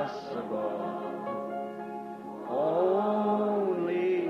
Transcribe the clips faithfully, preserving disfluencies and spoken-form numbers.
possible. Only.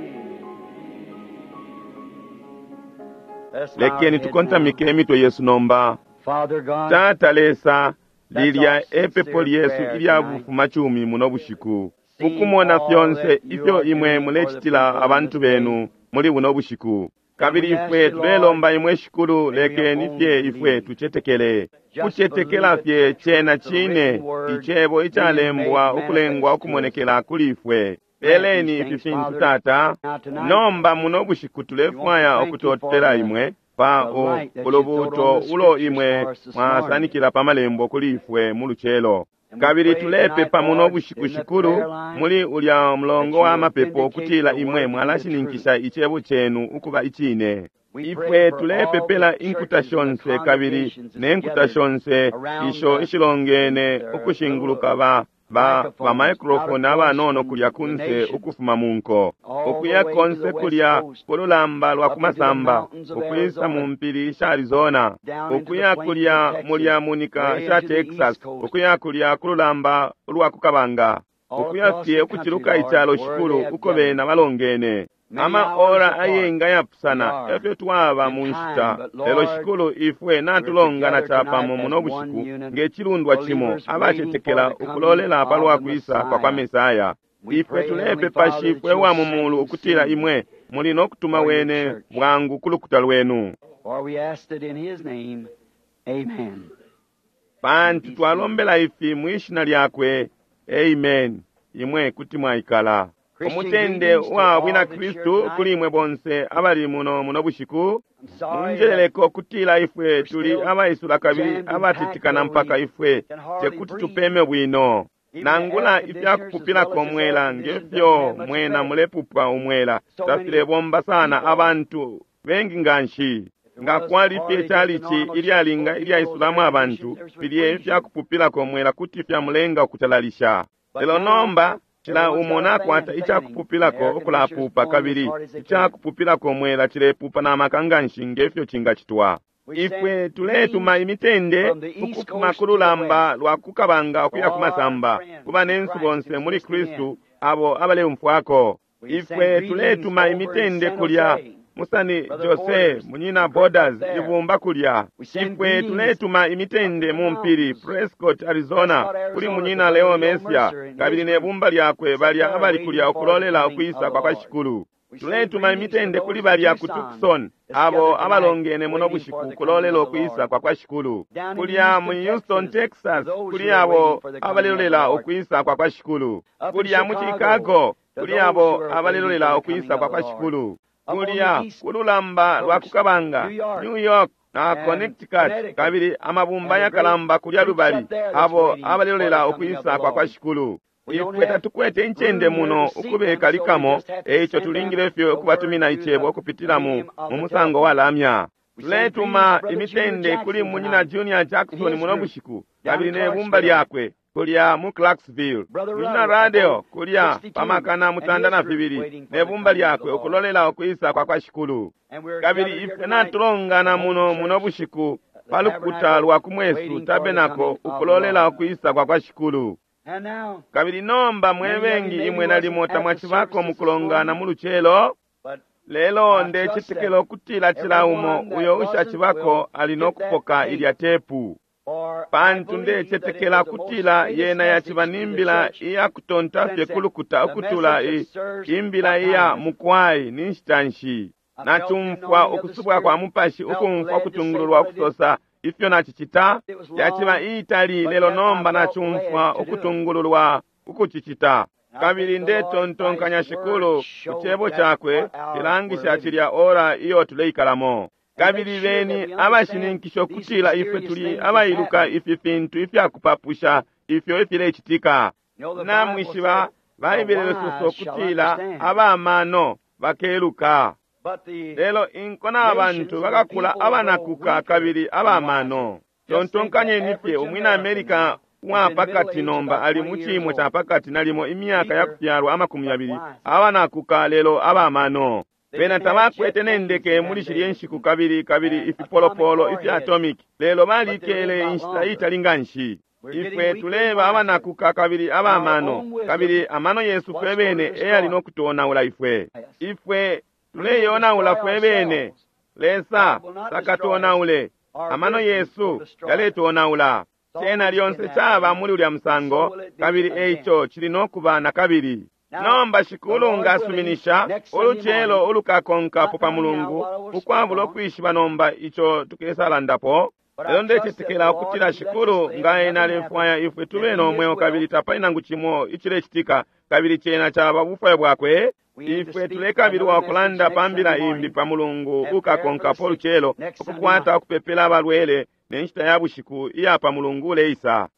Let's bow our Lekeni heads now. tukontamike emitwe yesu nomba. Father God, Tata Lesa, lilya That's our epepo sincere lyesu prayer ilya tonight. bufumacumi muno bushiku, Seeing ukumona all fyonse that you ifyo are imwe doing for the mulecitila people in abantu this day. benu muli buno bushiku. Kabili we ask ifwe you, tulelomba imwe Shikulu, may we lekeni only fye ifwe believe. tucetekele, Just kucetekela believe fye it, cena the cine written word icebo icalembwa being made ukulengwa manifest to us. ukumonekela kuli ifwe. Grant Peleni these ifi things, fintu Father. Tata. Now tonight, Nomba muno bushiku we want to tulefwaya thank you for ukutotela the, imwe pa the u- light that you throwed on ulubuuto the ulo scriptures imwe for us this morning. mwasanikila pa malembo kuli ifwe mu lucelo. And we Kabili pray tonight, tulepepa muno Lord, bushiku in the Shikulu, prayer line, muli ulya that mulongo you wa will mapepo vindicate ukutila the imwe word to be the truth. mwalashininkisha icebo cenu ukuba icine. We pray Ifwe for all the tulepepela inkuta churches and the shonse kabili congregations that's ne nkuta gathered shonse around isho the, ishilongene their ukushinguluka little ba ba ba microphones out microphone across abanono from kulya the kunse nations, ukufuma mu nko, all the ukuya way to the konse west kulya coast, kululamba lwa up into the kumasamba, mountains of ukwisa mu Arizona, mpili sha Arizona, down into the ukuya plains of kulya Texas, mulya munika way sha into the east Texas, coast, ukuya kulya kululamba ulwa kukabanga, all ukuya across fye the country, ukuciluka Lord, icalo where they Shikulu, have uko gathered. bena balongene. Many Ama hours ora apart ayenga we yapusana are efyo twaba in mu time, nshita, but lelo Lord, Shikulu ifwe we're natulongana together tonight capamo as muno one bushiku unit, ng'ecilundwa cimo believers waiting for abacetekela the coming ukulolela pa of lwa the kwisa kwa kwa Messiah. Mesaya. We Ifwe pray, Heavenly tulepepa Father, that Shifwe you'll wa mu send mulu him ukutila soon imwe muli no kutuma for your wene church. bwangu ku lukuta lwenu. For we ask it in his name. Amen. You Pantu be seated. twalombela ifi mwishina lyakwe. Amen. Imwe kuti mwaikala. Christian Umutende greetings to wa all bwina that's here Kristu tonight. kuli imwe bonse abali muno muno bushiku. I'm sorry that Munjeleleko kutila ifwe we're tuli still abaisula kabili jammed and packed abatitikana where mpaka we ifwe can hardly tekuti breathe. tupeme bwino. Even the air Nangula conditioners, as well ifyakupupilako as this air mwela condition, doesn't ngefyo have much mwena effect. mulepupa umwela So many tafilebomba sana people. abantu bengi nganshi. If it Nga was kwali fye hardly just a chalichi normal church full ilyalinga of people, those ilyaisulamo air abantu conditioners would filye freeze you. ifyakupupilako mwela kuti fyamulenga ukutalalisha. But Lelo now, nomba cila everyone's umo got a fan nakwata fanning, and the icakupupilako air conditioner's ukulapupa blowing as kabili hard as they can. icakupupilako mwela cilepupa na maka nganshi ngefyo cingacitwa. We Ifwe send tuletuma greetings imitende from the east ukufuma coast ku to the lulamba west lwa kukabanga to ukuya all our kumasamba friends ku in banensu Christ bonse who's muli listening in. Kristu abo abaleumfwako. We send Ifwe greetings tuletuma over in imitende San kulya Jose, Musani Brother Jose Borders, munyina the group up Borders there. ibumba kulya. We send Ifwe greetings tuletuma up in imitende the mu mpili mountains, Prescott Arizona Prescott, kuli Arizona, to munyina Brother Leo Leo Mesia Mercer and his kabili ne group bumba lyakwe that's up balya there abali waiting kulya for the ukulolela coming of ukwisa the kwa kwa Lord. Shikulu. We send Tuletuma greetings to imitende kuli those in balya ku Tucson Tucson that's abo gathered tonight abalongene muno waiting for bushiku the coming kulolela of the ukwisa Lord. kwa kwa Shikulu. Down in Kulya Houston, mu Houston Texas, to Texas those kuli who are waiting abo for the coming of the abalelolela Lord. ukwisa kwa kwa Shikulu. Up in Kulya mu Chicago, Chicago to kuli those who abo are waiting for abalelolela the coming ukwisa of kwa the kwa Lord. Shikulu. Up on the Kulya east kululamba lwa coast, kukabanga New York New York na and Connecticut Connecticut, kabili amabumba and the great yakalamba kulya groups lubali up there that's abo waiting for the abalelolela coming of ukwisa the kwa kwa Lord. Shikulu. We don't Ifwe have tatukwete incende room here muno to seat them, so we ukubekalikamo, just have to eico send them tulingile fye the word ukubatumina through icebo the ukupitila mu medium of mu the musango wa telephone. lamya. We send greetings to Tuletuma Brother Junior imitende kuli Jackson munyina tonight Junior and Jackson his muno group bushiku down kabili in ne bumba Clarksville. lyakwe kulya mu Clarksville. Brother Munyina Ruddle Radio aboard kulya sixty-two pamakana and mutanda his na group fibili waiting ne for the bumba coming of the lyakwe Lord. ukulolela ukwisa kwa kwa Shikulu. And we're Kabili gathered here ife tonight at natulongana the home muno muno church, bushiku the pa lukuta tabernacle, lwa kumwesu waiting for the tabenako coming of the ukulolela Lord. ukwisa kwa kwa Shikulu. And now, Kabili nomba mwe many of you bengi maybe imwe wasn't nalimo at the tamwacibako services mu this kulongana morning, mu lucelo, but lelo I trust that ndecetekela ukutila cila umo everyone that uyo wasn't ushacibako will ali no get that kupoka tape. ilya tepu. For I Pantu believe that it ndecetekela was the most kutila greatest yena message yaciba to the nimbila church iyakutonta fye since ku lukuta the ukutula message i of sirs imbila what iya time is it? mukwai ni nshita nshi. I felt the Nachumfwa anointing of the ukusubwa kwa Spirit, mupashi felt ukumfwa led to say ukutungululwa what I did. ukusosa ifyo nachicita It was yaciba long, iitali but lelo yet I nomba felt led nachumfwa to do it. ukutungululwa ukucicita. And I Kabili think the Lord, by ndetontonkanya His word, Shikulu ku showed cebo that chakwe what hour we're cilangisha living. cilya ora iyo tuleikalamo. And make Kabili sure that beni we understand abashininkisha these ukutila ifwe mysterious tuli things that's abailuka happening. ifi fintu ifyakupapusha ifyo ifilecitika. You know, the Bible Namwishiba said, the Baibele lisosa wise shall ukutila understand. abamano bakeluka. But the Lelo inko n'abantu nations and the bakakula people will grow abanakuka weaker kabili and wiser. abamano. Just think the Tontonkanyeni fye average umwina American Amerika now is wa in middle pakati age, nomba about ali mu twenty years ciimo ca old. pakati nalimo imyaka ya Weaker kufyalwa amakumi but yabili wiser. abanakuka lelo abamano. They Bena didn't have jet tabakwete planes n'endeke in muli them shilye days nshiku kabili kabili and atomic ifipolopolo ifya warheads, atomic lelo but they lived balikele a lot inshita longer. iitali nga nshi. Ifwe tuleba abanakuka kabili abamano, kabili amano yesu fwe bene eyali no kutonaula ifwe. Ifwe tuleyonaula fwe bene. Lesa takatonaule. Amano yesu yaletonaula. Cena lyonse caba muli ulya musango, kabili eico cili no kuba na kabili. Nomba Shikulu ngasuminisha ulucelo ulukakonkapo pa Mulungu, ukwabula ukwishiba nomba ico tukesalandapo. Lelo ndecetekela ukutila Shikulu nga ena alefwaya ifwe tube no mweo kabili tapali nangu cimo icilecitika, kabili cena caba bufwayo bwakwe. Ifwe tulekabilwa ukulanda pa mbila imbi pa Mulungu ukakonkapo ulucelo, ukukwata ukupepela abalwele ne nshita ya bushiku iya pa Mulungu uleisa.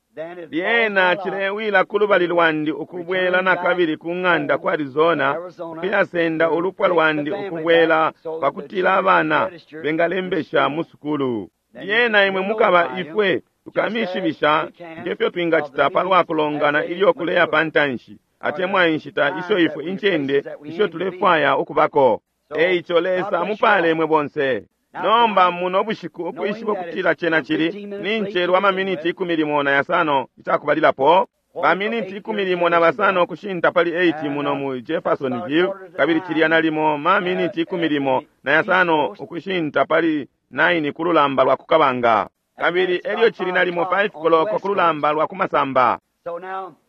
Lyena cilewila ku lubali lwandi ukubwela na kabili ku ng'anda ku Arizona, ukuyasenda ulupwa lwandi ukubwela pakutila abana bengalembesha mu sukulu. Lyena imwe mukaba ifwe tukamishibisha ngefyo twingacita palwa kulongana ilyo kuleya pa ntanshi, atemwa inshita isho ifwe incende isho tulefwaya ukubako. Eico Lesa amupale imwe bonse. Nomba muno bushiku ukwishiba ukutila cena cili ni ncelwa amaminiti ikumi limo na yasano icakubalilapo, baminiti ikumi limo na basano kushinta pali eight muno mu Jeffersonville, kabili cilya nalimo maminiti ikumi limo na yasano ukushinta pali nine kululamba lwa kukabanga, kabili elyo cili nalimo five koloko kululamba lwa kumasamba.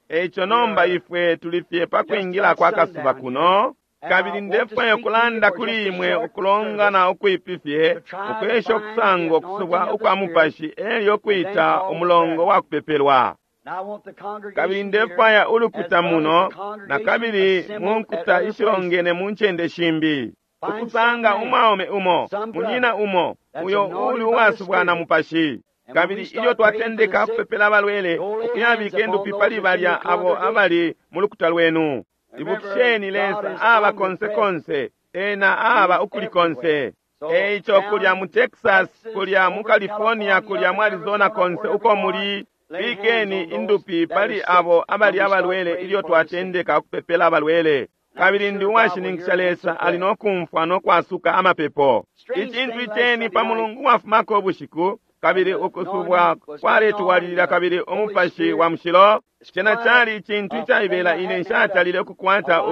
Eico nomba ifwe tulifye pa kwingila kwa kasuba kuno, kabili ndefwaya ukulanda kuli imwe ukulongana ukwipifye, ukwesha ukusanga ukusubwa ukwa mupashi elyo kwita umulongo wa kupepelwa. Kabili ndefwaya ulukuta muno na kabili mu nkuta ishilongene mu ncende shimbi, ukusanga umwaume umo, munyina umo, uyo uli uwasubwa na mupashi. Kabili ilyo twatendeka kupepela abalwele, ukuyabika indupi pali balya abo abali mu lukuta lwenu. Ibukisheni Lesa aba konse konse, ena aba ukuli konse. Eico kulya mu Texas, kulya mu California, kulya mu Arizona, konse uko muli, bikeni indupi pali abo abali abalwele ilyo twatendeka kupepela abalwele. Kabili ndi uwashininkisha Lesa ali no kumfwa no kwasuka amapepo. Icintu iceni pa Mulungu wafumako ubushiku, kabili ukusubwa kwaletwalilila kabili umupashi wa mushilo. Cena cali icintu icaibela ine nshatalile ukukwata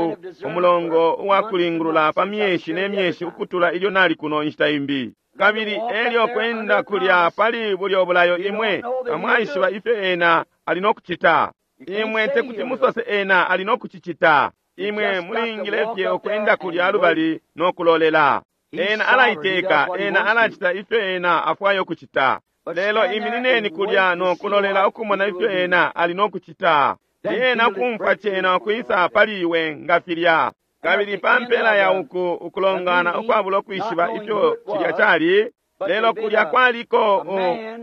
umulongo uwakulingulula pa myeshi ne myeshi ukutula ilyo nali kuno inshita imbi. Kabili elyo kwenda kulya pali bulyo bulayo imwe tamwaishiba ifyo ena ali no kucita. Imwe tekuti musose ena ali no kucicita. Imwe mulingile fye ukwenda kulya lubali no kulolela. Ena alaiteka, ena alacita ifyo ena afwaya ukucita. Lelo iminineni kulya no kulolela ukumona ifyo ena ali no kucita. Ena kumfwa cena ukwisa pali iwe nga filya. Kabili pa mpela ya uku ukulongana ukwabula ukwishiba ifyo cilya cali, lelo kulya kwaliko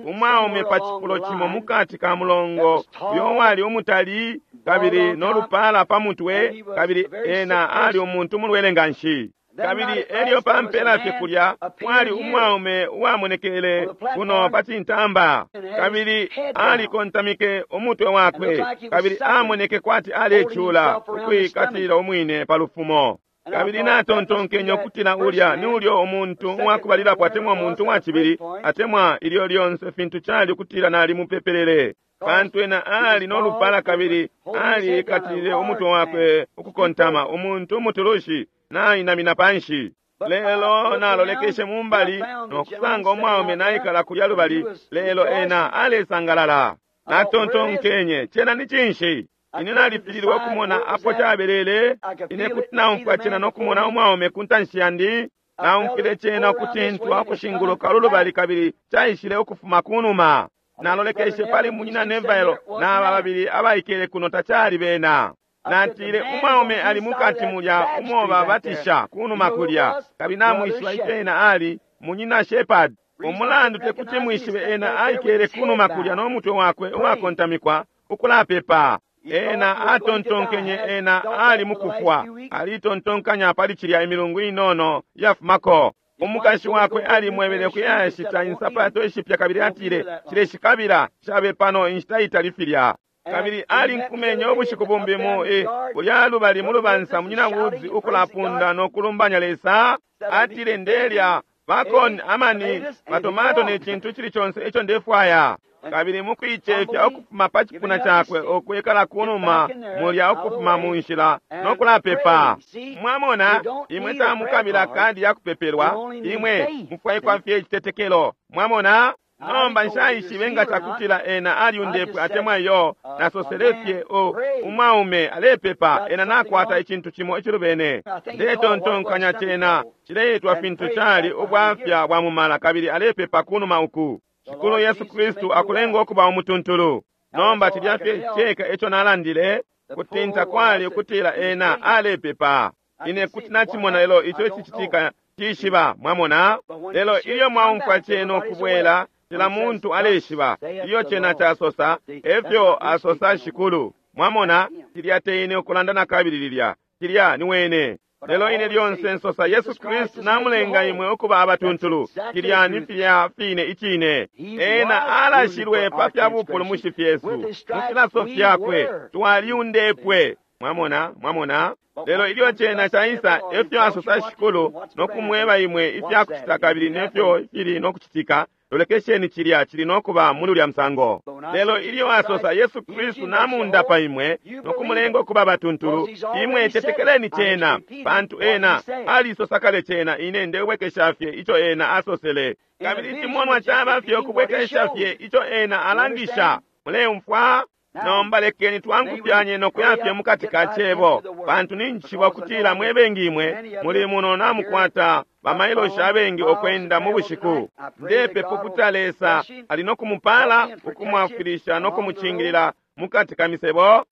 umwaume pa cifulo cimo mukati ka mulongo uyo wali umutali kabili no lupala pa mutwe, kabili ena ali umuntu mulwele nganshi. Kabili elyo pa mpela fye kulya kwali umwaume uwamonekele kuno pa cintamba, kabili alikontamike umutwe wakwe, kabili amoneke kwati alecula ukwikatila umwine pa lufumo. Kabili natontonkenye ukutila ulya ni ulyo umuntu uwakubalilapo atemwa umuntu uwacibili atemwa ilyo lyonse fintu cali ukutila nalimupepelele, pantu ena ali no lupala kabili alikatilile umutwe wakwe ukukontama, umuntu umutulushi nainamina panshi. Lelo nalolekeshe mumbali nokusanga umwaume naikala kulya lubali, lelo ena alesangalala. Natontonkenye, cena ni cinshi? Ine nalifililwe ukumona apo cabelele. Ine kuti naumfwa cena nokumona umwaume ku ntanshi yandi. Naumfwile cena ukutintwa ukushinguluka lulubali kabili caishile ukufuma kunuma. Nalolekeshe pali munyina Neville n'aba babili abaikele kuno, tacali bena. Natile umwaume ali mukati mulya umo babatisha kunuma kulya, kabili namwishiba ifyo ena ali munyina Shepherd. Umulandu tekuti mwishibe, ena aikele kunuma kulya no mutwe wakwe uwakontamikwa ukulapepa. Ena atontonkenye ena ali mukufwa, alitontonkanya pali cilya imilungu inono yafumako. Umukashi wakwe alimwebele kuyashita insapato ishipya kabili atile cileshikabila shabe pano inshita itali filya. Kabili alinkumenye ubushiku bumbi mu e kulya lubali mu lubansa munyina Woods ukulapunda no kulumbanya Lesa. Atile ndelya bacon, amani, matomato ne cintu cili conse ico ndefwaya. Kabili mukuicefya ukufuma pa cipuna cakwe ukwikala kunuma mulya ukufuma mu nshila no kulapepa. Mwamona, imwe tamukabila kadi ya kupepelwa, imwe mufwaikwa fye icitetekelo. Mwamona? Nomba nshaishibe nga cakutila ena aliundepwe atemwa iyo. Nasosele fye o umwaume alepepa, ena nakwata icintu cimo icilubene. Ndetontonkanya cena cileitwa fintu cali ubwafya bwa mumala, kabili alepepa kunuma uku. Shikulu Yesu Kristu akulenga ukuba umutuntulu. Nomba cilya fye ceka eco nalandile, kutinta kwali ukutila ena alepepa. Ine kuti nachimona lelo ico icicitika cishiba, mwamona. Lelo ilyo mwaumfwa cena ukubwela, cila muntu aleshiba iyo cena casosa, efyo asosa Shikulu. Mwamona, cilya teine ukulanda nakabili lilya, cilya ni wene. Lelo ine lyonse nsosa Yesu Kristu namulenga imwe ukuba abatuntulu. Cilya ni filya fine icine. Ena alashilwe pa fya bupulumushi fyesu, mu filaso fyakwe twaliundepwe. Mwamona, mwamona. Lelo ilyo cena caisa, efyo asosa Shikulu, no kumweba imwe ifya kucita kabili nefyo fili no kucitika. Lolekesheni cilya cili no kuba muli ulya musango. Lelo ilyo asosa Yesu Kristu namundapa imwe no kumulenga ukuba batuntulu, imwe tetekeleni cena, pantu ena alisosa kale cena. Ine ndebwekesha fye ico ena asosele, kabili icimonwa caba fye ukubwekesha fye ico ena alangisha. Muleumfwa? Nomba lekeni twangufyanye no kuya fye mukati ka cebo, pantu ninjishiba ukutila mwe bengi imwe muli muno namukwata bamailoshi abengi okwenda mu bushiku. Ndepepa ukuti Lesa ali no kumupala, ukumwafwilisha no kumucingilila mukati ka misebo.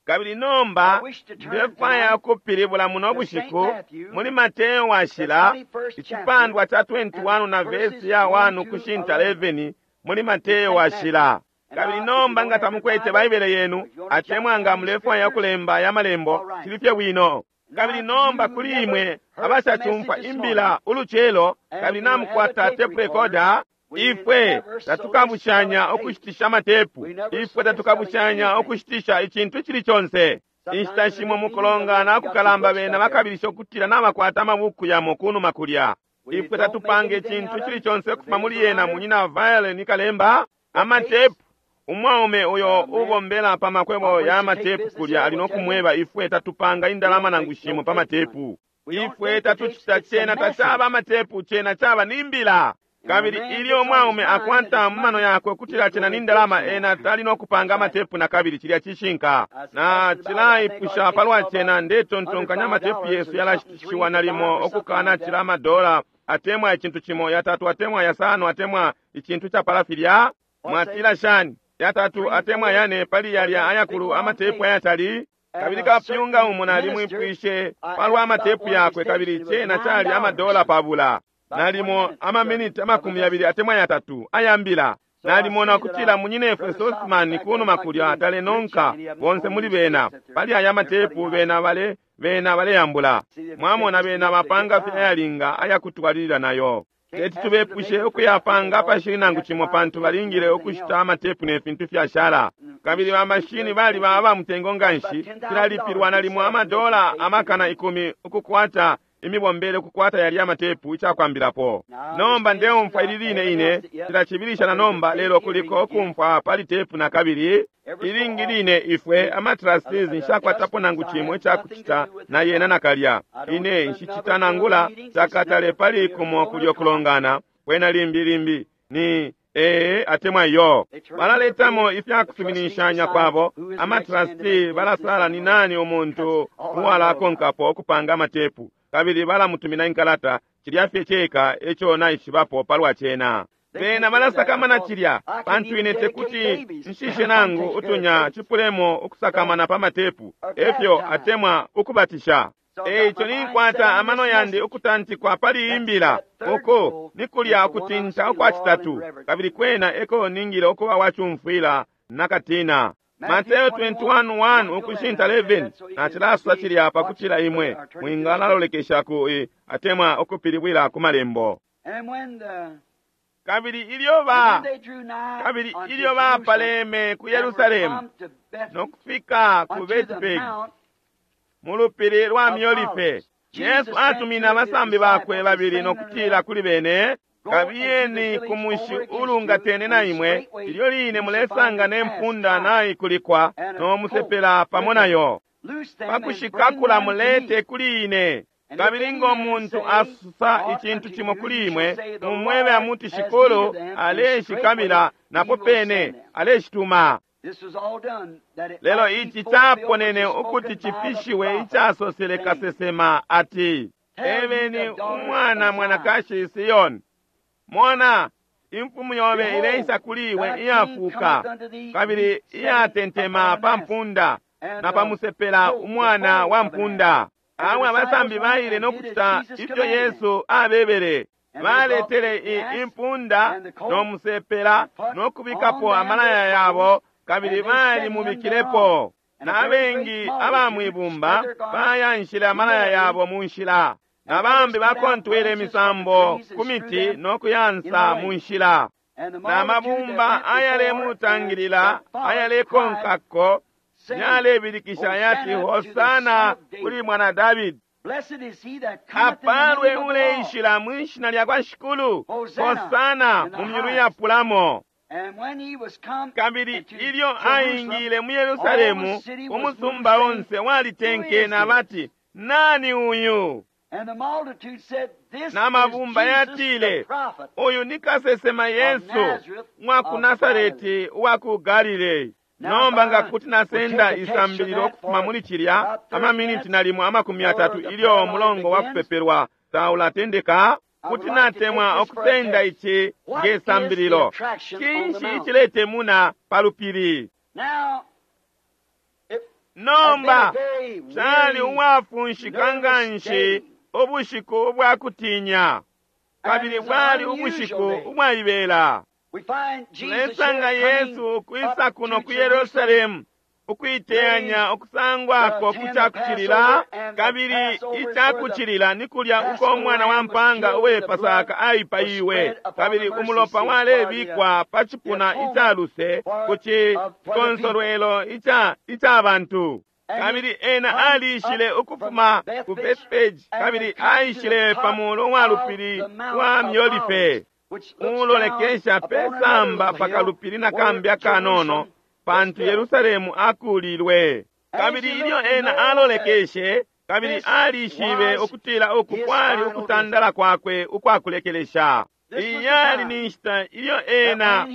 Kabili nomba ndefwaya ukupilibula muno bushiku muli Mateo washila icipandwa ca twenty-one na vesi ya one kushinta eleven muli Mateo washila. Kabili nomba nga tamukwete Baibele yenu atemwa nga mulefwaya kulemba ya malembo, cili fye bwino. Kabili nomba kuli imwe abashacumfwa imbila ulucelo, kabili namukwata tape recorder, ifwe tatukabushanya ukushitisha matepu, ifwe tatukabushanya ukushitisha icintu icili conse. Inshita shimo mukulongana kukalamba bena bakabilisha ukutila nabakwata amabuku yamo kunuma kulya. Ifwe tatupanga icintu icili conse ukufuma muli yena munyina Violet Kalemba amatepu. Umwaume uyo ubombela pa makwebo ya matepu kulya ali no kumweba ifwe tatupanga indalama nangu shimo pa matepu. Ifwe tatuchita cena tachaba matepu, cena chaba nimbila. Kabili ilyo umwaume akwata mumano yakwe kutila cena nindalama, ena tali no kupanga matepu na kabili. Cilya cishinka. Na cilaipusha palwa cena, ndetontonkanya matepu yesu yalashitishiwa nalimo okukana cila amadola atemwa icintu cimo, yatatu atemwa yasano atemwa icintu chapala filya. Mwatila shani yatatu atemwa yane pali yalya ayakulu amatepu ayatali. Kabili kapyunga umo nalimwipwishe palwa amatepu yakwe, kabili cena chali amadola pabula nalimo amaminiti amakumi yabili atemwa yatatu ayambila. Nalimona kutila munyinefwe Sosman kunuma kulya atalenonka bonse muli bena pali aya matepu, bena bale bena baleyambula. Mwamona bena bapanga fye ayalinga ayakutwalilila nayo. Teti tubepushe ukuyapanga pashili nangu cimo, pantu balingile ukushita amatepu ne fintu fyashala. Kabili bamashini bali baba mutengo nganshi, filalipilwa nalimo amadola amakana ikumi ukukwata imibombele ukukwata yali amatepu icakwambilapo. Nomba ndeumfwa ili line ine cilacibilisha na nomba, lelo kuliko ukumfwa pali tepu na kabili. Ilingi line ifwe amatrustees nshakwatapo nangu cimo icakucita na yena nakalya. Ine nshicita nangula cakatale pali kumo kulyo kulongana kwena limbi limbi ni ee atemwa iyo. Balaletamo ifyakusuminishanya kwabo. Amatrustee balasala ni nani umuntu uwalakonkapo ukupanga amatepu, kabili balamutumina inkalata. Cilya fye ceka eco naishibapo palwa cena. Bena balasakamana cilya, pantu ine tekuti nshishe nangu utunya cipulemo ukusakamana pa matepu efyo atemwa ukubatisha. Eico ninkwata amano yandi ukutantikwa pali imbila uko nikulya ukutinta ukwa citatu, kabili kwena eko ningile ukuba wacumfwila nakatina. Mateo twenty-one one ukushinta eleven nacilaswa cilya pakutila imwe mwingalalolekesha ku atemwa ukupilibwila ku malembo. Kabili ilyo ba kabili ilyo bapaleme ku Yerusalemu no kufika ku Betipegi mu lupili lwa Miolife, Yesu atumina abasambi bakwe babili no kutila kuli bene, Kabiyeni ku mushi ulungatene na imwe, ilyo line mulesanga ne mpunda naikulikwa no musepela pamo nayo. Pakushikakula mulete kuli ine. Kabili ngo muntu asusa icintu cimo kuli imwe, mumwebe amuti Shikulu aleshikamila, napo pene aleshituma. Lelo ici caponene ukuti cifishiwe icasosele kasesema ati, ebeni umwana mwanakashi Siyoni, mona imfumu yobe ileisa kuli iwe iyafuka kabili iyatentema pa mpunda na pa musepela umwana wa mpunda. Awe abasambi baile no kucita ifyo Yesu abebele. Baletele impunda no musepela no kubikapo amalaya yabo, kabili balimubikilepo. Na abengi aba mwibumba bayanshile amalaya yabo mu nshila, na bambi bakontwele imisambo ku miti no kuyansa mu nshila. Na mabumba ayalemutangilila ayalekonkako yalebilikisha yati, Hosana kuli mwana Davidi. Apalwe uleishila mwishina lya kwa Shikulu, Hosana mu myulu yapulamo. Kabili ilyo aingile mu Yerusalemu, umusumba onse walitenkene abati, nani uyu? Na mabumba yatile, uyu ni kasesema Yesu wa ku Nasareti wa ku Galilei. Nomba nga kuti nasenda isambililo okufuma muli cilya amaminiti nalimo amakumi atatu ilyo mulongo wa kupepelwa taulatendeka, kuti natemwa okusenda ici nge sambililo. Cinshi iciletemuna pa lupili? Nomba cali uwafunshika nganshi ubushiku ubwakutinya, kabili bwali ubushiku ubwaibela. Tulesanga Yesu ukwisa kuno ku Yerusalemu ukuiteyanya ukusangwako ku cakucilila, kabili icakucilila ni kulya uko umwana wa mpanga uwe Pasaka aipaiwe, kabili umulopa walebikwa pa cipuna icaluse ku cikonsolwelo ica ica bantu. Kabili ena aliishile ukufuma ku Bethpage, kabili aishile pa mulu wa lupili wa Miolife, ulolekesha pesamba pakalupili na kambi akanono, pantu Yerusalemu akulilwe. Kabili ilyo ena alolekeshe, kabili alishibe ukutila uku kwali ukutandala kwakwe ukwakulekelesha. Iyali ni nshita ilyo ena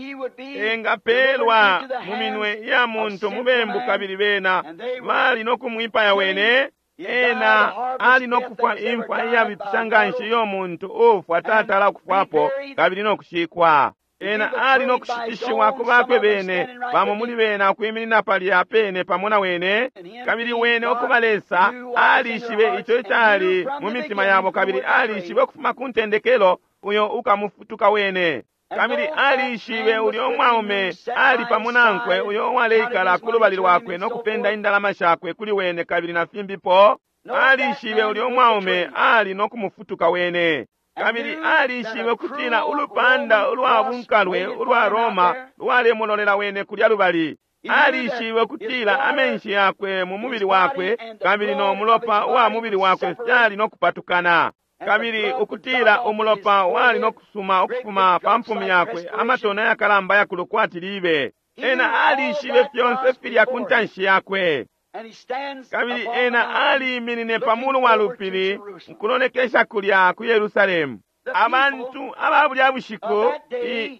engapelwa mu minwe ya muntu mubembu, kabili bena bali no kumwipaya wene. Ena ali no kufwa imfwa iyabipisha nganshi iyo muntu ufwa tatala kufwapo, kabili no kushikwa. Ena ali no kushitishiwa ku bakwe bene, bamo muli bena ukwiminina palya pene pamo na wene, kabili wene ukuba Lesa alishibe ico icali mu mitima yabo, kabili alishibe ukufuma ku ntendekelo uyo ukamufutuka wene. Kabili alishibe ulyo mwaume ali pamo nankwe uyo uwaleikala ku lubali lwakwe no kupenda indalama shakwe kuli wene, kabili na fimbipo. Alishibe ulyo mwaume ali no kumufutuka wene. Kabili alishibe ukutila ulupanda ulwa bunkalwe ulwa Roma lwalemulolela wene kulya lubali. Alishibe ukutila amenshi yakwe mu mubili wakwe kabili no mulopa wa mubili wakwe fyali no kupatukana, kabili ukutila umulopa wali no kusuma ukufuma pa mpumi yakwe amatona yakalamba yakulu kwati libe. Ena alishibe fyonse filya ku ntanshi yakwe. Kabili ena aliiminine pa mulu wa lupili nkulolekesha kulya ku Yerusalemu. Abantu aba bulya bushiku,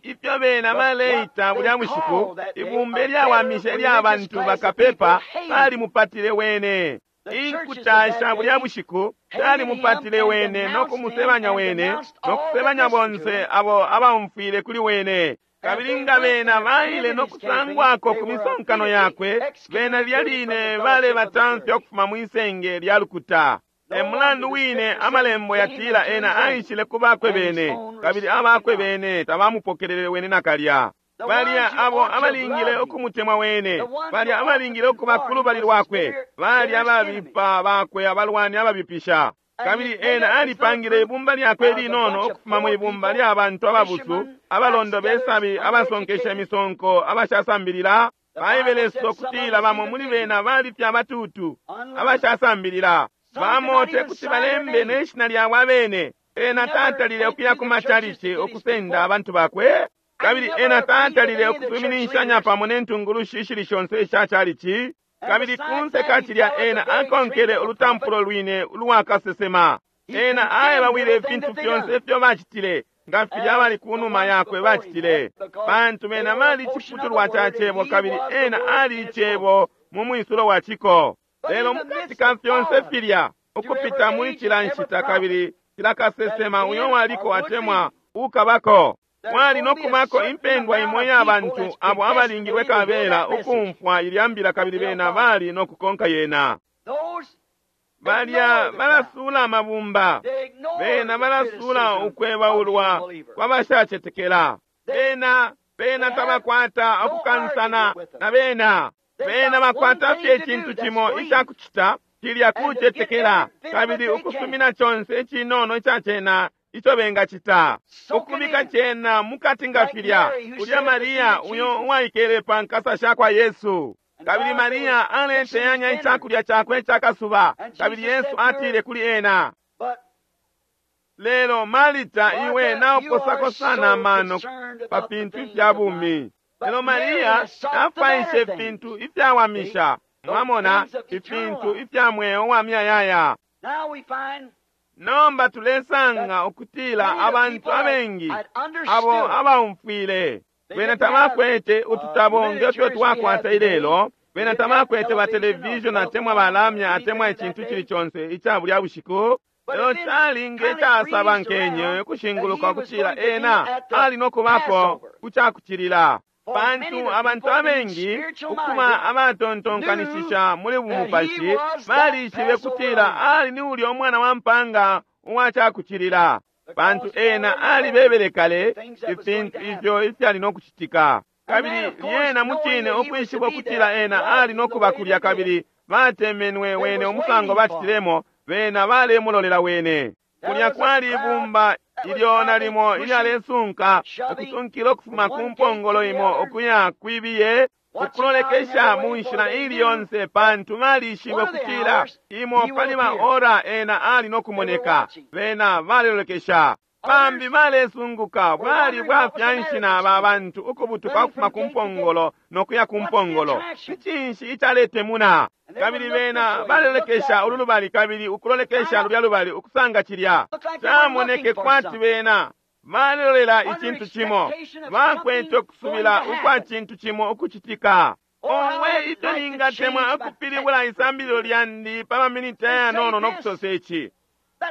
ifyo bena baleita bulya bushiku, ibumba ilyawamisha ilya bantu bakapepa balimupatile wene. Inkuta sha bulya bushiku shalimupatile wene no kumusebanya wene no kusebanya bonse abo abaumfwile kuli wene. Kabili nga bena baile no kusangwako ku misonkano yakwe, bena lya line balebatamfya ukufuma mwisenge lya lukuta. E mulandu wine amalembo yatila ena aishile ku bakwe bene, kabili abakwe bene tabamupokelele wene nakalya. Balya abo abalingile ukumutemwa wene, balya abalingile ukuba ku lubali lwakwe, balya ababipa bakwe abalwani ababipisha. Kabili ena alipangile ibumba lyakwe linono ukufuma mu ibumba lya bantu ababusu, abalondo besabi, abasonkesha imisonko, abashasambilila. Baibeleso kutila bamo muli bena bali fye abatutu, abashasambilila. Bamo te kuti balembe ne shina lyabo abene, Ena tatalile ukuya ku machalichi ukusenda abantu bakwe, kabili ena tatalile ukusuminishanya pamo ne ntungulushi ishili shonse isha chalichi, kabili kunse kachilya ena akonkele ulutampulo lwine ulwakasesema. Ena aebawile ifintu fyonse ifyo bacitile nga filya bali kunuma yakwe bacitile, pantu bena bali chiputulwa cha cebo kabili ena ali icebo mu mwisulo wa ciko. Lelo mukati ka fyonse filya ukupita muli cila nshita kabili cila kasesema uyo waliko atemwa ukabako, wali nokubako impendwa imo ya bantu abo abalingilwe kabela ukumfwa ilya mbila kabili bena bali nokukonka yena. Balya balasula amabumba, bena balasula ukwebaulwa kwabashacetekela, bena bena tabakwata okukansana na bena, bena bakwata fye icintu cimo icakucita cilya kucetekela kabili ukusumina conse icinono ica cena ico bengacita, ukubika cena mukati nga filya ulya Maria uyo uwaikele pa nkasa sha kwa Yesu. Kabili Maria aleteyanya icakulya cakwe cakasuba, kabili Yesu atile kuli ena, lelo Marita iwe nauposako sana amano pa fintu ifya bumi. Lelo Maria afwaishe ifintu ifyawamisha, mwamona, ifintu ifya mweo wa miyayaya. Nomba tulesanga ukutila abantu abengi abo abaumfwile bena tabakwete ututabo ngefyo twakwata ilelo, bena tabakwete ba television atemwa balamya atemwa icintu cili conse ica bulya bushiku. Lelo cali nge casabankenye ukushinguluka ukutila ena ali nokubako kucakucilila, pantu abantu abengi ukuma abatontonkanishisha muli bumupashi balishibe kutila ali ni ulya umwana wa mpanga uwacakucilila, pantu ena alibebele kale ifintu ifyo ifyali nokucitika. Kabili lyena mucine ukwishiba ukutila ena ali nokuba kulya, kabili batemenwe wene umusango bacitilemo, bena balemulolela wene. Kulya kwali ibumba ilyo nalimo ilyalesunka ukusunkila ukufuma ku mpongolo imo ukuya kwibiye, ukulolekesha mu nshila ili yonse, pantu balishibe ukutila imo pali ba ora ena ali nokumoneka. Bena balelolekesha, bambi balesunguka bwali bwafyanshi na aba bantu ukubutuka ukufuma ku mpongolo nokuya ku mpongolo. Ni cinshi icaletemuna? Kabili bena balelolekesha ulu lubali kabili ukulolekesha lulya lubali ukusanga cilya. Camoneke kwati bena balelolela icintu cimo, bakwete ukusubila ukwa cintu cimo ukucitika. Owe, ifyo ningatemwa ukupilibula isambililo lyandi pa maminiti ayanono nokusosa ici,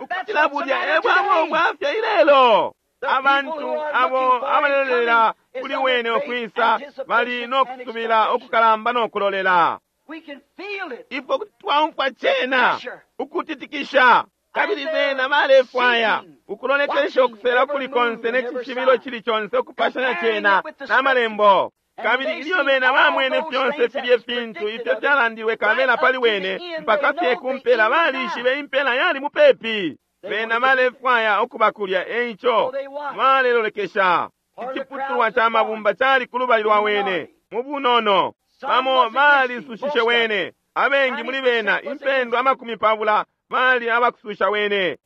ukutila bulya e bwabo bwafya ilelo. Abantu abo abalelolela kuli wene ukwisa bali nokusubila ukukalamba nokulolela. Ifwe kuti twaumfwa cena ukutitikisha, kabili bena balefwaya ukulolekesha ukusela kuli konse ne cishibilo cili conse ukupashanya cena na malembo. Kabili ilyo bena bamwene fyonse filye fintu ifyo fyalandilwe kabela pali wene mpaka fye kumpela, balishibe impela yali mupepi. Bena balefwaya ukuba kulya, eico balelolekesha. Iciputulwa ca mabumba cali kulubali lwa wene mu bunono. Bamo balisusushe wene, abengi muli bena impendwa amakumi pabula bali abakususha wene.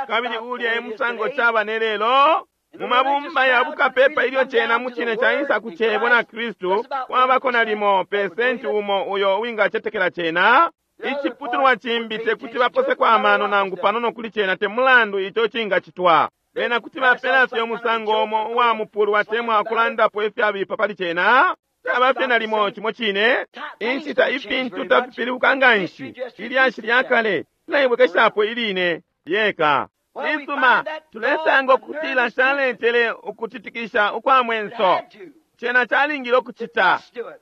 Kabili ulya e musango caba ne lelo mu mabumba ya bukapepa ilyo cena mucine caisa ku cebo na Kristu, kwabako nalimo pesenti umo uyo wingacetekela cena. Iciputulwa cimbi tekuti baposeko amano nangu panono kuli cena, te mulandu ico cingacitwa. Bena kuti bapela fye umusango umo uwa mupulu atemwa ukulandapo ifyabipa pali cena. Caba fye nalimo cimo cine. Inshita ifintu tafipilibuka nganshi, ilyashi lya kale lilaibwekeshapo iline lyeka. Isuma tulesanga ukutila caletele ukutitikisha ukwa mwenso. Cena calingile ukucita,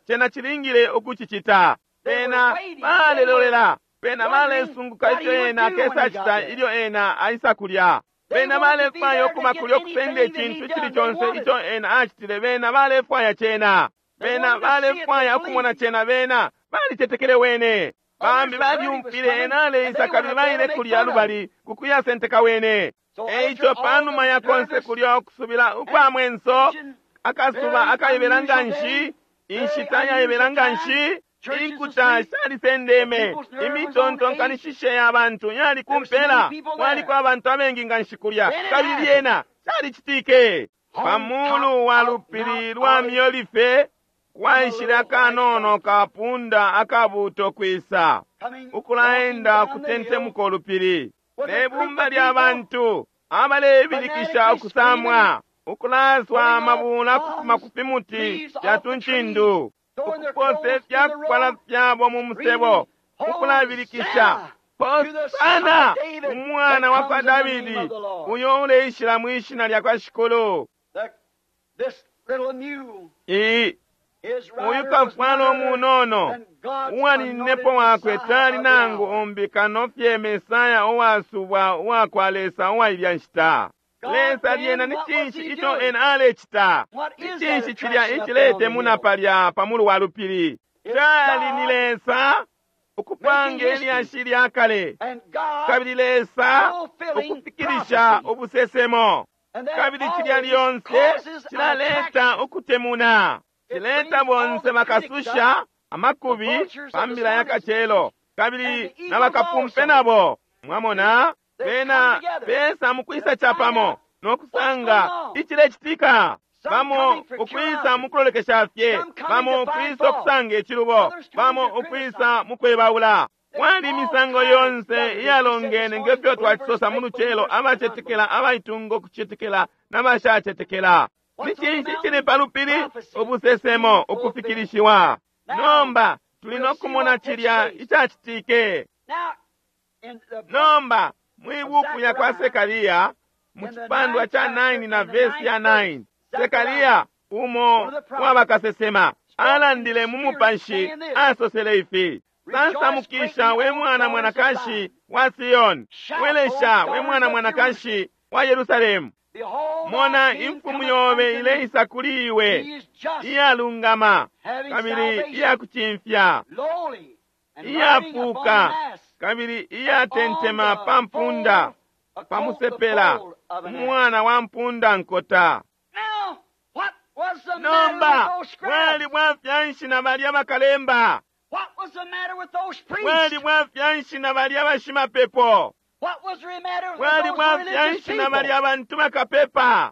cena cilingile ukucicita. Bena balelolela, bena balesunguka ifyo ena akesacita ilyo ena aisa kulya. Bena balefwaya ukuba kulya ukusenda icintu icili conse ico ena acitile. Bena balefwaya cena, bena balefwaya ukumona cena. Bena balicetekele wene. Bambi balyumfwile ena aleisa kabili baile kulya lubali kukuyasenteka wene. Eico panuma ya konse kulya ukusubila ukwa mwenso, akasuba akaibela nganshi, inshita yaibela nganshi, Inkuta shalisendeme, imitontonkanishishe ya bantu yali kumpela, kwaliko abantu abengi nga nshi kulya, kabili lyena calicitike. Pamulu wa lupili lwa Miolife kwaishile akanono kapunda akabuto kwisa, ukulaenda kutentemuka ulupili ne bumba lya bantu abalebilikisha ukusamwa, ukulaswa amabula kufuma ku fimuti fya tuncindu, ukupose ifyakufwala fyabo mu musebo, ukulabilikisha Hosana umwana wa kwa Davidi, uyo uleishila mwishina lya kwa Shikulu. Iyi uyu kafwalo munono uwaninepo wakwe tali nangu umbi kano fye Mesaya uwasubwa uwa kwa Lesa uwa ilya nshita. Lesa lyena ni cinshi ico ena alecita? Ni cinshi cilya iciletemuna palya pamulu wa lupili? Cali ni Lesa ukupanga ilyashi lya kale, kabili Lesa ukufikilisha ubusesemo, kabili cilya lyonse cilaleta ukutemuna, cileta bonse bakasusha amakubi pambila ya kacelo, kabili na bakapumpe nabo. Mwamona bena besa mukwisa chapamo nokusanga icilecitika, bamo ukwisa mukulolekesha fye, bamo ukwisa okusanga icilubo, bamo ukwisa mukwebaula. Kwali imisango yonse iyalongene ngefyo twacisosa mu lucelo, abacetekela, abaitunga ukucetekela n'abashacetekela. Ni cinshi cili pa lupili? Ubusesemo ukufikilishiwa. Nomba tuli nokumona cilya icacitike. Nomba mwibuku ya kwa Sekaria mu cipandwa ca nine na vesi ya nine, Sekaria umo wabakasesema alandile mu mupashi, asosele ifi: Sansamukisha we mwana mwanakashi wa Sion, welesha we mwana mwanakashi wa Yerusalemu. Mona imfumu yobe ileisa kuli iwe, iyalungama kabili iyakucimfya, iyafuuka kabili iyatentema pa mpunda, pa musepela, umwana wa mpunda nkota. Nomba bwali bwafya nshi na balya bakalemba? Bwali bwafya nshi na balya bashimapepo? Bwali bwafya nshi na balya bantu bakapepa?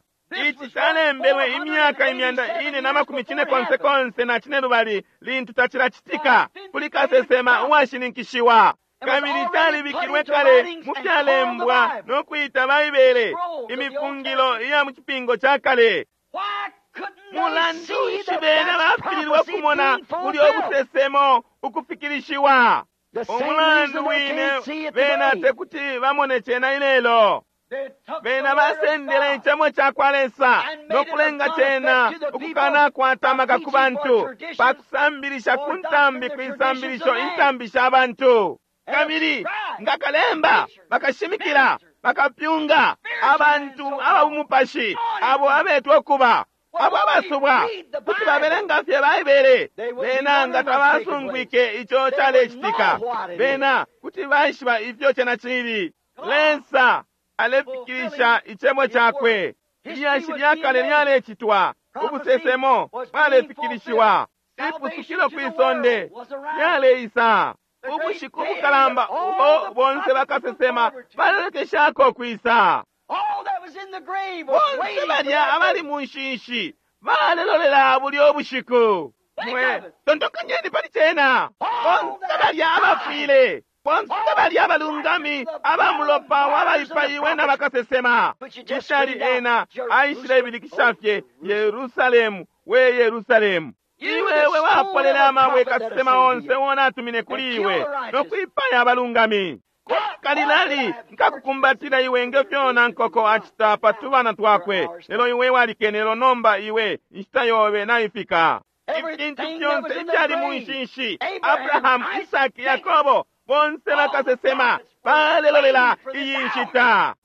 Ici calembelwe imyaka imyanda ine na makumi cine konse konse na cine lubali lintu tacilacitika kuli kasesema uwashininkishiwa, kabili calibikilwe kale mu fyalembwa no kwita Baibele imifungilo iya mu cipingo ca kale. Mulandu nshi bena bafililwe kumona bulyo ubusesemo ukufikilishiwa? Umulandu wine bena tekuti bamone cena ilelo. Bena basendele icemo ca kwa Lesa no kulenga cena ukukanakwata amaka ku bantu pakusambilisha ku ntambi kwisambilisho intambi sha bantu. Kabili nga kalemba bakashimikila bakapyunga abantu ababumupashi abo abetwa ukuba abo abasubwa kuti babelenga fye Baibele, bena nga tabasungwike ico calecitika. Bena kuti baishiba ifyo cena cili. Lesa alefikilisha icebo cakwe. Ilyashi lya kale lyalecitwa, ubusesemo bwalefikilishiwa, ipusukilo kwi sonde lyaleisa. Ubushiku bukalamba ubo bonse bakasesema balelekeshako kwisa. Bonse balya abali mu nshinshi balelolela bulyo bushiku. Mwe tontokanyeni pali cena. Bonse balya abafwile, bonse balya abalungami abamulopa wabaipaiwe na bakasesema. Ishali ena aishile ibilikisha fye, Yerusalemu, we Yerusalemu, iwewe wapolela amabwe kasesema onse wona atumine kuli iwe no kwipaya abalungami. Kalilali nkakukumbatila iwe ngefyona nkoko acita patubana twakwe, lelo iwe walikene, lelo nomba iwe inshita yobe naifika. Ifintu fyonse ifyali mu nshinshi, Abrahamu, Isaki, Yakobo, bonse bakasesema balelolela iyi nshita.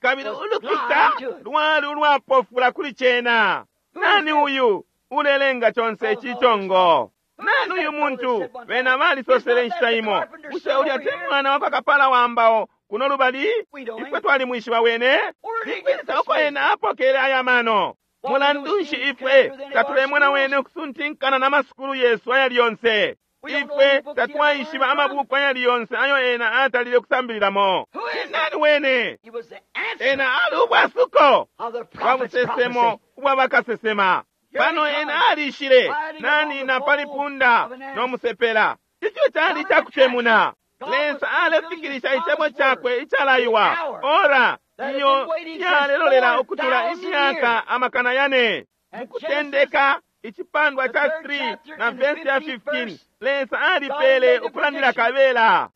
Kabili ulukuta lwali ulwapofula kuli cena. Nani uyu ulelenga conse ici congo? Nani uyu muntu? Bena balisosele inshita imo, bushe ulya te mwana wakwa kapala wa mbao kuno lubali? Ifwe twalimwishiba wene. Nikwisa uko ena apokele aya mano? Mulandu nshi ifwe tatulemona wene ukusuntinkana na masukulu yesu ayali yonse? Ifwe tatwaishiba amabuku ayali yonse ayo ena atalile kusambililamo. Nani wene? Ena ali ubwasuko bwa busesemo ubwa bakasesema. Pano ena alishile nani na pali punda no musepela. Icho chali chakutemuna. Lesa alefikirisha icebo chakwe ichalaiwa. Ora iyo yalelolela ukutula imyaka amakana yane. Mukutendeka ichipandwa cha three na verse ya fifteen, Lesa alipele ukulandila kabela.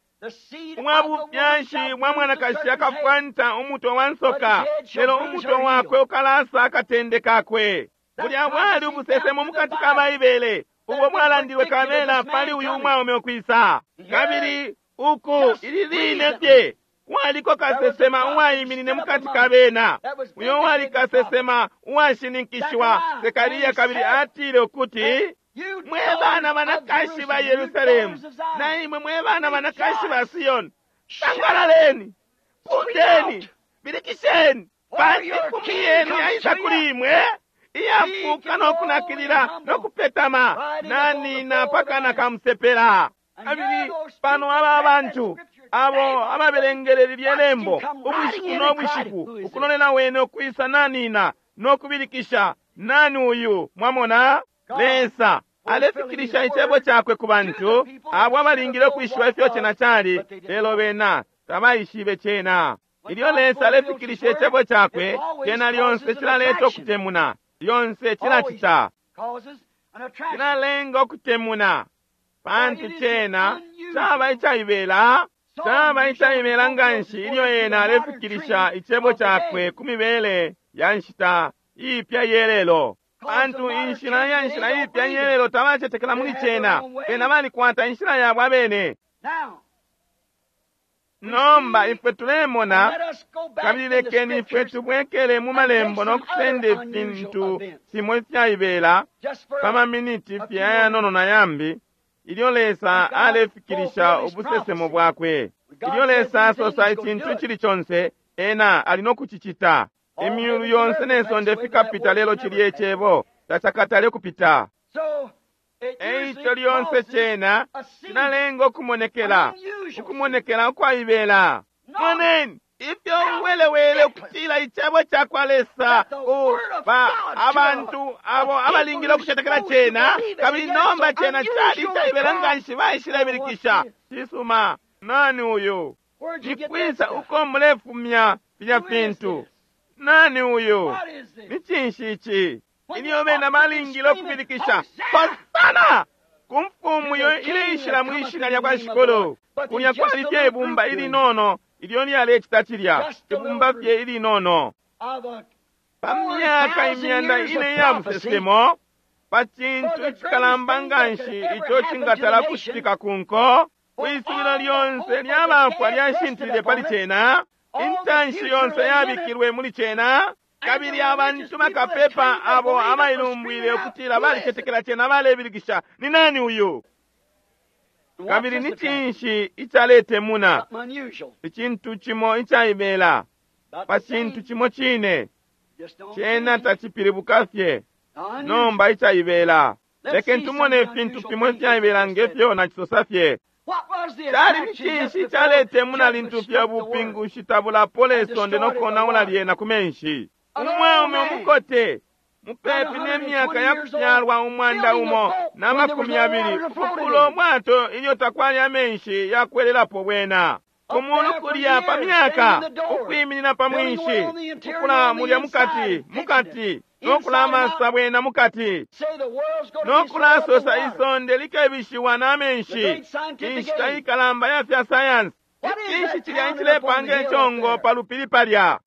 Umwabufyashi mwa mwanakashi akafwanta umutwe wa nsoka, lelo umutwe wakwe ukalasa akatende kakwe. Bulya bwali ubusesemo mukati ka Baibele ubwo bwalandilwe kabela pali uyu mwaume ukwisa. Kabili uku ili line fye kwaliko kasesema uwaiminine mukati ka bena, uyo wali kasesema uwashininkishiwa Sekaria, kabili atile ukuti, mwe bana banakashi ba Yerusalemu na imwe mwe bana banakashi ba Siyoni, sangalaleni, pundeni, bilikisheni, pantu imfumu yenu yaisa kuli imwe iyafuka nokunakilila nokupetama nanina pakana kamusepela. Kabili pano aba abantu abo ababelengeleli lyelembo ubushiku no bushiku ukulolela wene ukwisa nanina nokubilikisha, nani uyu? Mwamona, Lesa alefikirisha icebo chakwe ku bantu abo abalingile ukwishiba ifyo chena chali, lelo bena tabaishibe chena. Ilyo Lesa alefikirisha icebo chakwe, chena lyonse chilaleta okutemuna, lyonse chilachita chilalenga okutemuna, pantu chena chaba ichaibela, chaba ichaibela nganshi ilyo ena alefikirisha icebo chakwe ku mibele ya nshita ipya yelelo. Pantu inshila ya nshila ipya yelelo tabacetekela muli chena, bena balikwata inshila yabo abene. Nomba ifwe tulemona, kabili lekeni ifwe tubwekele mu malembo nokusenda ifintu fimo ifyaibela pa maminiti fye ayanono na yambi, ilyo Lesa alefikirisha ubusesemo bwakwe. Ilyo Lesa asosa icintu chili chonse, ena ali nokuchichita. Imyulu yonse nesonde fikapita, lelo chili echebo tachakatale kupita. Eicho lyonse chena chinalenga okumonekela, ukumonekela ukwaibela. Moneni ifyo uwelewele ukutila icebo chakwa Lesa ku ba abantu abo abalingile ukucetekela chena, kabili nomba chena chali ichaibela nganshi baishilebilikisha. Chisuma, nani uyu? Nikwisa uko mulefumya filya fintu? Nani uyu? Ni cinshi ichi? Ilyo bena balingile ukubilikisha Hosana ku mfumu iyo ileishila mwishina lya kwa Shikulu. Kulya kwali fye ibumba ilinono ilyo lyalecita cilya, ibumba fye ilinono. Pa myaka imyanda ine ya busesemo, pa cintu icikalamba nganshi ico cingatala kucitika ku nko, kwisubilo lyonse lyabafwa lyashintilile pali cena, intanshi yonse yabikilwe muli cena, kabili abantu bakapepa abo abailumbwile ukutila balicetekela cena balebilikisha, ni nani uyu? Kabili ni cinshi icaletemuna? Icintu cimo icaibela pa cintu cimo cine, cena tacipilibuka fye nomba icaibela. Lekeni tumone ifintu fimo ifyaibela ngefyo nacisosa fye. Cali ni cinshi icaletemuna lintu fye ubupingushi tabulapola isonde nokonaula lyena ku menshi? Umwaume umukote mupepi nemyaka yakufyalwa umwanda umo na makumi yabili ukukula umwato ilyo takwali amenshi yakwelelapo bwena. Kumulu kulya pa myaka ukwiminina pa mwinshi, ukula mulya mukati mukati nokulamasa bwena mukati, nokulasosa isonde likebishiwa na menshi. Inshita ikalamba ya fya sayansi. Icinshi cilya icilepanga icongo pa lupili palya?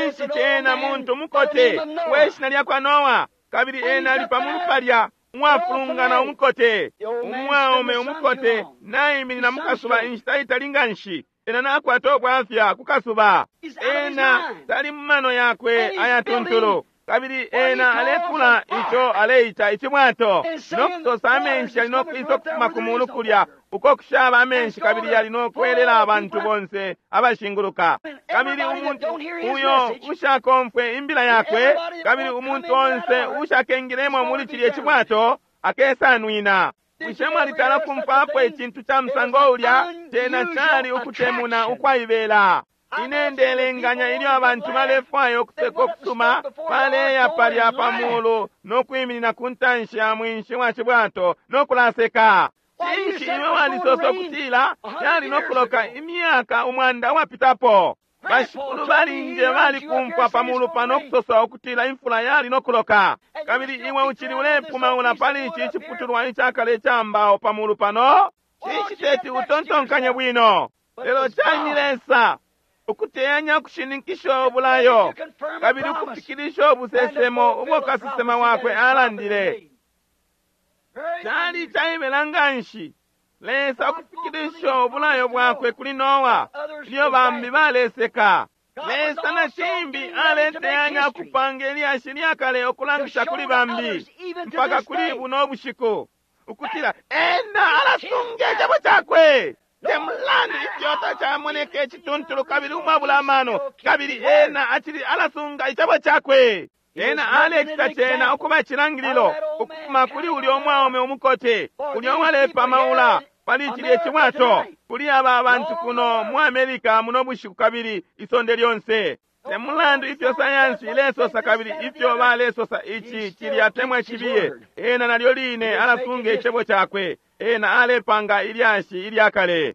Inshi cena muntu mukote weshina lyakwa Noa, kabili ena ali pamulu palya umwafulungana umukote. Umwaume umukote naiminina mukasuba inshita itali nganshi, ena nakwata ubwafya ku kasuba. Ena tali mu mano yakwe ayatuntulu, Kabili ena alekula ico aleita icibwato no kusosa amenshi yali no kwisa ukufuma ku mulu kulya uko kushaba amenshi, kabili yali no kwelela abantu bonse abashinguluka. Kabili umuntu uyo ushakomfwe imbila yakwe, kabili umuntu onse ushakengilemo muli cilye cibwato akesanwina. Bushe mwalitala kumfwapo icintu ca musango ulya? Cena cali ukutemuna ukwaibela. Ine ndelenganya ilyo abantu balefwaya ukuseka ukusuma, baleya palya pa mulu no kwiminina ku ntanshi ya mwinshi wa cibwato no kulaseka. Cinshi iwe walisosa ukutila yali no kuloka imyaka umwanda wapitapo? Bashikulu balinje balikumfwa pa mulu pano kusosa ukutila imfula yali no kuloka, kabili iwe uchili ulepumaula pali ici iciputulwa icakale ica mbao pa mulu pano. Cinshi teti utontonkanye bwino? Lelo cali Lesa ukuteyanya ukushininkisha ubulayo kabili ukufikilisha ubusesemo ubwo kasesema wakwe alandile. Cali caibela nganshi Lesa ukufikilisha ubulayo bwakwe kuli Noa ilyo bambi baleseka. Lesa na cimbi aleteyanya ukupanga ilyashi lyakale okulangisha kuli bambi mpaka kuli buno bushiku ukutila ena alasunga icebo cakwe. Temulandu ifyota camoneka icituntulu kabili umwabula amano, kabili ena acili alasunga icebo cakwe. Ena alecita cena ukuba icilangililo ukufuma kuli ulya umwaume umukote ulya uwalepamaula pali cilye cibwato kuli aba abantu kuno mu Amerika muno bushiku kabili isonde lyonse. Temulandu ifyo sayansi ilesosa kabili ifyo balesosa ici cilya temwa cibiye, ena nalyo line alasunga icebo cakwe. Ena alepanga ilyashi ilyakale.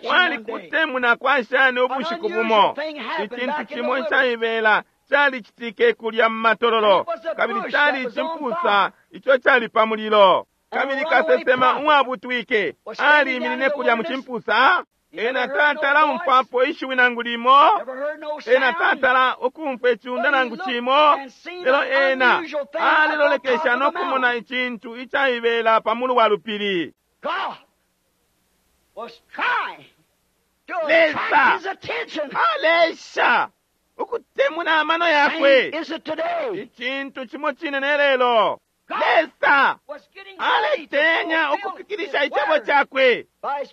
Wali kutemuna kwa shani ubushiku bumo icintu cimo icaibela calicitike kulya mu matololo, kabili cali icimpusa ico cali pa mulilo, kabili kasesema uwabutwike aliminine kulya mu cimpusa. Ena tatala umfwapo ishiwi nangu limo, ena tatala ukumfwa iciunda nangu cimo, lelo ena alilolekesha no kumona icintu icaibela pa mulu wa lupili. Lesa alesha ukutemuna amano yakwe. Icintu cimo cine ne lelo. Lesa aletenya ukufikilisha icebo cakwe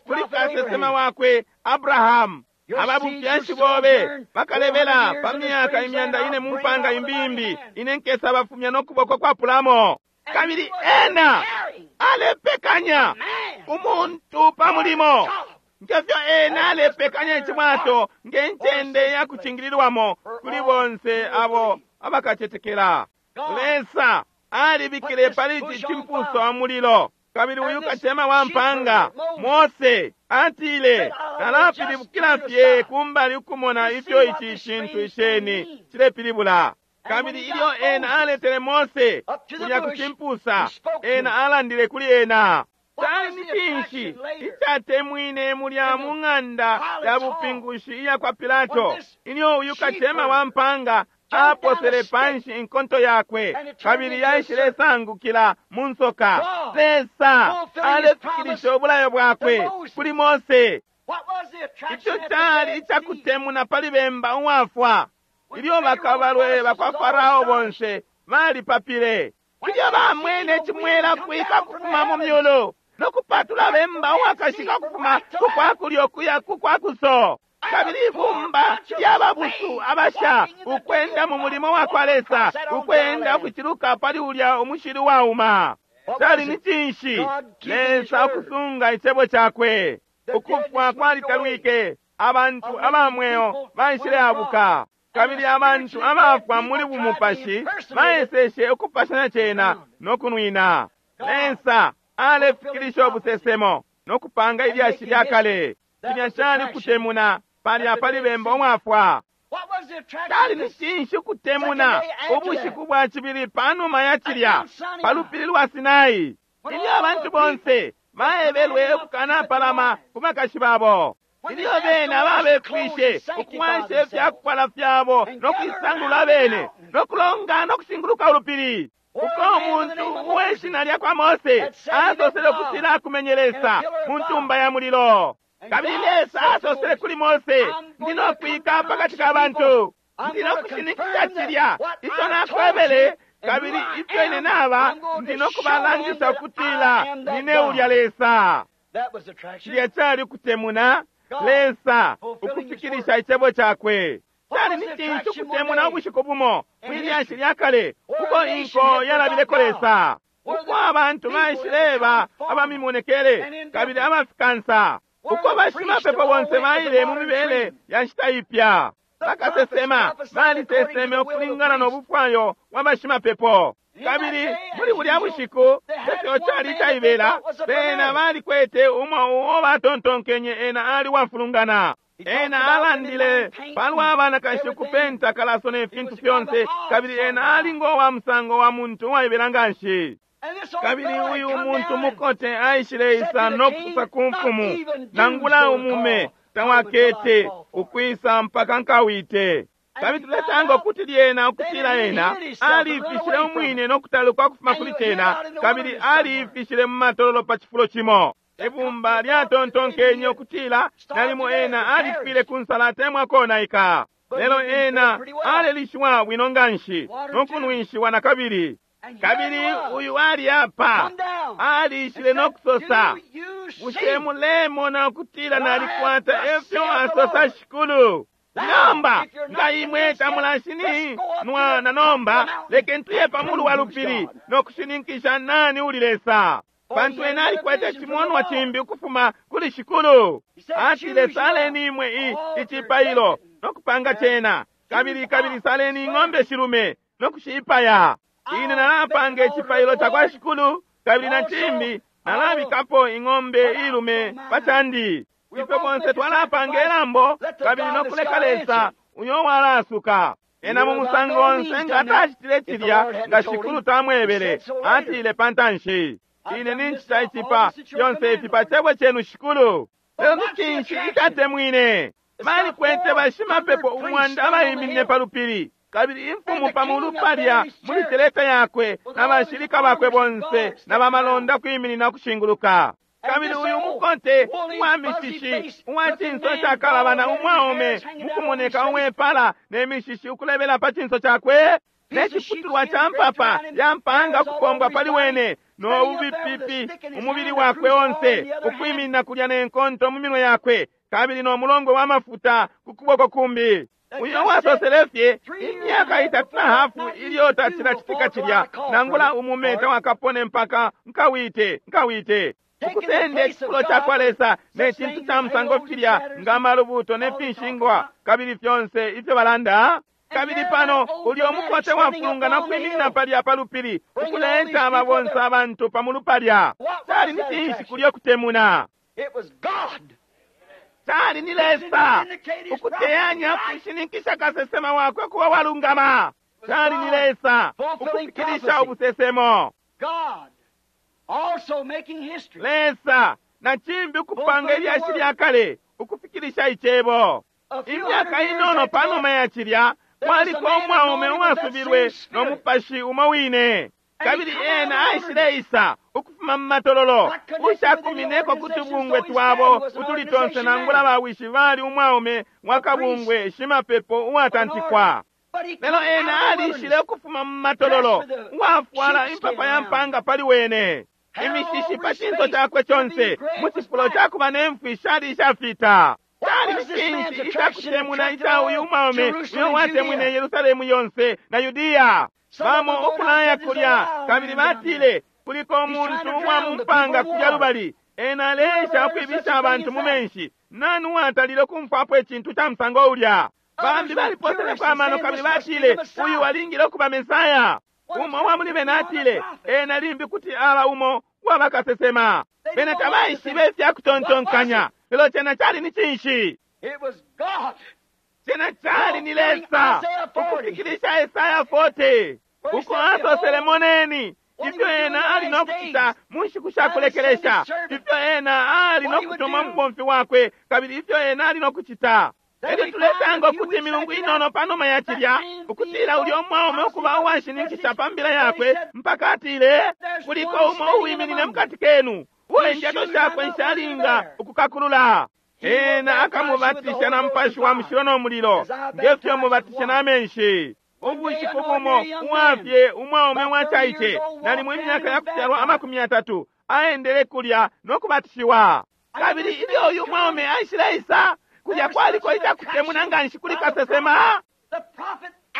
kuli kasesema wakwe Abrahamu. Ababufyashi bobe bakalebela pa myaka imyanda ine mu mpanga imbimbi, ine nkesa bafumya no kuboko kwapulamo. Kabili ena alepekanya umuntu pa mulimo ngefyo ena alepekanya icibwato nge ncende ya kucingililwamo kuli bonse abo abakacetekela. Lesa alibikile pali ici cimpusa wa mulilo, kabili uyu kacema wa mpanga Mose atile nalapilibukila fye kumbali ukumona ifyo ici cintu iceni cilepilibula. Kabili ilyo ena aletele Mose kulya ku cimpusa, ena alandile kuli ena. Cali ni cinshi icatemwine mulya mu ng'anda ya bupingushi iya kwa Pilato ilyo uyu kacema wa mpanga aposele panshi inkonto yakwe kabili yaishilesangukila mu nsoka? Lesa alefikilisha ubulayo bwakwe kuli Mose. Ico cali icakutemuna pali bemba uwafwa ilyo bakabalwe bakwa Farao bonse balipapile ilyo bamwene cimwela kwika kufuma mu myulu no kupatula bemba uwakashika kufuma kukwakulyo kuya kukwakuso. Kabili ibumba lyababusu abasha ukwenda mu mulimo wa kwa Lesa, ukwenda ukuciluka pali ulya umushili wauma. Cali ni cinshi? Lesa ukusunga icebo cakwe. Ukufwa kwalitalwike, abantu abamweo baishileabuka, kabili abantu abafwa muli bumupashi baeseshe ukupashanya cena no kunwina. Lesa alefikilisha ubusesemo no kupanga ilyashi lyakale. Cilya cali kutemuna palya pali bemba umwafwa. Cali ni cinshi ukutemuna ubushiku bwa cibili panuma ya cilya pa lupili lwa Sinai ilyo abantu bonse baebelwe ukukanapalama ku bakashi babo, ilyo bena babepwishe ukuwasha ifyakufwala fyabo no kuisangulula bene no kulongana no kushinguluka ulupili, uko umuntu uweshina lya kwa Mose asosele ukutila akumenye Lesa mu ntumba ya mulilo. Kabili Lesa asosele kuli Mose, ndi no kwika pakati ka bantu. Ndi nokushininkisha cilya ico nakwebele, kabili ifyo ine naba, ndi nokubalangisha ukutila nine ulya Lesa. Cilya cali kutemuna Lesa ukufikilisha icebo cakwe. Cali ni cinshi ukutemuna ubushiku bumo mwilyashi lya kale uko inko yalabileko Lesa, uko abantu baishileba abamimonekele kabili abafikansa, uko bashimapepo bonse baile mu mibele ya nshita ipya. Bakasesema baliseseme ukulingana no bufwayo bwa bashimapepo. Kabili muli bulya bushiku efyo cali icaibela, bena balikwete umo uo batontonkenye ena ali wafulungana. Ena alandile palwa banakashi ukupenta kalaso ne fintu fyonse, kabili ena ali ngo wa musango wa muntu uwaibela nganshi. Kabili uyu muntu mukote aishileisa no kusosa ku mfumu, nangula umume tawakete ukwisa mpaka nkawite. Kabili tulesanga ukuti lyena ukutila ena alifishile umwine no kutaluka ukufuma kuli cena, kabili alifishile mu matololo pa cifulo cimo. Ibumba lyatontonkenye ukutila nalimo ena alifwile ku nsala atemwa konaika, lelo ena alelishiwa bwino nganshi no kunwishiwa na kabili. Kabili uyu ali apa alishile no kusosa, bushe mulemona ukutila nalikwata efyo asosa Shikulu? Nomba nga imwe tamulashini nwana, nomba lekeni tuye pamulu wa lupili no kushininkisha nani uli Lesa, pantu ena alikwete cimonwa cimbi ukufuma kuli Shikulu. Atile, saleni imwe i icipailo no kupanga cena, kabili kabili saleni ing'ombe shilume no kushiipaya. Ine nalapanga icipailo cakwa Shikulu, kabili na cimbi nalabikapo ing'ombe ilume pacandi. Ifwe bonse twalapanga ilambo kabili no kuleka Lesa uyo walasuka. Ena mu musango onse nga atacitile cilya nga Shikulu tamwebele, atile pantanshi, ine nincita icipa fyonse ifi pa cebo cenu Shikulu. Lelo ni cinshi icatemwine? Balikwete bashimapepo umwanda abaiminine pa lupili, kabili imfumu pamulu palya muli teleta yakwe na bashilika bakwe bonse na bamalonda kwiminina kushinguluka. Kabili uyu mukote uwa mishishi uwa cinso cakalabana umwaume mukumoneka uwepala ne mishishi ukulebela pa cinso cakwe, ne ciputulwa ca mpapa ya mpanga ukupombwa pali wene no bubipipi umubili wakwe onse, ukwiminina kulya ne nkonto mu minwe yakwe, kabili no mulongo wa mafuta ku kuboko kumbi. Uyo wasosele fye imyaka itatu na hafu ilyo tacilacitika cilya, nangula umume tawakapone mpaka nkawite nkawite. Ukusenda icifulo cakwa Lesa ne cintu ca musango filya nga malubuto ne finshingwa kabili fyonse ifyo balanda. Kabili pano ulyo mukote wafulungana kwiminina palya pa lupili ukuleta aba bonse abantu pamulu palya. Cali ni cinshi kulyo kutemuna? Cali ni Lesa ukuteyanya kushininkisha kasesema wakwe kuba walungama. Cali ni Lesa ukufikilisha ubusesemo. Lesa na cimbi ukupanga ilyashi lya kale ukufikilisha icebo. Imyaka inono panuma ya cilya kwaliko umwaume uwasubilwe no mupashi umo wine, kabili ena aishileisa ukufuma mu matololo ushakumineko ku tubungwe twabo utuli tonse, nangula bawishi bali umwaume wa kabungwe shimapepo uwatantikwa. Lelo ena alishile ukufuma mu matololo uwafwala impapa ya mpanga pali wene, imishishi pa cinso cakwe conse, mu cifulo cakuba ne mfwi shali ishafita. Cali ni cinshi icakutemuna ica uyu umwaume uyo watemwine Yerusalemu yonse na Yudiya? Bamo ukulaya kulya, kabili batile kuliko umuntu uwa mu mpanga kulya lubali, ena aleesha ukwibisha abantu mu menshi. Nani uwatalile ukumfwapo icintu ca musango ulya? Bambi baliposeleko amano kabili batile uyu alingile ukuba Mesaya. Umo uwa muli bena atile ena limbi kuti aba umo uwa bakasesema. Bena tabaishibe ifya kutontonkanya, lelo cena cali ni cinshi? Cena cali ni Lesa ukufikilisha Esaya forty, uko asosele, moneni ifyo ena ali no kucita mu nshiku sha kulekelesha, ifyo ena ali no kutuma mubomfi wakwe, kabili ifyo ena ali no kucita. Elyo tulesanga ukuti imilungu inono panuma ya cilya, ukutila ulya umwaume ukuba uwashininkisha pa mbila yakwe, mpaka atile kuliko umo uwiminine mukati kenu, uo indyato shakwe nshalinga ukukakulula. Ena akamubatisha na Mupashi wa Mushilo no mulilo, ngefyo mubatisha na menshi. Ubushiku bumo uwafye umwaume wacaice nalimo imyaka yakufyalwa amakumi yatatu aendele kulya no kubatishiwa. Kabili ilyo uyu mwaume aishileisa kulya, kwaliko icakutemuna nganshi kuli kasesema.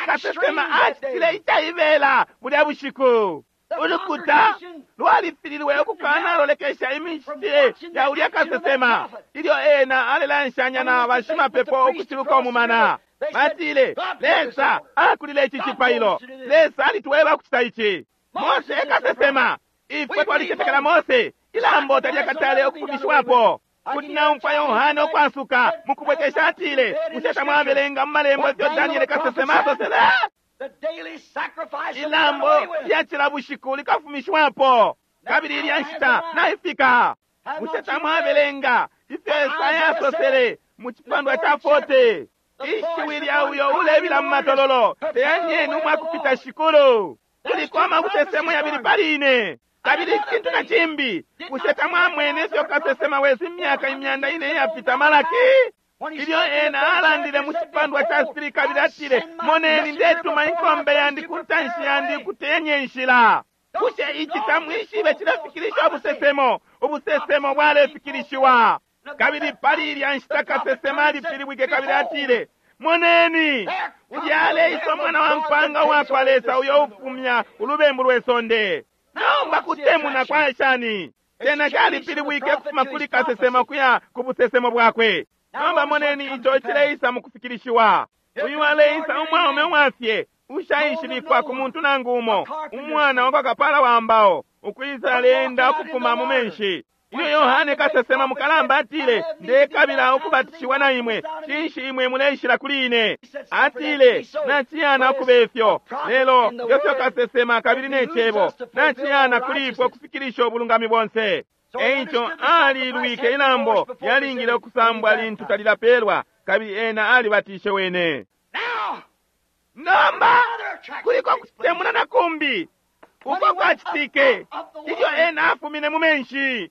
Kasesema acitile icaibela bulya bushiku. Ulukuta lwalifililwe ukukanalolekesha imicitile ya ulya kasesema ilyo ena alelanshanya na bashimapepo ukuciluka umumana. Batile, Lesa akulile ici cipailo, Lesa alitweba kucita ici. Mose ekasesema, ifwe twalicetekela Mose, ilambo talyakatale ukufumishiwapo. Kuti naumfwa Yohane ukwasuka mukubwekesha atile, bushe tamwabelenga mu malembo ifyo Daniele kasesema asosele? Ilambo lya cila bushiku likafumishwapo, kabili ilya nshita naifika. Bushe tamwabelenga ifyo Esaya asosele mu cipandwa ca forty? Ishiwi lya uyo ulebila mu matololo, teyanyeni umwakupita shikulu. Kuliko amabusesemo yabili pali ine. Kabili icintu na cimbi, bushe tamwamwene ifyo kasesema wesu imyaka imyanda ine iyapita Malaki, ilyo ena alandile mu cipandwa ca three kabili atile, moneni ndetuma inkombe yandi ku ntanshi yandi ukutenye inshila. Bushe ici tamwishibe cilefikilisha ubusesemo? Ubusesemo bwalefikilishiwa. Kabili pali ilya nshita kasesema alipilibwike kabili atile, moneni ulya aleisa umwana wa mpanga uwakwa Lesa uyo ufumya ulubembu lwe sonde. Nomba kutemuna kwa shani? Tena calipilibwike kufuma kuli kasesema kuya ku busesemo bwakwe. Nomba moneni ico cileisa mu kufikilishiwa. Uyu aleisa umwaume uwafye ushaishibikwa ku muntu nangu umo, umwana wa kwa kapala wa mbao, ukwisa aleenda ukufuma mu menshi. Ilyo Yohane kasesema mukalamba atile, ndekabila ukubatishiwa na imwe, cinshi imwe muleishila kuli ine? Atile, naciyana ukuba ifyo, lelo ngefyo kasesema kabili ne cebo, naciyana kuli ifwe ukufikilisha ubulungami bonse. Eico alilwike ilambo lyalingile ukusambwa lintu talilapelwa, kabili ena alibatishe wene. Nomba kuliko kutemuna na kumbi uko kwacitike ilyo ena afumine mu menshi.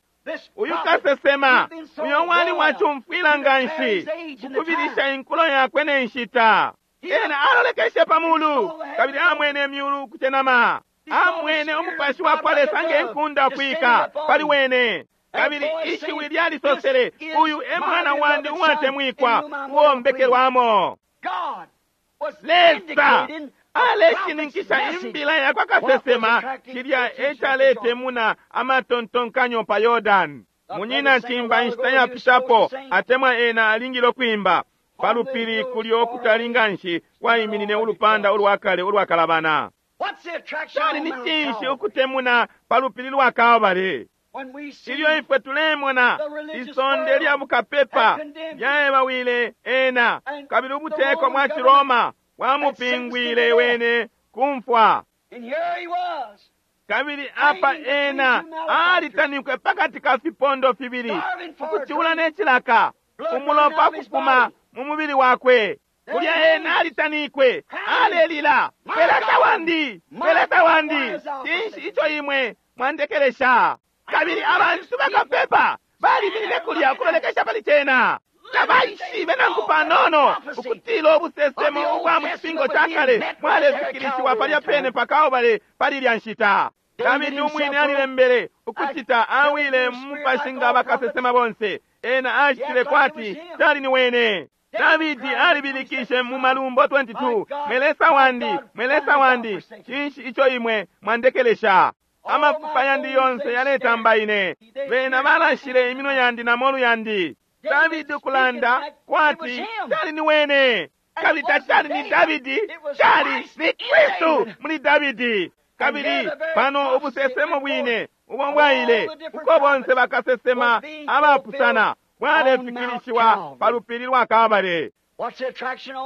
Uyu kasesema uyo wali wacumfwila nganshi kukubilisha inkulo yakwe ne nshita. Ena alolekeshe pa mulu kabili amwene imyulu kucenama, amwene umupashi wa kwa Lesa nge nkunda kwika pali wene. Kabili ishiwi lyalisosele, uyu e mwana wandi uwatemwikwa uwombekelwamo. Lesa aleshininkisha imbila ya kwa kasesema cilya ecaletemuna amatontonkanyo pa Yordani. Munyina cimba inshita yapitapo atemwa ena alingile ukwimba palupili kulyo okutali nganshi kwaiminine ulupanda ulwakale ulwakalabana. Cali ni cinshi ukutemuna palupili lwa Kalbale? Ilyo ifwe tulemona isonde lya bukapepa lyaebawile ena, kabili ubuteko bwa Ciroma bwamupingwile wene kumfwa. Kabili apa ena alitanikwe pakati ka fipondo fibili, ukucula ne cilaka, umulopa kufuma mu mubili wakwe. Kulya ena alitanikwe, alelila, peleta wandi, peleta wandi, cinshi ico imwe mwandekelesha? Kabili abantu bakapepa baliminine kulya ukulolekesha pali cena. Tabaishibe nangu panono ukutila ubusesemo ubwa mu cipingo ca kale bwalefikilishiwa palya pene pa Kalbale pali ilya nshita. Davidi umwine alilembele ukucita awile mu mupashi nga bakasesema bonse. Ena acitile kwati cali ni wene. Davidi alibilikishe mu Malumbo twenty-two, mwelesa wandi, mwelesa wandi, cinshi ico imwe mwandekelesha? Amafupa yandi yonse yaletamba ine, bena balashile iminwe yandi na molu yandi. Davidi ukulanda kwati cali ni wene, kabili tacali ni Davidi, cali ni Kristu muli Davidi. Kabili pano ubusesemo bwine ubo bwaile uko bonse bakasesema abapusana bwalefikilishiwa pa lupili lwa Kalbale.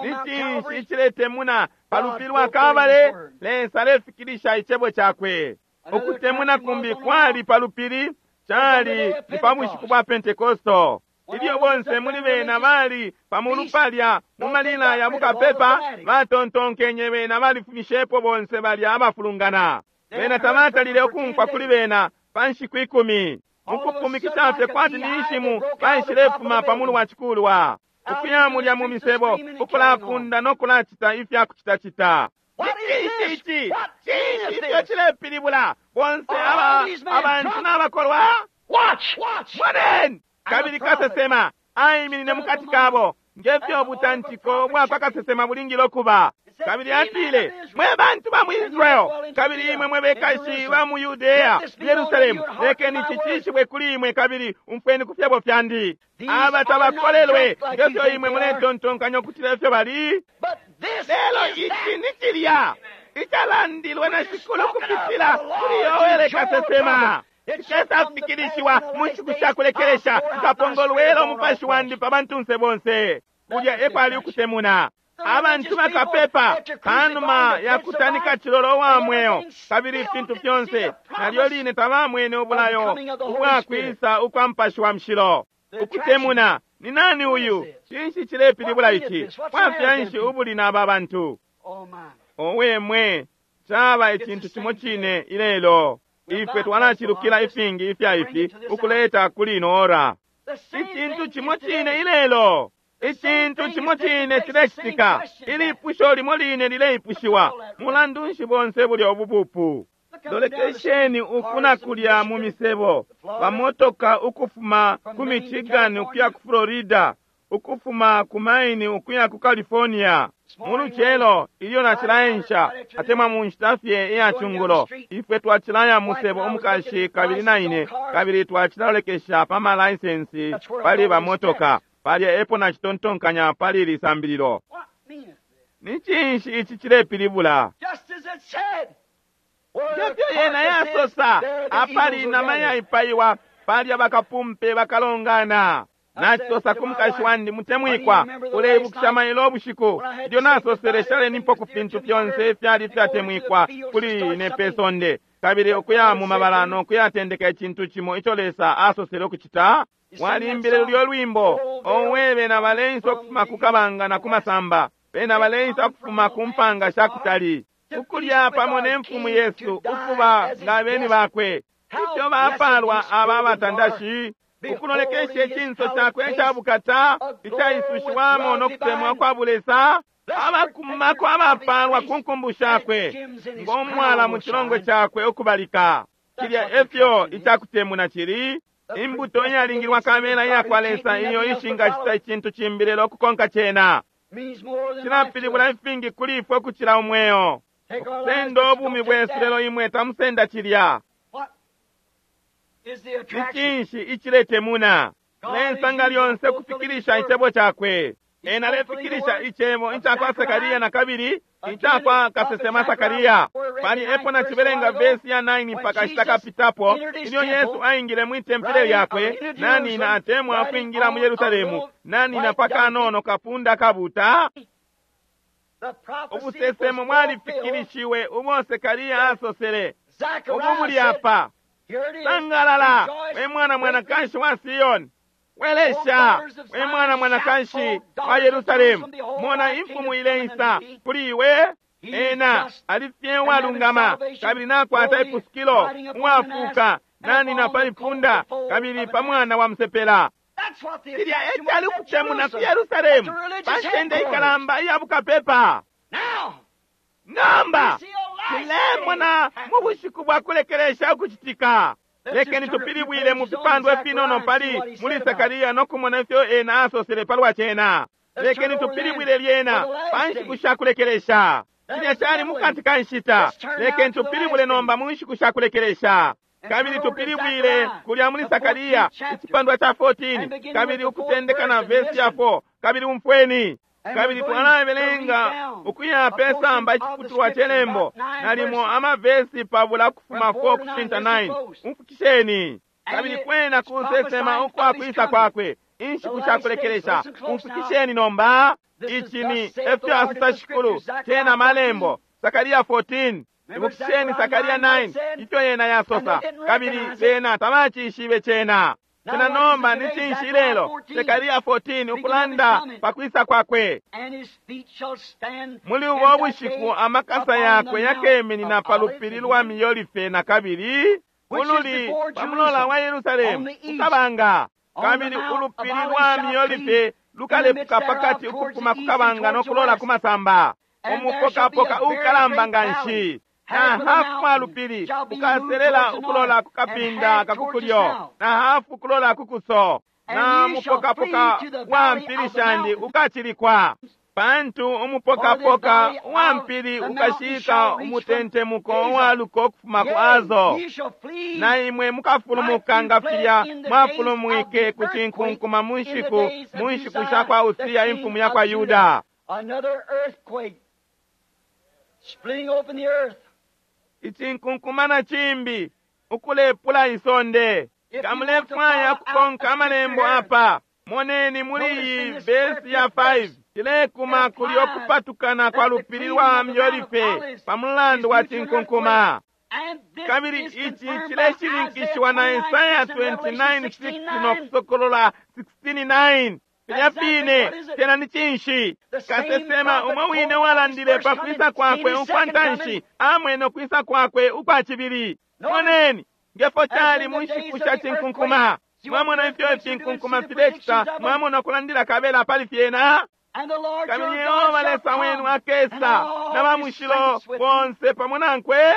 Ni cinshi iciletemuna pa lupili lwa Kalbale? Lesa alefikilisha icebo cakwe. Ukutemuna kumbi kwali pa lupili cali ni pa bushiku bwa Pentekosto. Ilyo bonse muli bena bali pamulu palya mu malila ya bukapepa batontonkenye bena balifumishepo bonse balya abafulungana. Bena tabatalile ukumfwa kuli bena pa nshiku ikumi. Mukupumikisha fye kwati ni nshimu baishilefuma pa mulu wa cikulwa, ukuya mulya mu misebo, ukulafunda no kulacita ifya kucitacita. Cinshi ici? Cinshi ifyo cilepilibula? Bonse aba abantu n'abakolwa. Moneni! Kabili kasesema aiminine mukati kabo ngefyo ubutantiko bwakwa kasesema bulingile ukuba. Kabili atile, mwe bantu ba mu Israel, kabili imwe mwe bekashi ba mu Yudea, Yerusalemu, lekeni ici cishibwe kuli imwe, kabili umfweni ku fyebo fyandi. Aba tabakolelwe ngefyo imwe muletontonkanya ukutila ifyo bali. Lelo ici ni cilya icalandilwe na Shikulu kupitila kuli Yoele kasesema. Cikesafikilishiwa mu nshiku sha kulekelesha, nkapongolwela umupashi wandi pa bantunse bonse. Kulya ekwali ukutemuna. Abantu bakapepa panuma ya kutanika cilolo wa mweo, kabili ifintu fyonse nalyo line tabamwene ubulayo ubwakwisa ukwa Mupashi wa Mushilo. Ukutemuna ni nani uyu? Cinshi cilepilibula ici? Bwafya nshi ubuli n'aba bantu? Owe mwe, caba icintu cimo cine ilelo. Ifwe twalacilukila ifingi ifya ifi ukuleta kuli ino ora. Icintu cimo cine ilelo. Icintu cimo cine cilecitika. Ilipusho limo line lileipushiwa. Mulandu nshi bonse bulya obupupu? Lolekesheni ukuna kulya mu misebo, bamotoka ukufuma ku Michigan ukuya ku Florida, ukufuma ku Maine ukuya ku California. Mu lucelo ilyo nacilaensha, atemwa mu nshita fye iya cungulo, ifwe twacilaya musebo umukashi kabili na ine, kabili twacilalolekesha pa malaisensi pali bamotoka. Palya epo nacitontonkanya pali ili sambililo. Ni cinshi ici cilepilibula? Ngefyo yena yasosa, apali inama yaipaiwa, palya bakapumpe bakalongana. Nacisosa ku mukashi wandi mutemwikwa, uleibukisha mailo ubushiku ilyo nasosele shalenipo ku fintu fyonse ifyali ifyatemwikwa kuli ine pe sonde, kabili ukuya mu mabala no kuyatendeka icintu cimo ico Lesa asosele ukucita. Walimbile lulyo lwimbo, owe bena baleisa ukufuma ku kabanga na ku masamba, bena baleisa ukufuma ku mpanga sha kutali, ukulya pamo ne mfumu Yesu, ukuba nga beni bakwe. Ifyo bapalwa aba batandashi, ukulolekesha icinso cakwe ica bukata icaisushiwamo no kutemwa kwa bulesa, abakumako abapalwa ku nkumbu shakwe, ng'omwala mu cilongwe cakwe ukubalika. Cilya efyo icakutemuna cili. Imbuto iyalingilwa kabela iyakwa Lesa iyo ishingacita icintu cimbi lelo ukukonka cena. Cilapilibula ifingi kuli ifwe ukucila umweo. Ukusenda ubumi bwesu, lelo imwe tamusenda cilya. Ni cinshi iciletemuna? Lesa nga lyonse kufikilisha icebo cakwe. Ena alefikilisha icebo icakwa Sakaria na kabili icakwa kasesema Sakaria. Pali epo nacibelenga vesi ya nine mpaka shita kapitapo, ilyo Yesu aingile mwi tempele lyakwe, nanina atemwa ukwingila mu Yerusalemu, nanina pakanono kapunda kabuta. Ubusesemo mwalifikilishiwe ubo Sekaria asosele. Ubu muli apa. Sangalala, we mwana mwanakashi wa Siyoni. Welesha, we mwana mwanakashi wa Yerusalemu. Mona imfumu ileisa kuli iwe. Ena alifye uwalungama, kabili nakwata ipusukilo, uwafuka, nanina pali punda, kabili pa mwana wa msepela. Cilya ecali ukutemuna ku Yerusalemu, pa ncende ikalamba iya bukapepa. Nomba tulemona mu bushiku bwa kulekelesha ukucitika. Lekeni tupilibwile mu fipandwa ifinono pali muli Sakaria no kumona ifyo ena asosele palwa cena. Lekeni tupilibwile lyena pa nshiku sha kulekelesha. Cilya cali mukati ka nshita. Lekeni tupilibwile nomba mu nshiku sha kulekelesha. Kabili tupilibwile kulya muli Sakaria icipandwa ca fourteen, kabili ukutendeka na vesi ya four, kabili umfweni. Kabili twalabelenga ukuya pe samba iciputulwa celembo nalimo amavesi pabula kufuma four kushinta nine. Umfukisheni. Kabili kwena kusesema ukwa kwisa kwakwe inshiku sha kulekelesha. Umfukisheni nomba. Ici ni efyo asosa Shikulu, cena malembo. Sakaria fourteen. Ibukisheni Sakaria nine ifyo yena yasosa, kabili bena tabacishibe cena. Cena nomba ni cinshi ilelo? Sekaria fourteen ukulanda pakwisa kwakwe. Muli ubo bushiku amakasa yakwe yakeminina pa lupili lwa Miolife na kabili Ululi pa mulola wa Yerusalemu kukabanga, kabili ulupili lwa Miolife lukalepuka pakati ukufuma kukabanga no kulola kumasamba. Umupokapoka ukalamba nganshi na hafu wa lupili ukaselela ukulola kukapinda kakukulyo na hafu kulola kukuso, na mupokapoka wa mpili shandi ukachilikwa. Pantu umupokapoka wa mpili ukashika umutentemuko wa luko ukufuma ku Azo, na imwe mukafulumuka nga filya mwafulumwike ku cinkunkuma mu nshiku mu nshiku sha kwa Usia imfumu ya kwa Yuda. Icinkunkuma na cimbi ukulepula isonde. Kamulefwaya kukonka amalembo apa. Moneni muli iyi vesi ya five tilekuma kuli okupatukana kwa lupili lwa Miolife pa mulandu wa cinkunkuma. Kabili ici cileshininkishiwa na Isaya twenty-nine six no Kusokolola sixteen nine. Filya fine tena ni cinshi? Kasesema umo wine walandile pa kwisa kwakwe ukwa ntanshi amwene ukwisa kwakwe ukwa cibili. Moneni ngefo cali mu nshiku sha cinkunkuma. Mwamona ifyo ifinkunkuma filecita, mwamona ukulandila kabela pali fyena. Kabili Yehova Lesa wenu akesa na bamushilo bonse pamo nankwe.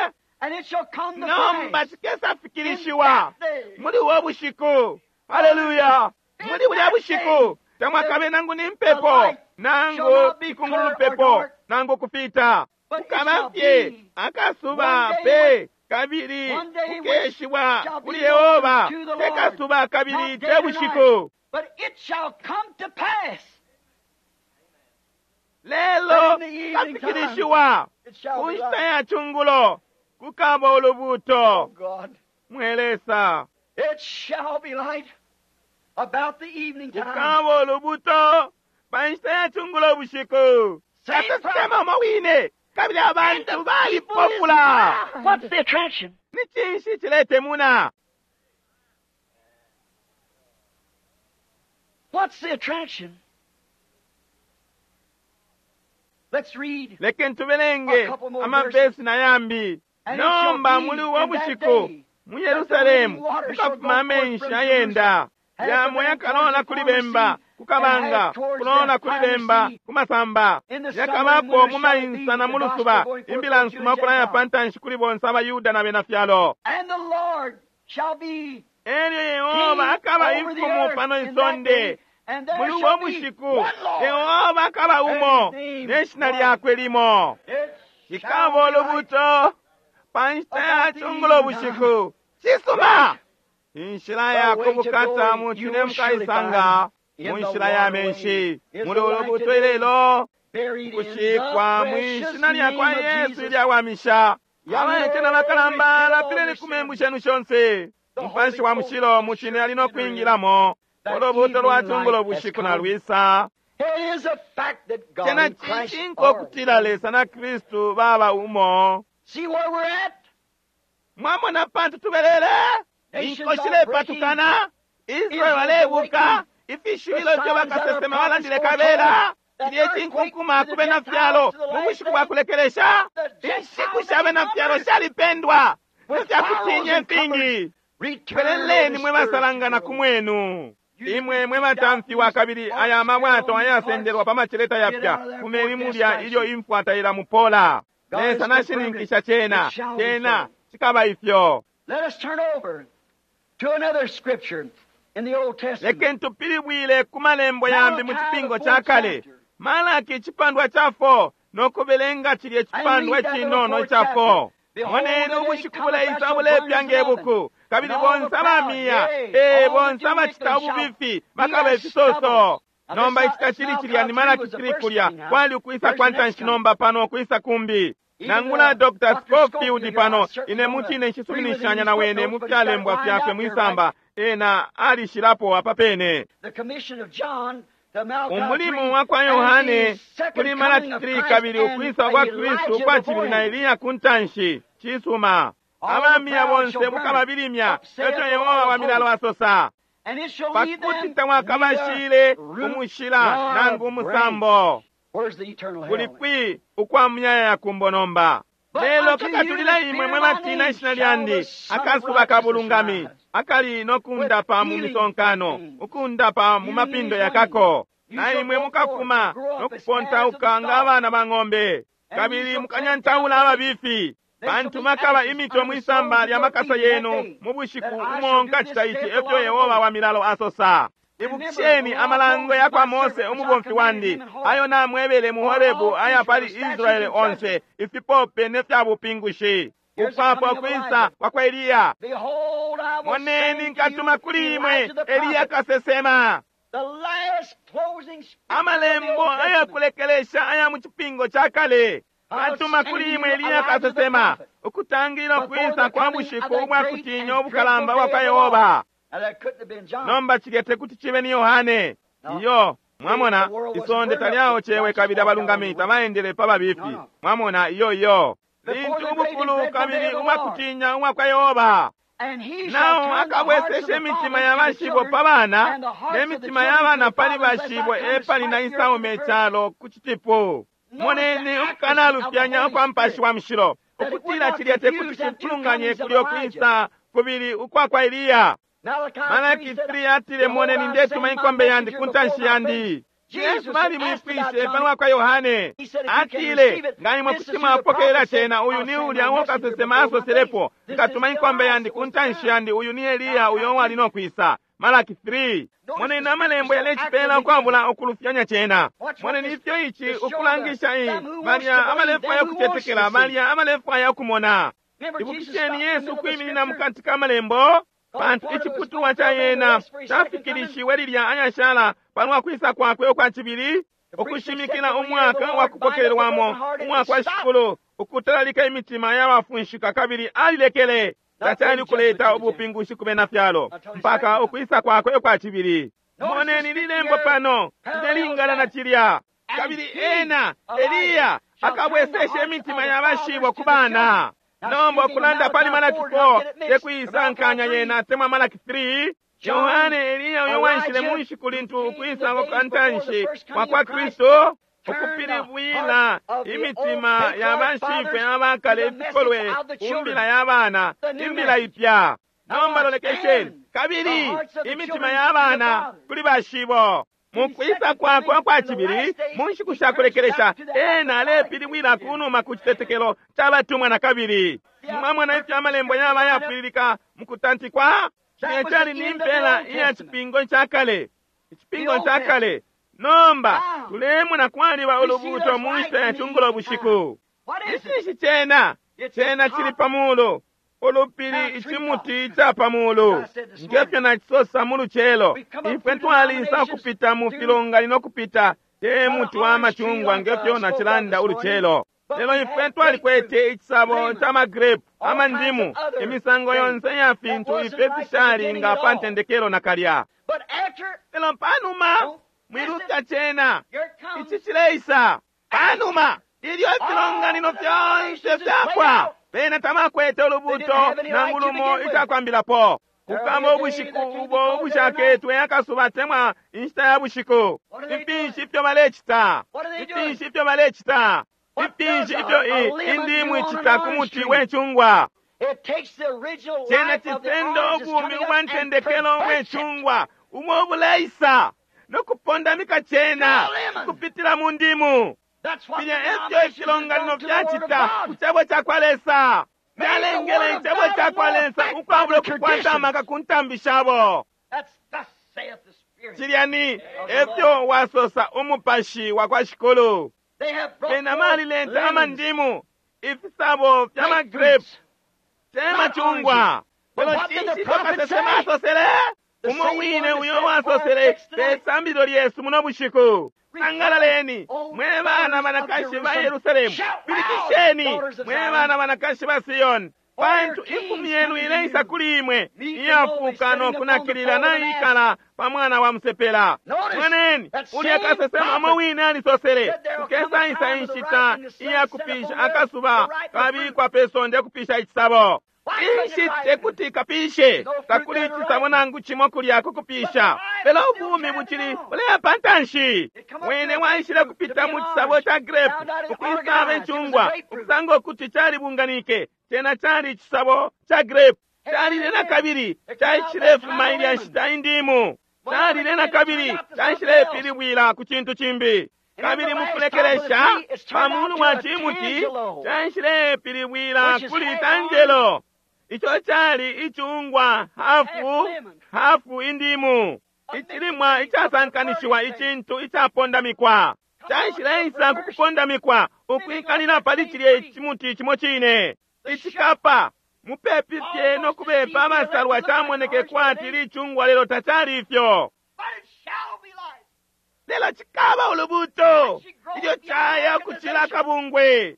Nomba cikesa fikilishiwa muli ubo bushiku. Haleluya! Muli bulya bushiku tamwakabe nangu ni mpepo nangu ikungululupepo nangu kupita, kukaba fye akasuba pe kabili kukeshiwa kuli Yehova te kasuba kabili te bushiku. Lelo kafikilishiwa ku nshita ya chungulo kukaba ulubuto. Mwe Lesa, kukaba ulubuto pa nshita ya chungulo bushiku. Kasesema umo wine kabili abantu balipofula. What's the attraction? Ni cinshi ciletemuna? What's the attraction? Let's read. Lekeni tubelenge amavesi na yambi. Nomba muli uwo bushiku mu Yerusalemu mukafuma amenshi ayenda yamwe yakalola kuli bemba kukabanga, kulola kuli bemba kumasamba, yakabapo mu mainsa na mu lusuba, imbila nsuma ukulaya pa ntanshi kuli bonse abayuda na bena fyalo. Elyo Yehova akaba imfumu pano isonde muli uwo bushiku. Yehova akaba umo ne shina lyakwe limo. Cikaba ulubuto pa nshita ya chungulo bushiku. Cisuma inshila ya kubukata mucine mukaisanga mu nshila ya menshi muli ulubuto ilelo kushikwa mwishina lya kwa Yesu ilyawamisha. Abaete na bakalamba lapileni ku membu shenu shonse. Mupashi wa mushilo mucine ali no kwingilamo. Ulubuto lwa chungulo bushiku na lwisa. Cena cishinka ukutila Lesa na Kristu baba umo. Mwamona pantu tubelele inko shilepatukana, Israeli alebuka ifishibilo ifyo bakasesema balandile kabela cilye cinkunkuma ku bena fyalo mu bushiku bwa kulekelesha. Inshiku sha bena fyalo shalipendwa ne fyakutinya ifingi. Peleleni mwe basalangana ku mwenu, imwe mwe batamfiwa kabili aya mabwato ayasendelwa pa maceleta yapya, fumeni mulya ilyo imfwa tailamupola. Lesa nashininkisha cena, cena cikaba ifyo. Let us turn over to another scripture in the Old Testament. Lekeni tupilibwile ku malembo yambi mu cipingo ca kale. Malaki icipandwa ca four no kubelenga cilye icipandwa cinono ica four. Moneni ubushiku buleisa bulepya nge buku, kabili bonse abamiya, ee bonse abacita ububifi bakaba ifisoso. Nomba ici tacili cilya ni Malaki three kulya kwali ukwisa kwa ntanshi, nomba pano ukwisa kumbi. Nangula Doctor Scofield pano ine mucine nshisuminishanya na wene mu fyalembwa fyakwe mwisamba, ena alishilapo apa pene. Umulimu wa kwa Yohane kuli Malaki three kabili ukwisa kwa Kristu ukwa cibili na Eliya ku ntanshi. Cisuma abamiya bonse bukababilimya, eco Yehova wa milalo asosa, pakuti tamwakabashile umushila nangu umusambo. Kuli kwi ukwa muyayaya kumbo nomba? Lelo kakatulila imwe mwe batina ishina lyandi akasuba ka bulungami akali nokundapa mu misonkano, ukundapa mu mapindo yakako. Na imwe mukafuma nokupontauka nga abana ba ng'ombe, kabili mukanyantaula ababifi. Pantu makaba imito mwisamba lya makasa yenu mu bushiku umo nkacita ici, efyo Yehova wa milalo asosa. Ibukisheni amalango ya kwa Mose umubomfi wandi ayo namwebele mu Horebu aya pali Israele onse, ifipope ne fya bupingushi. Ukwapo kwisa kwa kwa Eliya. Moneni nkatuma kuli imwe Eliya kasesema. Amalembo ayakulekelesha aya mu cipingo ca kale. Katuma kuli imwe Eliya kasesema, ukutangilila kwisa kwa bushiku ubwa kutinya ubukalamba bwa kwa Yehova. Nomba cilya tekuti cibe ni Yohane. Iyo, mwamona, isonde talyaocewe kabili abalungami tabaendele pa babifi. Mwamona, iyo iyo. Lintu ubukulu kabili ubwa kutinya ubwa kwa Yehova. Nao akabwesesha imitima ya bashibo pa bana, ne mitima ya bana pali bashibo epali na isaume icalo ku citipu. Moneni ukukanalufyanya ukwa Mupashi wa Mushilo, ukutila cilya tekuti cifulunganye kulyo kwisa kubili ukwa kwa Eliya. Malaki three atile, moneni ndetuma inkombe yandi ku ntanshi yandi. Yesu balimwipwishe palwa kwa Yohane. Atile, nga imwe kuti mwapokelela cena, uyu ni ulya uo kasesema asoselepo, nkatuma inkombe yandi ku ntanshi yandi, uyu ni Eliya uyo wali no kwisa. Malaki three. Moneni amalembo yalecipela ukwabula ukulufyanya cena. Moneni ifyo ici ukulangisha iyi balya abalefwaya ukutetekela, balya abalefwaya ukumona. Ibukisheni Yesu ukwiminina mukati ka malembo, pantu iciputulwa ca yena cafikilishiwe lilya ayashala palwa kwisa kwakwe ukwa cibili, ukushimikila umwaka wa kupokelelwamo umwaka wa shikulu, ukutalalika imitima y'abafunshika, kabili alilekele tacali kuleta ubupingushi ku bena fyalo mpaka ukwisa kwakwe ukwa cibili. Moneni lilembo pano lilelingana na cilya. Kabili ena Eliya akabwesesha imitima y'abashibo ku bana. Nomba ukulanda pali Malaki four tekuisankanya yena temwa Malaki three. Yohane Eliya uyo wanshile mu nshiku lintu ukwisa kwa ntanshi kwa kwa Kristo, ukupilibwila imitima ya bashifwe abakale ifikolwe ku mbila ya bana, imbila ipya. Nomba lolekesheni, kabili imitima ya bana kuli bashibo. Mu kwisa kwakwe kwa cibili mu nshiku sha kulekelesha, ena alepilibwila kunuma ku citetekelo ca batumwa na kabili. Mwamona ifyo amalembo yaba yapwililika mu kutantikwa? Cilya cali ni mpela iya cipingo ca kale, icipingo ca kale. Nomba tulemona kwaliba ulubuuto mu nshita ya cungulo bushiku. Icinshi cena? Cena cili pa mulu, ulupili, icimuti ica pa mulu. Ngefyo nacisosa mu lucelo, ifwe twalisa ukupita mu filonganino kupita te muti wa macungwa ngefyo nacilanda ulucelo. Lelo ifwe twalikwete icisabo ca magrape, amandimu, imisango yonse ya fintu ifwe fishali nga pa ntendekelo nakalya. Lelo panuma mwiluta cena, ici cileisa. Panuma ilyo ifilonganino fyonse fyapwa, bena tabakwete ulubuto nangu lumo icakwambilapo. Kukaba ubushiku ubo ubushaketwe akasuba temwa inshita ya bushiku. Ifinshi ifyo balecita, ifinshi ifyo balecita, ifinshi ifyo indimu icita ku muti wecungwa. Cena cisenda ubumi ubwa ntendekelo ubwecungwa umo ubuleisa nokupondamika cena kupitila mu ndimu. Filya efyo ifilonganino fyacita ku cebo ca kwa Lesa. Fyalengele icebo ca kwa Lesa ukwabula ukukwata amaka ku ntambi shabo. Cilya ni efyo wasosa umupashi wa kwa Shikulu. Bena balileta amandimu, ifisabo fya magrape, te macungwa. Lelo cinshi kasesema asosele? Umo wine uyo wasosele pe sambililo lyesu muno bushiku. Sangalaleni mwe bana banakashi ba Yerusalemu, pilikisheni mwe bana banakashi ba Siyoni, pantu imfumu yenu ileisa kuli imwe iyafuka nokunakilila naikala pa mwana wa musepela. Moneni ulya kasesema umo wine alisosele, kukesaisa inshita iyakupisha akasuba kabikwa pe sonde kupisha icisabo. Inshi tekuti kapishe, takuli icisabo nangu cimo kulya kukupisha. Lelo ubumi bucili buleya pantanshi. Wene waishile kupita mu cisabo ca grape, ukwisaba icungwa, ukusanga ukuti calibunganike. Cena cali icisabo ca grape. Calile na kabili caishilefuma ilya nshita indimu. Calile na kabili caishilepilibwila ku cintu cimbi. Kabili mukulekelesha pa mulu wa cimuti caishilepilibwila kuli tanjelo. Ico cali icungwa hafu hafu indimu, icilimwa icasankanishiwa, icintu icapondamikwa. Caishileisa ku kupondamikwa, ukwikalila pali cilye cimuti cimo cine. Icikapa mupepi fye no kubepa abasalwa camoneke kwati licungwa, lelo tacali ifyo. Lelo cikaba ulubuto ilyo caya kucila kabungwe.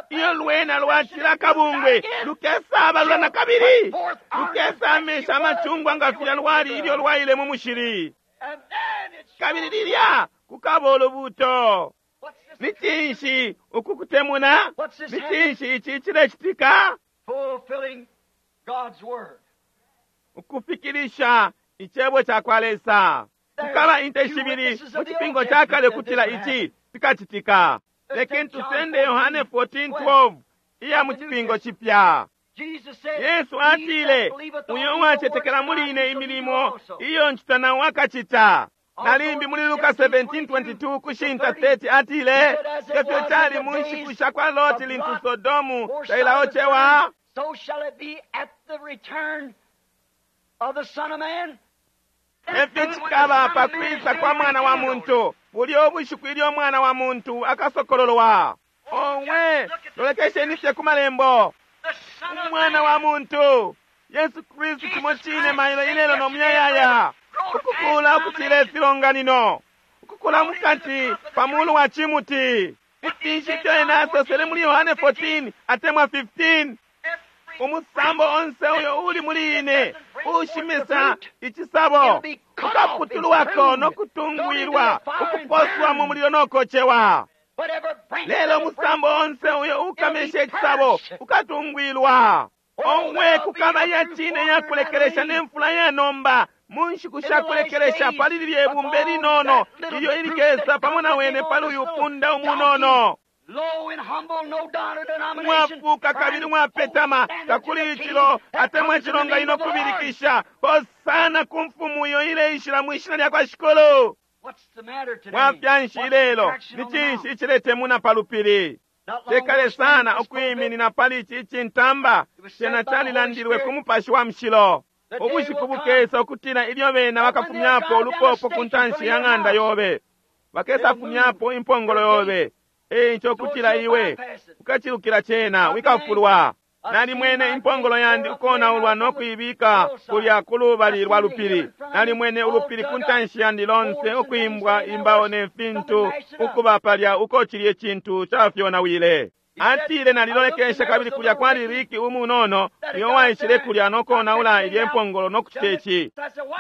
Iyo lwena lwacila kabungwe lukesaba lula na kabili, lukesamisha amacungwa nga filya lwali ilyo lwaile mu mushili. Kabili lilya kukaba ulubuto. Ni cinshi uku kutemuna? Ni cinshi ici cilecitika? Ukufikilisha icebo ca kwa Lesa. Kukaba inte shibili mu cipingo ca kale kutila ici cikacitika. Lekeni tusende Yohane fourteen twelve iya mu cipingo cipya. Yesu atile, uyo uwacetekela muli ine imilimo iyo ncita nawo akacita. Nalimbi muli Luka seventeen twenty-two kushinta thirty atile, ngefyo cali mu nshiku sha kwa Loti lintu Sodomu tailaocewa, so shall it be at the return of the Son of Man. Efyo cikaba pa kwisa kwa mwana wa muntu, bulyo ubushiku ilyo mwana wa muntu akasokololwa. Owe, lolekesheni fye ku malembo. Umwana wa muntu Yesu Kristu cimo cine mailo ilelo no muyayaya, ukukula ukucila ifilonganino, ukukula mukati pa mulu wa cimuti. Ifinshi ifyo ena asosele muli Yohane fourteen atemwa fifteen. Umusambo onse uyo uli muli ine ushimisa icisabo ukaputulwako no kutungwilwa, ukuposwa mu mulilo no kocewa. Lelo umusambo onse uyo ukamisha icisabo ukatungwilwa. Owe, kukaba ya cine ya kulekelesha ne mfula ya nomba mu nshiku sha kulekelesha pali lilye bumbe linono ilyo ilikesa pamo na wene pali uyu punda umunono. Mwafuka kabili mwapetama, takuli icilo atemwa icilonganino kubilikisha hosana ku mfumu iyo ileishila mwishina lya kwa Shikulu. Mwafya nshi ilelo? Ni cinshi iciletemuna pa lupili? Tekale sana ukwiminina pali ici icintamba. Cena calilandilwe ku Mupashi wa Mushilo. Ubushiku bukesa ukutila ilyo bena bakafumyapo ulupopo ku ntanshi ya ng'anda yobe, bakesafumyapo impongolo yobe. Eico kutila iwe ukacilukila cena wikafulwa. Nalimwene impongolo yandi ukonaulwa no kuibika kulya ku lubali lwa lupili. Nalimwene ulupili ku ntanshi yandi lonse ukwimbwa imbao ne fintu ukuba palya uko cilye cintu cafyonawile. Atile nalilolekesha kabili kulya kwali Riki umunono uyo waishile kulya no konaula ilye mpongolo no kucita ici.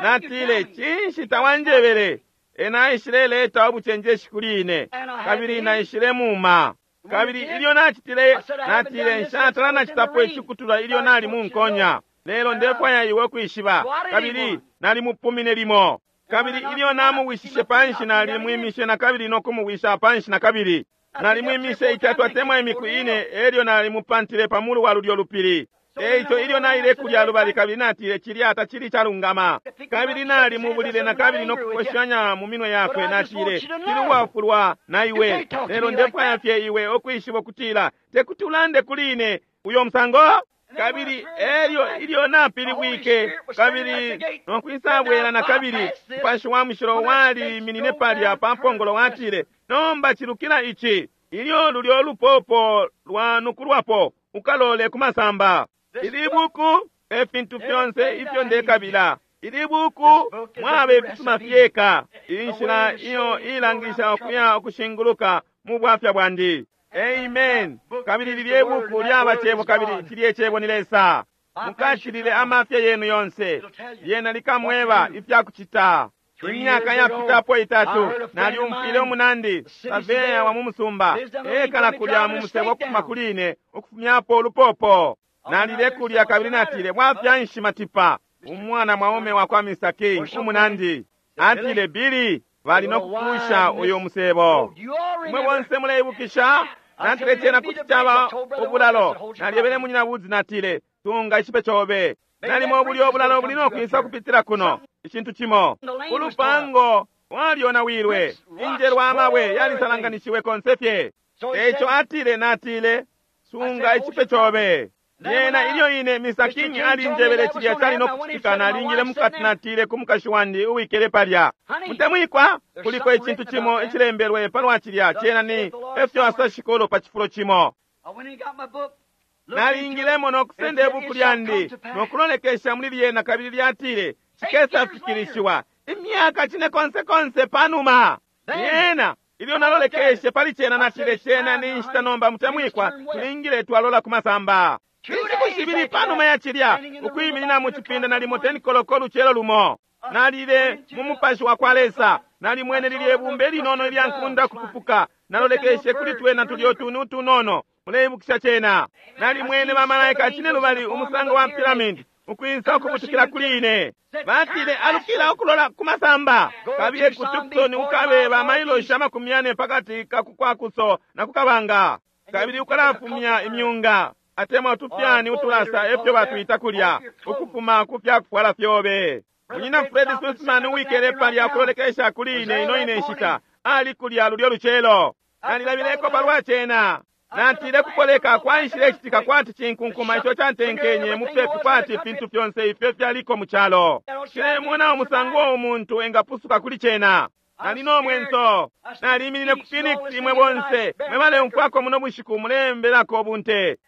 Natile, cinshi tawanjebele? Ena aishile leta ubucenjeshi kuli ine, kabili naishile muma. Kabili ilyo nacitile, natile nshatala nacitapo icikutula ilyo nali munkonya. Lelo ndefwaya iwe kwishiba, kabili nalimupumine limo. Kabili ilyo namuwishishe panshi, nalimwimishe na kabili no kumuwisha panshi na kabili. Nalimwimishe itatu atemwa imiku ine, elyo nalimupantile pa mulu wa lulyo lupili. Eico ilyo naile kulya lubali kabili natile cilya tacili calungama. Kabili nalimubulile na kabili no kukoshanya mu minwe yakwe, natile tili uwafulwa na iwe, lelo ndefwaya fye iwe ukwishiba ukutila tekuti ulande kuli ine uyo musango. Kabili elyo ilyo napilibwike kabili no kwisabwela na kabili, Mupashi wa Mushilo waliminine palya pa mpongolo, watile nomba cilukila ici, ilyo lulyo lupopo lwanukulwapo ukalole ku masamba. Ili buku e fintu fyonse ifyo ndekabila. Ili buku mwaba ifisuma fyeka, inshila iyo ilangisha ukuya ukushinguluka mu bwafya bwandi. Amen. Kabili lilye buku lyaba cebo, kabili cilye cebo ni Lesa. Mukashilile amafya yenu yonse, lyena likamweba ifya kucita. Imyaka yapitapo itatu nalyumfwile umunandi saveya wa mu musumba ekala kulya mu musebo ukufuma kuli ine ukufumyapo ulupopo. Nalile kulya kabili natile bwafya nshi matipa. Umwana mwaume wa kwa Mister King, umunandi, atile, Billy, bali no kupusha uyu musebo. Mwe bonse muleibukisha? Natile cena kuti caba ubulalo. Nalyebele munyina Woods, natile, tunga ichipe chobe. Nalimo buli obulalo buli no kwisa kupitira kuno. Icintu chimo. Ulupango walyonawilwe. Injelwa amabwe yalisalanganishiwe konse fye. Echo atile, natile, sunga ichipe chobe. Yena ilyo ine Mister King alinjebele chilya chali no kuchitika, nalingile mukati natile ku mukashi wandi uwikele palya. Mutemwikwa, kuliko icintu chimo icilembelwe palwa chilya chena ni efyo asashikolo pa chifulo chimo. Nalingilemo no kusenda ibuku lyandi no kulolekesha muli lyena, kabili lyatile chikesa fikirishiwa imyaka chine konse konse panuma. Yena ilyo nalolekeshe pali chena natile chena ni nshita nomba mutemwikwa, tulingile twalola kumasamba. Inshiku shibili panuma ya chilya, ukwiminina mu chipinda nalimo ten koloko lucelo lumo. Nalile mu mupashi wa kwa Lesa, nalimwene lilye bumbe linono ilya nkunda kupupuka. Nalolekeshe kuli twena tulyo tunu tunono. Muleibukisha chena. Nalimwene bamalaika chine lubali umusango wa pyramid ukwisa ukubutukila kuli ine. Batile alukila ukulola kumasamba. Kabiye ku Tucson ukabe bamailoshi amakumi yane pakati kakukwakuso na kukabanga. Kabili ukalafumya imyunga atemwa tupyani utulasa efyo batwita kulya ukufuma kupya kufwala fyobe. Munyina Fred Sussman uwikele palya kulolekesha kuli ine ino ine nshita ali kulya lulyo lucelo. Nalilabileko palwa chena. Natile kupoleka kwaishile chitika kwati chinkunkuma icho chantenkenye mupepi kwati fintu fyonse ifyo fyaliko mu chalo. Chilemona umusango umuntu engapusuka kuli chena. Nalino mwenso. Naliminine ku Phoenix imwe bonse. Mwebale umfwako muno bushiku mulembelako bunte.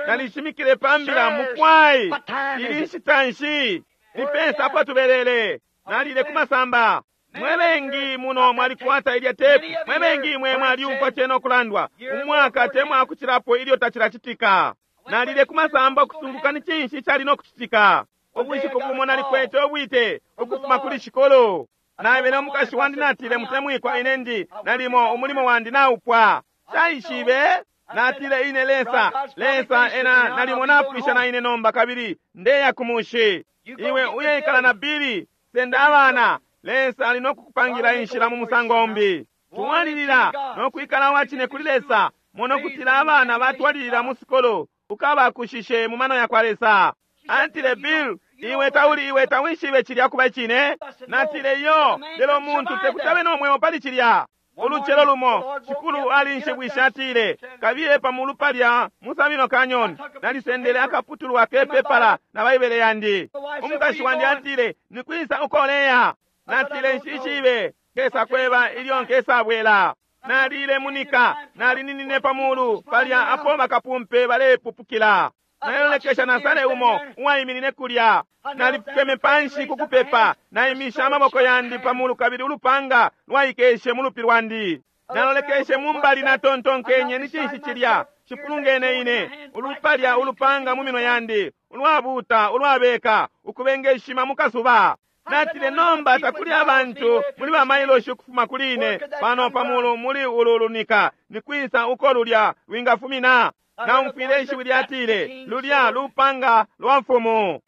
Nalishimikile pambila mukwai. Ili nshita nshi. Nipesa apo tubelele. Nalile kumasamba. Mwebengi muno mwalikwata ilya tepu. Mwebengi mwe mwaliumfwa chena okulandwa. Umwaka temwa akuchilapo ilyo tachilachitika. Nalile kumasamba okusunguka ni chinshi chali nokuchitika. Obushiku bumo nalikwete obwite ukufuma kuli shikolo. Naebele omukashi wandi natile mutemwikwa ine ndi nalimo umulimo wandi naupwa. Chaishibe natile ine Lesa Lesa ena nalimo napwisha na ine nomba kabili ndeya kumushi. Iwe uyeikala na Bili senda abana. Lesa ali nokukupangira inshila mu musango umbi. Tuwalilira nokwikala wachine kuli Lesa mono kutila abana batwalilira mu sikolo ukabakushishe mu mano ya kwa Lesa. Antile Bill, iwe tauli iwe tawishibe chilya kuba chine. Natile yo lelo muntu tekutabe nomweo pali chilya. Oluchelo lumo chikulu alinshibwisha atile kabiye pamulu palya musabino Canyon. Nalisendele akaputulwa kepepala na Baibele yandi. Omukashi wandi atile nikwisa ukoleya. Natile nshishibe kesa kweba ilyo nkesa bwela. Nalile munika nalininine pamulu palya apo bakapumpe balepupukila. Nalolekesha nasale umo uwaiminine kulya. Nalifukeme panshi kukupepa. Naimisha amaboko yandi pamulu kabili ulupanga lwaikeshe mulupi lwandi. Nalolekeshe mumbali natontonkenye ni chinshi chilya chipulungene ine ulupalya ulupanga mu minwe yandi ulwabuta ulwabeka ukubengeshima mukasuba. Natile nomba takuli abantu muli bamailoshi ukufuma kuli ine pano pamulu muli ululunika nikwisa uko lulya lwingafumina. Naumfwile ishiwi lyatile lulya lupanga lwa mfumu.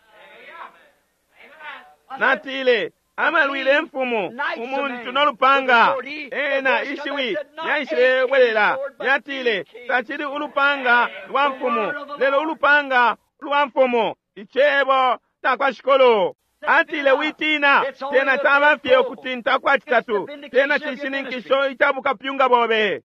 Natile amalwile mfumu umuntu nolupanga. Ena ishiwi yaishilebwelela lyatile tachili ulupanga lwa mfumu lelo ulupanga lwa mfumu ichebo takwa shikolo. Atile witina tena tabafye okutinta kwa chitatu tena chishininkisho ichabukapyunga bobe.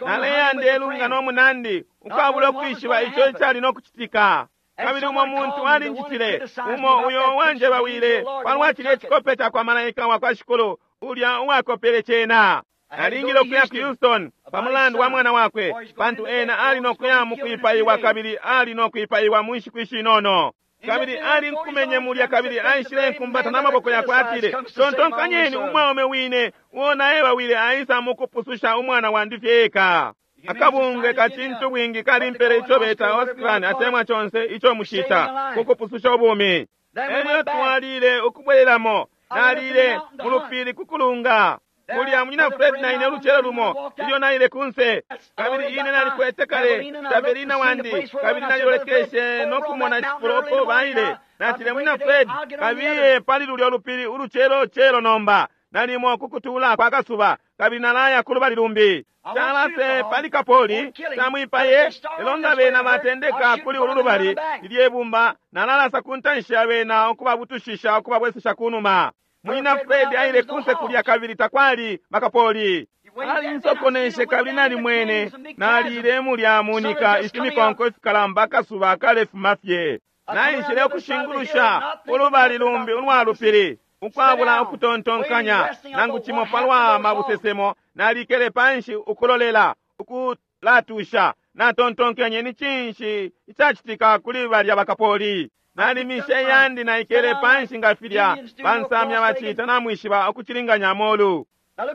Naleya ndelunga nomunandi ukabula okwishiba icho ichali nokuchitika. Kabili umo muntu alinjitile umo uyo wanje bawile palwachile chikope cha kwa malaika wa kwa shikolo ulya uwakopele chena. Alingile okuya ku Houston pamulandu wa mwana wakwe pantu ena ali nokuya mukwipaiwa kabili ali nokwipaiwa mu nshiku ishinono. Kabili ali nkumenye mulya kabili aishile nkumbata n'amaboko yakwe atile tontonkanyeni umwaume wine uo wile aisa mukupususha umwana wandi fyeka. Akabungwe kachintu bwingi kalimpele icho beta Oscar atemwa chonse icho mushita kukupususha obumi. Elyo twalile ukubwereramo nalile mulupili kukulunga. Kulya munyina Fred na ine uluchelo lumo ilyo naile kunse kabili ine nalikwete kale Taberina wandi kabili nalilolekeshe nokumona chifulo uko baile. Natile, Munyina Fred, kabiye pali lulyo lupili ulucelo celo nomba, nalimo kukutula kwa kasuba, kabili nalaya kulubali lumbi. Calase pali kapoli tamwipaye, lelo nga bena batendeka kuli ulu lubali lilye bumba, nalalasa ku ntanshi ya bena ukubabutushisha ukubabwesesha kunuma. Munyina Fred aile kunse kulya kabili takwali bakapoli. Alinsokoneshe kabili nalimwene nalile mulya munika ifimikonko ifikalamba akasuba kalefuma fye. Naishile ukushingulusha ulubali lumbi ulwa lupili ukwabula ukutontonkanya nangu cimo palwa mabusesemo. Nalikele panshi ukulolela ukulatusha. Natontonkenye ni cinshi icacitika kuli balya bakapoli. Nalimishe yandi naikele panshi nga filya bansamya bacita namwishiba ukucilinganya amolu.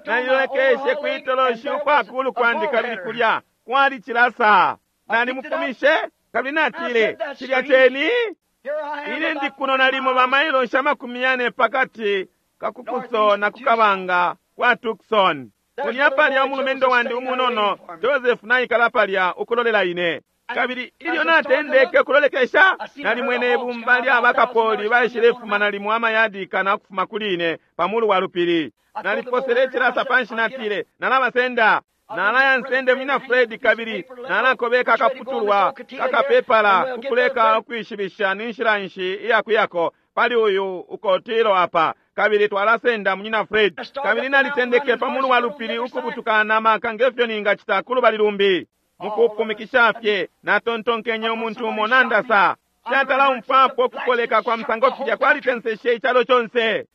Nalilolekeshe kwitoloshi ukwakulu kwandi kabili kulya kwali cilasa. Nalimufumishe kabili natile, cilya ceni ine ndi kuno nalimo bamailosha amakumi yane pakati kakukuso na kukabanga kwa Tucson. Kulya palya umulumendo wandi umunono Joseph naikala palya ukulolela ine. Kabili ilyo natendeke kulolekesha, nalimwene ibumba lya bakapoli baishilefuma nalimo amayadi kana kufuma kuli ine pamulu wa lupili. Naliposele icilasa panshi natile, nalabasenda. Nalaya nsende Munyina Fred kabili nalakobeka akaputulwa kakapepala kukuleka ukwishibisha ni nshila nshi iyakuyako pali uyu ukotilo apa, kabili twalasenda Munyina Fred. Kabili nalitendeke pamulu wa lupili ukubutuka na maka ngefyo ningacita kulubali lumbi. Mukupumikisha fye natontonkenye umuntu umo nandasa. Shatala umfwapo ukukoleka kwa msango filya kwalitenseshe icalo conse.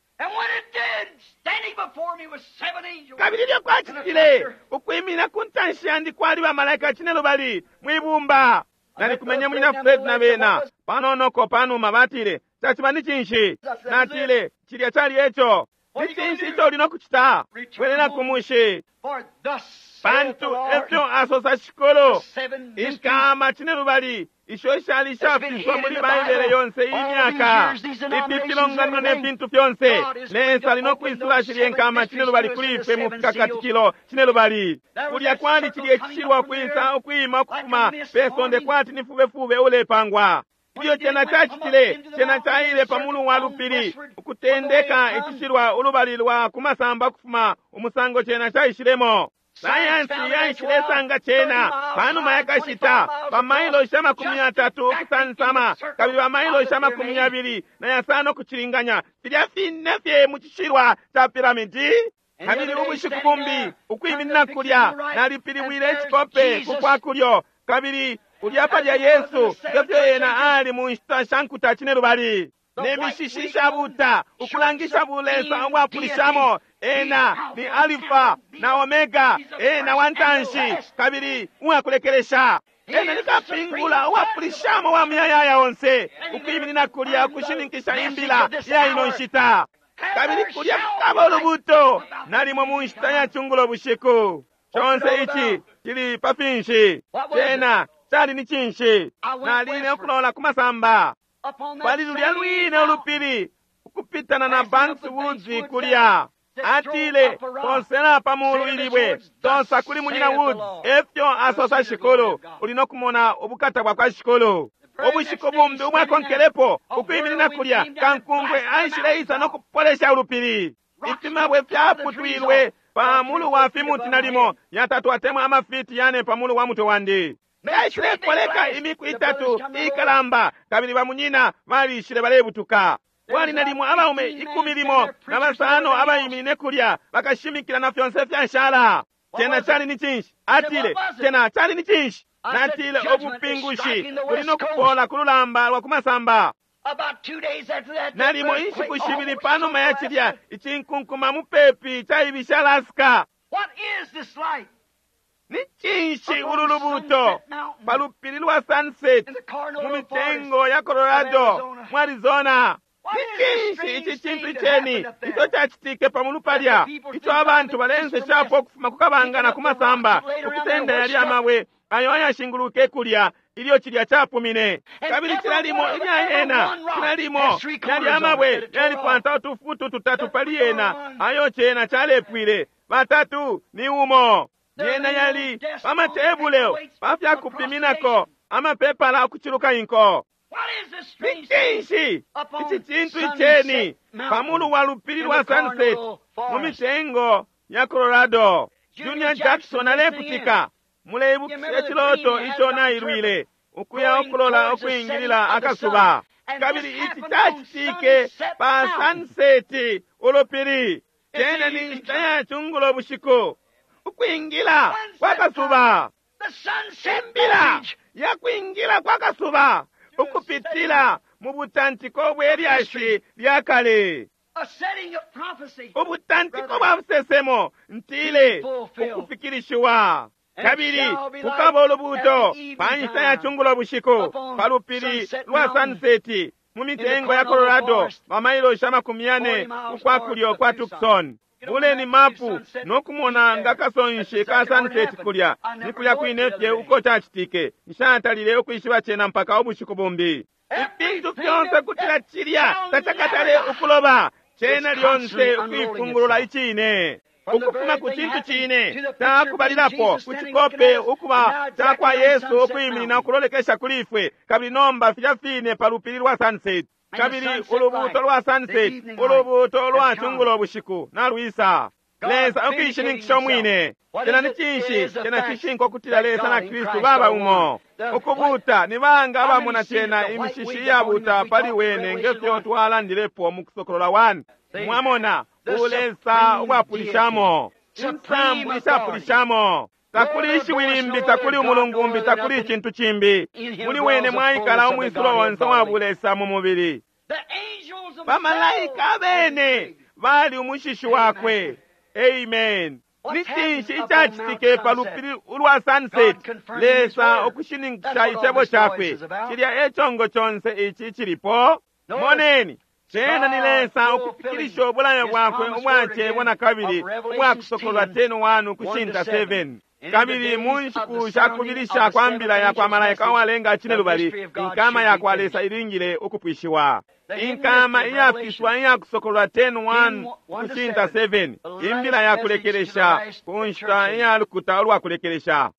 Kabili ilyo kwacitile ukwimina ku ntanshi yandi kwali bamalaika cinelubali mwibumba. Nalikumenye Munyina Fred na bena panonoko panuma batile, caciba ni cinshi? Natile, cilya cali eco. Ni cinshi ico uli nokucita? Bwelela ku mushi. Pantu efyo asosa Shikulu, inkama cinelubali isho ishali ishafiswa muli Baibele yonse iyi myaka, ifi filonganino ne fintu fyonse, Lesa ali nokwisula shilye nkama cinelubali kuli ifwe mu fikakatikilo cinelubali. Kulya kwali cilye cishilwa kwisa ukwima ukufuma pe sonde kwati ni fubefube ulepangwa. Ilyo cena cacitile, cena caile pamulu wa lupili ukutendeka icishilwa ulubali lwa kumasamba kufuma umusango cena caishilemo. Sayansi yaishilesanga cena panuma yakashita bamailosha amakumi yatatu ukusansama kabili bamailosha amakumi yabili na yasano kucilinganya filya fine fye mu cishilwa ca piramidi. Kabili ubushiku bumbi ukwiminina kulya nalipilibwile icikope kukwa kulyo kabili kulya palya Yesu ngefyo ena ali mu nshita sha nkuta cinelubali ne mishishi ishabuta ukulangisha bulesa ubwapulishamo. Ena ni Alifa na Omega, ena wantanshi kabili uwakulekelesha. Ena ni kapingula uwapulishamo wa muyayaya onse ukwiminina kulya ukushininkisha imbila ya ino nshita. Kabili kulya kukaba ulubuto nalimo mu nshita ya cungulo bushiku. Conse ici cili pa finshi? Cena cali ni cinshi? Naline ukulola ku masamba pali lulya lwine ulupili ukupitana na Banks Woods kulya. Atile, posela pamulu ilibwe, tosa kuli Munyina Woods, efyo asosa Shikulu, uli nokumona ubukata bwa kwa Shikulu. Ubushiku bumbi ubwakonkelepo ukwiminina kulya kankungwe aishileisa nokupolesha ulupili. Ifimabwe fyaputwilwe pamulu wa fimuti nalimo yatatu atemwa amafiti yane pamulu wa mutwe wandi. Yaishilekoleka imiku itatu ikalamba kabili bamunyina balishile balebutuka. Kwali nalimo abaume ikumi limo na basano abaimine kulya bakashimikila na fyonse fyashala. Cena cali ni cinshi? Atile, cena cali ni cinshi? Natile, ubupingushi buli nokupola ku lulamba lwa kumasamba. Nalimo inshiku shibili panuma ya cilya icinkunkuma mupepi caibisha Alaska. Ni cinshi ulu lubuto pa lupili lwa Sunset mu mitengo ya Colorado mu Arizona? Ni cinshi ici cintu iceni ico cacitike pamulu palya ico abantu balenseshapo ukufuma ku kabanga na ku masamba ukusenda yali amabwe ayo ayashinguluke kulya ilyo cilya capumine. Kabili cilalimo ilya yena cilalimo yali amabwe yalikwata utufutu tutatu pali yena ayo cena calepwile batatu ni umo. Yena yali pamatebule pafyakupiminako amapepala ukuciluka inko. Ni cinshi ici cintu iceni pa mulu wa lupili lwa Sunset mu mitengo ya Colorado? Junior Jackson alekutika. Muleibukisha ciloto ico nailwile ukuya ukulola ukwingilila akasuba. Kabili ici cacitike pa Sunset ulupili. Cene ni nshita ya cungulo bushiku, ukwingila kwa kasuba, imbila ya kwingila kwa kasuba ukupitila mu butantiko bwe lyashi lya kale, ubutantiko bwa busesemo ntile ukufikilishiwa. Kabili kukaba ulubuuto pa nshita ya cungulo bushiku pa lupili lwa Sunset mu mitengo ya Colorado, bamailoshi amakumi yane ukwa kulyo kwa Tucson. Buleni mapu nokumona nga kasonshi ka Sunset kulya ni kulya kwine fye uko cacitike. Nshatalile ukwishiba cena mpaka ubushiku bumbi. Ifintu fyonse kutila cilya tacakatale ukuloba, cena lyonse ukuifungulula icine ukufuma ku cintu cine cakubalilapo ku cikope ukuba cakwa Yesu ukwiminina ukulolekesha kuli ifwe, kabili nomba filya fine pa lupili lwa Sunset. Kabili ulubuuto lwa Sunset, ulubuuto lwa cungulo bushiku nalwisa. Lesa ukuishininkisha umwine. Cena ni cinshi? Cena cishinka ukutila Lesa na Kristu baba umo. Ukubuuta ni banga abamona cena imishishi iyabuuta pali wene ngefyo twalandilepo mu Kusokolola one. Mwamona ulesa ubwapulishamo, insambu ishapulishamo. Takuli ishiwi limbi, takuli umulungumbi, takuli icintu cimbi. Muli wene mwaikala umwisulo onse wa bulesa mu mubili. Bamalaika abene bali umushishi wakwe. Amen. Ni cinshi icacitike pa lupili ulwa Sunset? Lesa ukushininkisha icebo cakwe. Cilya e congo conse ici cilipo. Moneni, cena ni Lesa ukufikilisha ubulayo bwakwe ubwacebwa na kabili ubwakusokolwa ten one ukushinta seven. Kabili mu nshiku shakubilisha kwa mbila ya kwa malaika uwalenga cine lubali, inkama ya kwa Lesa ilingile ukupwishiwa. Inkama iyafiswa iyakusokolwa ten one ukushinta seven, imbila ya kulekelesha ku nshita iya lukuta ulwa kulekelesha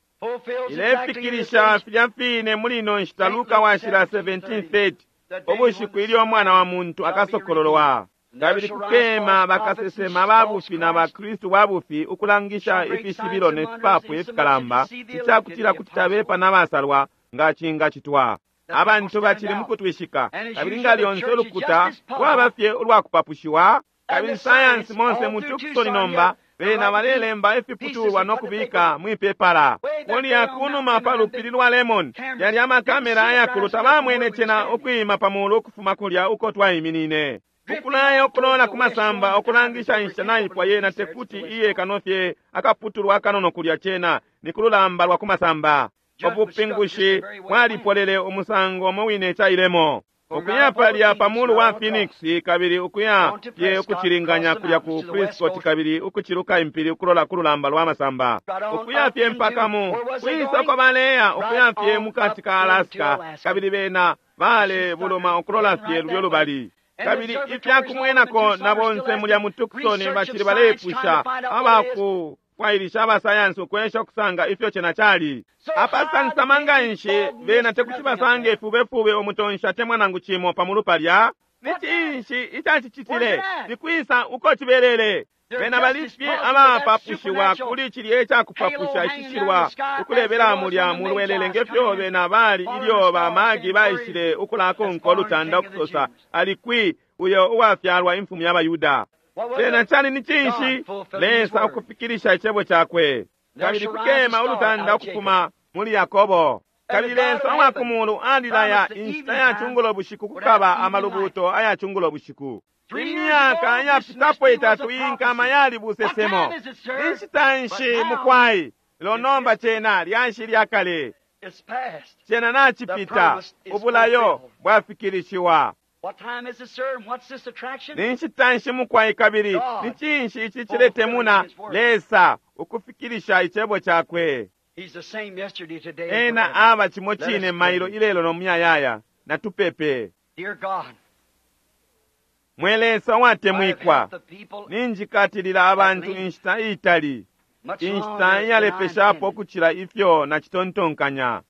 ilefikilisha filya fine muli ino nshita. Luka washila seventeen thirty, ubushiku ilyo umwana wa muntu akasokololwa. Kabili kukema bakasesema babufi na bakristu babufi ukulangisha ifishibilo ne fipapu ifikalamba, icakutila kuti tabepa n'abasalwa nga cingacitwa. Abantu bacili mukutwishika, kabili nga lyonse ulukuta lwaba fye ulwakupapushiwa. Kabili sayansi monse mu Tucson nomba bena balelemba ifiputulwa no kubika mwipepala. Kulya kunuma pa lupili lwa Lemon yali amakamera ayakulu, tabamwene cena ukwima pa mulu ukufuma kulya uko twaiminine. Ukulaya ukulola ku masamba ukulangisha inshita naipwa yena tekuti iye kanofye akaputulwa akanono kulya cena ni kululamba lwa ku masamba. Ubupingushi bwalipolele umusango umo wine cailemo. Ukuya palya pa mulu wa Phoenix kabili ukuya fye ukucilinganya kulya ku Prescott kabili ukuciluka impili ukulola kululamba lwa masamba. Ukuya fye mpaka mu kwisoko baleya ukuya fye mukati ka Alaska kabili bena bale buluma ukulola fye lulyo lubali. Kabili ifyakumwenako na bonse mulya mu Tucson bacili balepusha abakufwailisha abasayansi ukwesha ukusanga ifyo cena cali. Apasansama nga nshi bena tekuti basange fubefube umutonshi temwa nangu cimo pamulu palya. Ni cinshi icacicitile? Ni kwisa uko cibelele? Bena bali fye abapapushiwa kuli cilya icakupapusha icishilwa ukulebela mulya mulwelele ngefyo bena bali ilyo bamagi baishile ukulakonka ulutanda ukusosa ali kwi uyo uwafyalwa imfumu y'Abayuda. Cena cali ni cinshi? Lesa ukufikilisha icebo cakwe. Kabili kukema ulutanda ukufuma muli Yakobo. Kabili Lesa uwa kumulu alilaya inshita ya cungulo bushiku kukaba amalubuto aya cungulo bushiku. Imyaka yapitapo itatu inkama yali busesemo. Inshita nshi mukwai? Lelo nomba cena lyashi lya kale. Cena nacipita, ubulayo bwafikilishiwa. Ni nshita nshi mukwai kabili ni cinshi ici ciletemuna? Lesa ukufikilisha icebo cakwe. Ena aba cimo cine mailo ilelo no muyayaya. Natupepe. Mwe Lesa watemwikwa, ninjikatilila abantu inshita iitali, inshita iyalepeshapo ukucila ifyo nacitontonkanya.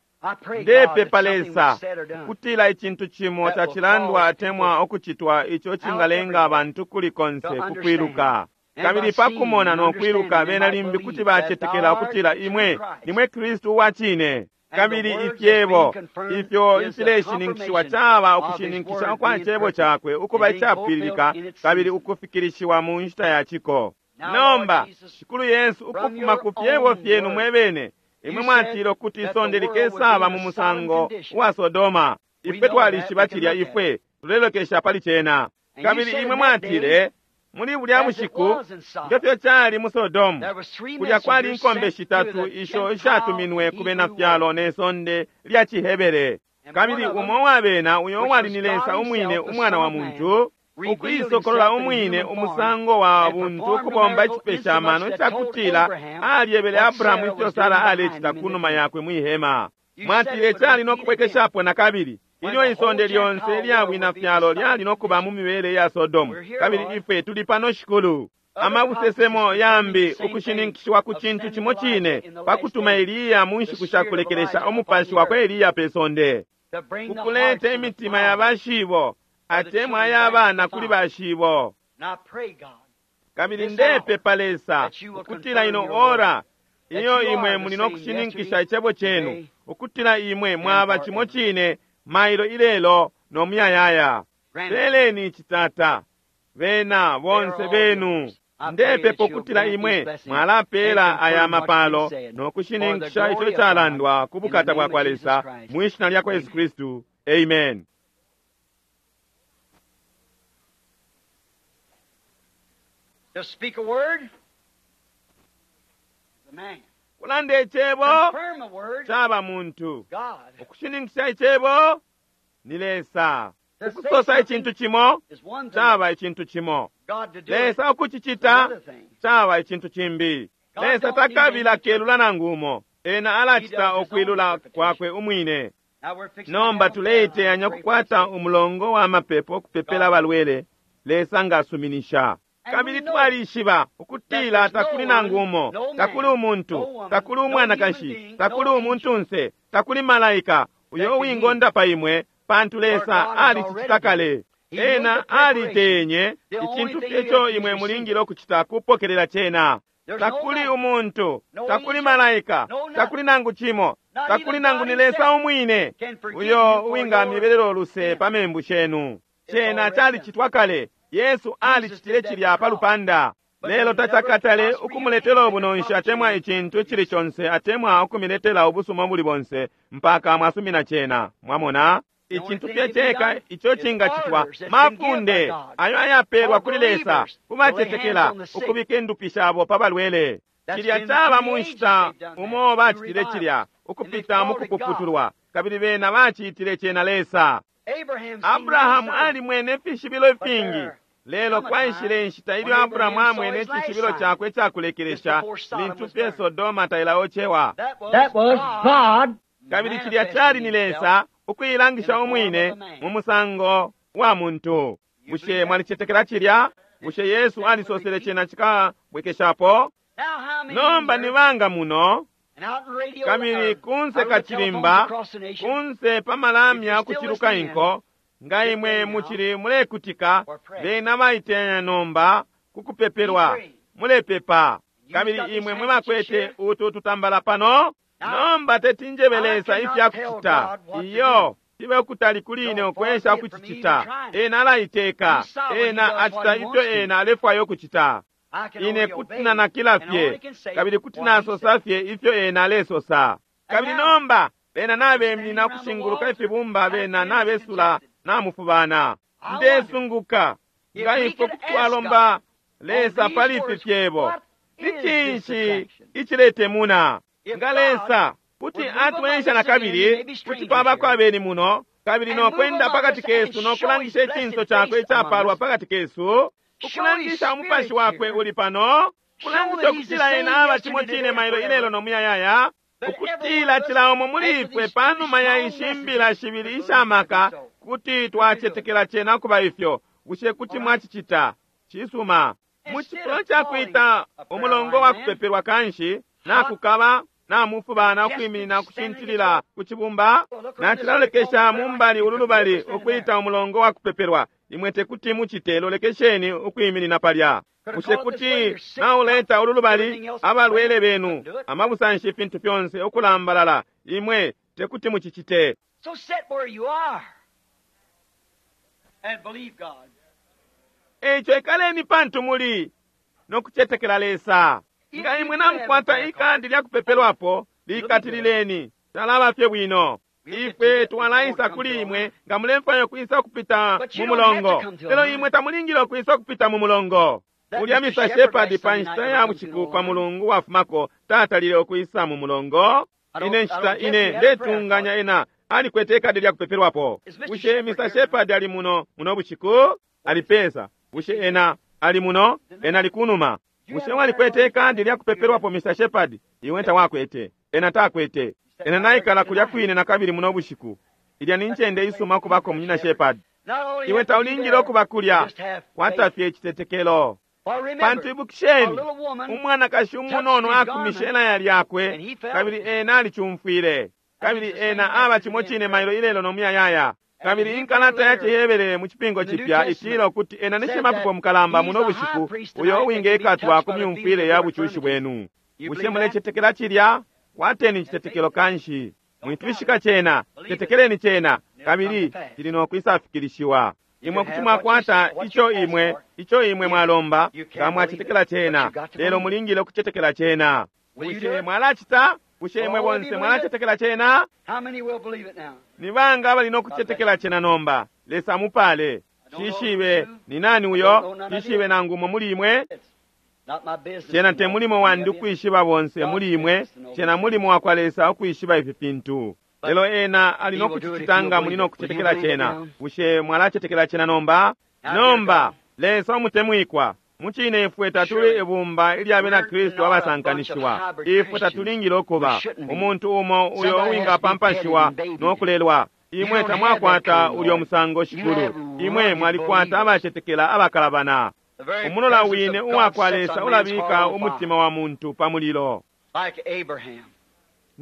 Ndepepa Lesa kutila icintu cimo cacilandwa atemwa ukucitwa ico cingalenga abantu kuli konse kukwiluka. Kabili pakumona no kwiluka bena limbi kuti bacetekela ukutila imwe nimwe Kristu uwa cine. Kabili ifyebo ifyo ifileshininkishiwa caba ukushininkisha ukwa cebo cakwe ukuba icapwililika kabili ukufikilishiwa mu nshita ya ciko. Nomba Shikulu Yesu, ukufuma ku fyebo fyenu mwebene, imwe mwatile ukuti isonde likesaba mu musango wa Sodoma. Ifwe twalishiba cilya, ifwe tulelokesha pali cena. Kabili imwe mwatile muli bulya bushiku ngefyo cali mu Sodomu, kulya kwali inkombe shitatu isho ishatuminwe ku bena fyalo ne sonde lya Cihebere. Kabili umo wa bena, uyo uwali ni Lesa umwine, umwana wa muntu, ukuisokolola umwine umusango wa buntu ukubomba icipesha amano icakutila alyebele Abrahamu ifyo Sara alecita kunuma yakwe mwihema. Mwatile cali no kubwekeshapo na kabili ilyo isonde lyonse lya bwina fyalo lyali no kuba mu mibele ya Sodomu. Kabili ifwe tuli pano, Shikulu. Amabusesemo yambi ukushininkishiwa ku cintu cimo cine pakutuma Eliya mu nshiku sha kulekelesha, umupashi wakwe Eliya pe sonde, kukuleta imitima ya bashibo atemwa ayabana kuli bashibo. Kabili ndepepa Lesa ukutila ino ora iyo imwe muli no kushininkisha icebo cenu, ukutila imwe mwaba cimo cine mailo ilelo no muyayaya. Peleni icitata bena bonse benu. Ndepepa ukutila imwe mwalapela aya mapalo no kushininkisha ico calandwa ku bukata bwa kwa Lesa, mu ishina lya kwa Yesu Kristu, amen. To speak a word, the man. Kulanda icebo Confirm a word, caba muntu. God. Ukushininkisha icebo ni Lesa. To say Ukusosa something icintu cimo is one thing. caba icintu cimo. God to do it Lesa is ukucicita another thing. caba icintu cimbi. God Lesa don't need takabila any kelula nangu umo. Ena alacita He does his own ukwilula interpretation. kwakwe umwine. Now we're fixing Nomba to have a prayer tuleiteyanya line. Pray for ukukwata the sick. umulongo wa mapepo okupepela abalwele. Lesa ngasuminisha. And Kabili we know twalishiba ukutila that there's takuli no nangu one, umo, no man, takuli umuntu, no woman, takuli no umwanakashi, human being, takuli no umuntunse, takuli malaika uyo that can wingondapa imwe, pantu Lesa God has alicicita already kale. He made Ena the preparation. alitenye The only icintu thing fye you ico have to imwe receive. mulingile okucita kupokelela cena. There's no Takuli man, umuntu, no takuli angel, malaika, no nothing. takuli nangu cimo, Not takuli even nangu God ni Lesa himself umwine can forgive uyo you for your uwingamibelela oluse sin. pa membu shenu. It's Cena already calicitwa kale. Yesu Jesus alicitile did that cilya pa cross. lupanda. But Lelo they never tacakatale prosper you ukumuletela anything ubunonshi that atemwa profits you. icintu icili conse atemwa ukumiletela ubusuma buli bonse mpaka mwasumina cena. Mwamona? The only Icintu thing fye can be ceka done ico is cingacitwa orders that's been given by mafunde God ayo ayapeelwa for kuli Lesa believers to lay hands kubacetekela on the sick. ukubika indupi shabo pa balwele. That's Cilya been caba through mu the ages nshita they've done that, umo through bacitile revivals. cilya And they've ukupita mu called it God. kupuputulwa kabili bena bacitile cena Lesa. Abraham seen many Abrahamu signs, alimwene ifishibilo but ifingi there lelo come a kwaishile time inshita when ilyo Abrahamu Abraham saw amwene his last icishibilo sign chakwe just icakulekelesha before Sodom lintu was fye burned. Sodoma tailaocewa. That was That was God God Kabili cilya manifesting cali ni himself Lesa in ukuilangisha the form of umwine a man. mu musango wa muntu. You Bushe believe that? mwalicetekela cilya? Did Bushe Jesus Yesu say it would alisosele repeat? cena cikabwekeshapo? Now how many Nomba here ni banga muno and out in radio kabili or kunse out on the telephones kachilimba across the nation, kunse if pamalamya you're still kuchiluka listening in, inko nga get imwe ready now muchili mulekutika for prayer. bena baitenya nomba Be kukupepelwa praying. mulepepa. You've Kabili got these imwe mwe handkerchiefs bakwete here. utu tutambala pano. Now, Nomba tetinjebe I Lesa cannot ifya tell kucita God what to iyo do. cibe ukutali kuli ine No, far ukwesha be it from me even ukucicita. trying. Ena alaiteka, He's sovereign. He ena does what acita he ifyo wants to. ena alefwaya ukucita. I can Ine only kuti obey nanakila and I fye only can say kabili kuti what he nasosa said. fye ifyo ena alesosa. And Kabili now nomba bena we're nabeminina standing around the ukushinguluka walls, ifibumba got bena feeling nabesula congested. namufubana. I wonder Ndesunguka if nga we ifwe could kuti ask twalomba God on Lesa these pali ifi words, fyebo. what Ni is this cinshi attraction? iciletemuna? If Nga God Lesa kuti would move among atwensha na us again, we kabili may be kuti strangers twabako here, abeni muno kabili and no move kwenda among pakati us and kesu no show his kulangisha icinso blessed chakwe face among icapalwa us, pakati kesu show his ukulangisha umupashi spirit wakwe here, uli pano show kulangisha that he's the ukutila same ena aba cimo yesterday, cine today, and mailo ilelo forever. no muyayaya That every one ukutila of us, cila umo muli after ifwe these two panuma ya strong ishi mbila messages, shibili would believe it to be ishamaka so. kuti Would you do it? twacetekela cena kuba ifyo. Bushe kuti All right. mwacicita? Cisuma. Mu Instead cifulo of ca calling kwita a prayer umulongo line wa man, kupepelwa kanshi what nakukaba Namufubana ukwiminina ukushintilila ku cibumba. Nacilalolekesha mumbali ulu lubali ukwita umulongo wa kupepelwa. Imwe tekuti mucite, lolekesheni ukwiminina palya. Bushe kuti nauleta ulu lubali abalwele benu, amabusanshi, ifintu fyonse ukulambalala? Imwe tekuti mucicite. So sit where you are and believe God. Eico ikaleni pantu muli nokucetekela Lesa. Nga imwe namukwata ikadi lya kupepelwapo, likatilileni, talaba fye bwino. Ifwe twalaisa kuli imwe nga mulemfwaya ukwisa ukupita mu mulongo, lelo imwe tamulingile ukwisa ukupita mu mulongo. Ulya Mister Shepherd pa nshita ya bushiku pa mulungu wafumako tatalile ukwisa mu mulongo. Ine nshita ine ndetunganya ena alikwete ikadi lya kupepelwapo. Bushe Mister Shepherd ali muno muno bushiku? Alipesa. Bushe ena ali muno? Ena ali kunuma. Bushe walikwete ikadi lya kupepelwapo, Mister Shepherd? Iwe tawakwete. Ena takwete. Ena naikala kulya kwine na kabili muno bushiku. Ilya ni ncende isuma kubako munyina Shepherd. Iwe taulingile okuba kulya, kwata fye icitetekelo. Pantu ibukisheni, umwanakashi umunono akumishe elaya lyakwe, kabili ena alicumfwile. Kabili ena aba cimo cine mailo ilelo no muyayaya. Kabili inkalata ya Cihebere mu cipingo cipya itila ukuti ena ni shimapepo mukalamba muno bushiku uyo uwingekatwa ku myumfwile ya bucushi bwenu. Bushe mulecetekela cilya? Kwateni icitetekelo kanshi. Mwitwishika cena, cetekeleni cena, kabili cili no kwisafikilishiwa. Imwe kuti mwakwata ico imwe, ico imwe mwalomba, nga mwacetekela cena, lelo mulingile ukucetekela cena. Bushe mwalacita? Bushe imwe bonse mwalacetekela cena? How many will believe it now? Ni banga abali no kucetekela cena nomba? Lesa mupale. Shishibe ni nani uyo? Shishibe nangu umo muli imwe? Not my business. Cena te mulimo wandi ukwishiba bonse muli imwe, cena mulimo wa kwa Lesa ukwishiba ifi fintu. Lelo ena ali no kucicita nga muli no kucetekela cena. Bushe mwalacetekela cena nomba? Nomba, Lesa umutemwikwa, mucine ifwe tatuli ibumba ilya bena Kristu abasankanishiwa. Ifwe tatulingile ukuba umuntu umo uyo uwingapampashiwa no kulelwa. Imwe tamwakwata ulyo musango, Shikulu. Imwe mwalikwata abacetekela abakalabana. The very Umulola presence wine of uwa God kwa sets Lesa a man's ulabika heart on umutima fire. wa muntu pa mulilo. Like Abraham.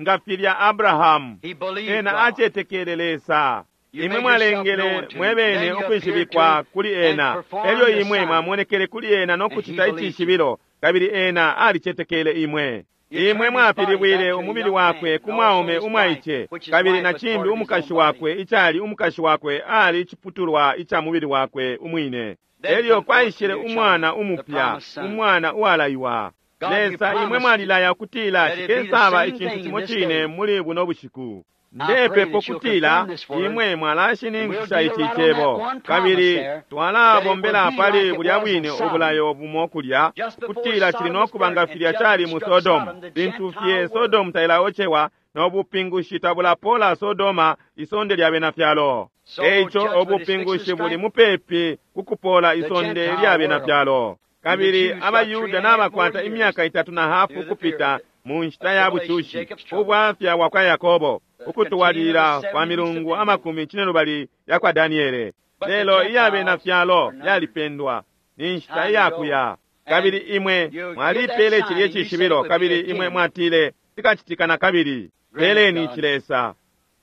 Nga filya Abrahamu, He believed ena God. acetekele Lesa. You Imwe made yourself mwalengele known to him. mwebene Then you ukwishibikwa appeared to kuli him and ena. performed Elyo the imwe sign. mwamonekele kuli ena no And he kucita believed you. icishibilo, kabili ena alicetekele imwe. You Imwe turned his body mwapilibwile back to a umubili young wakwe man, ku and mwaume also his umwaice, wife, which his kabili wife na was cimbi part of his umukashi own wakwe, body. icali umukashi wakwe ali iciputulwa ica mubili wakwe umwine. Then Elyo come forth the kwaishile new umwana child, the umupya, promised son. umwana uwalaiwa. God, you Lesa, imwe promised mwalilaya ukutila that it'd be the cikesaba same icintu thing in cimo this cine day. muli buno bushiku. I pray Ndepepo that you'll kutila confirm this word. imwe And we'll mwalashininkisha deal ici right on cebo, that one promise kabili there, that it will twalabombela be pali like it bulya was in bwine Sodom. ubulayo bumo kulya, Just before kutila cili Sodom no was kuba nga burned and filya cali judgment mu struck Sodomu. Sodom, the Lintu fye Gentile world. Sodomu tailaocewa n'obupingushi tabulapola Sodoma, isonde lya bena fyalo. So Eico judgment is obupingushi fixed to buli strike mupepi kukupola the isonde Gentile lya bena world. fyalo. And the Kabili Jews got three abayuda and a half more n'abakwata years imyaka itatu na hafu through the ukupita period mu nshita of ya tribulation, bucushi, Jacob's trouble, ubwafya bwa kwa Yakobo, the continuing of the ukutwalilila kwa seven weeks of milungu Daniel. amakumi cinelubali ya kwa Daniele. But the Lelo iya bena Gentiles fyalo are numbered. yalipendwa, ni nshita Time to go. iyakuya. Kabili And imwe you give that mwalipele sign cilye and you said it cishibilo, would be kabili imwe again. mwatile tikacitika na kabili. Grant it, Peleni God. ici Lesa.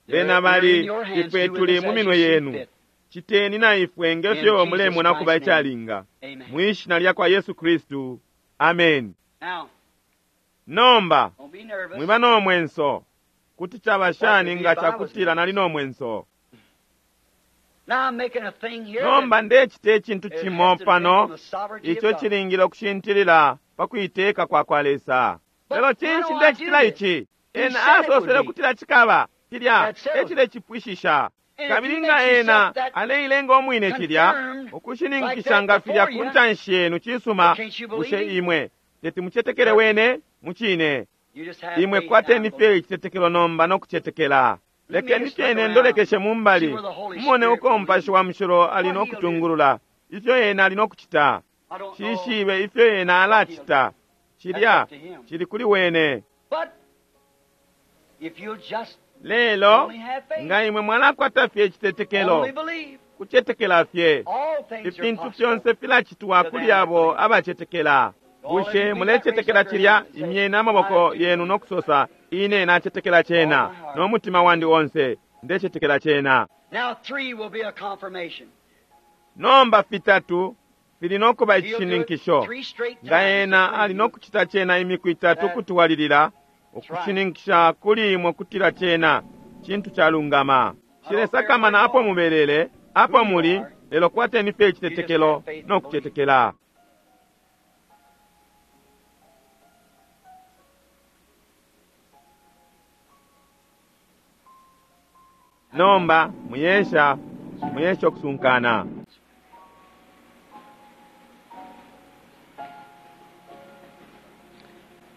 Bena They're, they're in bali your hands. ifwe Do with tuli us mu as minwe you see yenu. fit. Citeni na ifwe In ngefyo Jesus mulemona kuba Christ's name. icalinga. Amen. Mwishina lya kwa Yesu Kristu. Amen. Now, Nomba don't be nervous. mwiba no mwenso. Kuti caba What shani would be nga if I was cakutila nervous? nali no mwenso. Now I'm making a thing here that Nomba ndecita icintu it cimo has to depend on pano the sovereignty of ico God. cilingile ukushintilila pa kuiteka kwa kwa Lesa. But Lelo why cinshi do I do ndecitila this? ici? He Ena said it would asosele be. ukutila cikaba cilya That settles it. ecilecipwishisha. And if Kabili you nga make ena yourself that aleilenga umwine cilya confirmed like ukushininkisha that nga filya before ku you, ntanshi yenu cisuma, well, can't you believe bushe him? imwe teti mucetekele wene mucine. You just have Imwe faith now kwateni and fye believe. icitetekelo nomba no kucetekela. Let me Lekeni just look fyene around, ndolekeshe see mumbali, where the Holy mumone Spirit uko will lead. Mupashi wa Mushilo ali What no he'll do. kutungulula, ifyo ena ali no kucita. I don't know Shishibe ifyo ena what he'll do. alacita. That's Cilya up to him. cili kuli wene. But if you'll just Lelo only have faith, nga imwe mwalakwata fye icitetekelo, only believe, kucetekela fye, all things are ifintu possible fyonse filacitwa to kuli them that abo believe. abacetekela. Bushe mulecetekela cilya? Imyeni amaboko yenu no kusosa, ine nacetekela cena no mutima wandi onse, ndecetekela cena. Now three will be a confirmation. Nomba fitatu fili no kuba He'll do it icishininkisho. three straight Nga times ena to ali no prove kucita cena imiku itatu kutwalilila, ukushininkisha kuli imwe kutila cena cintu calungama. Shilesakamana apo mubelele, apo muli, lelo kwateni fye icitetekelo no kucetekela. Nomba muyesha, muyesha okusunkana.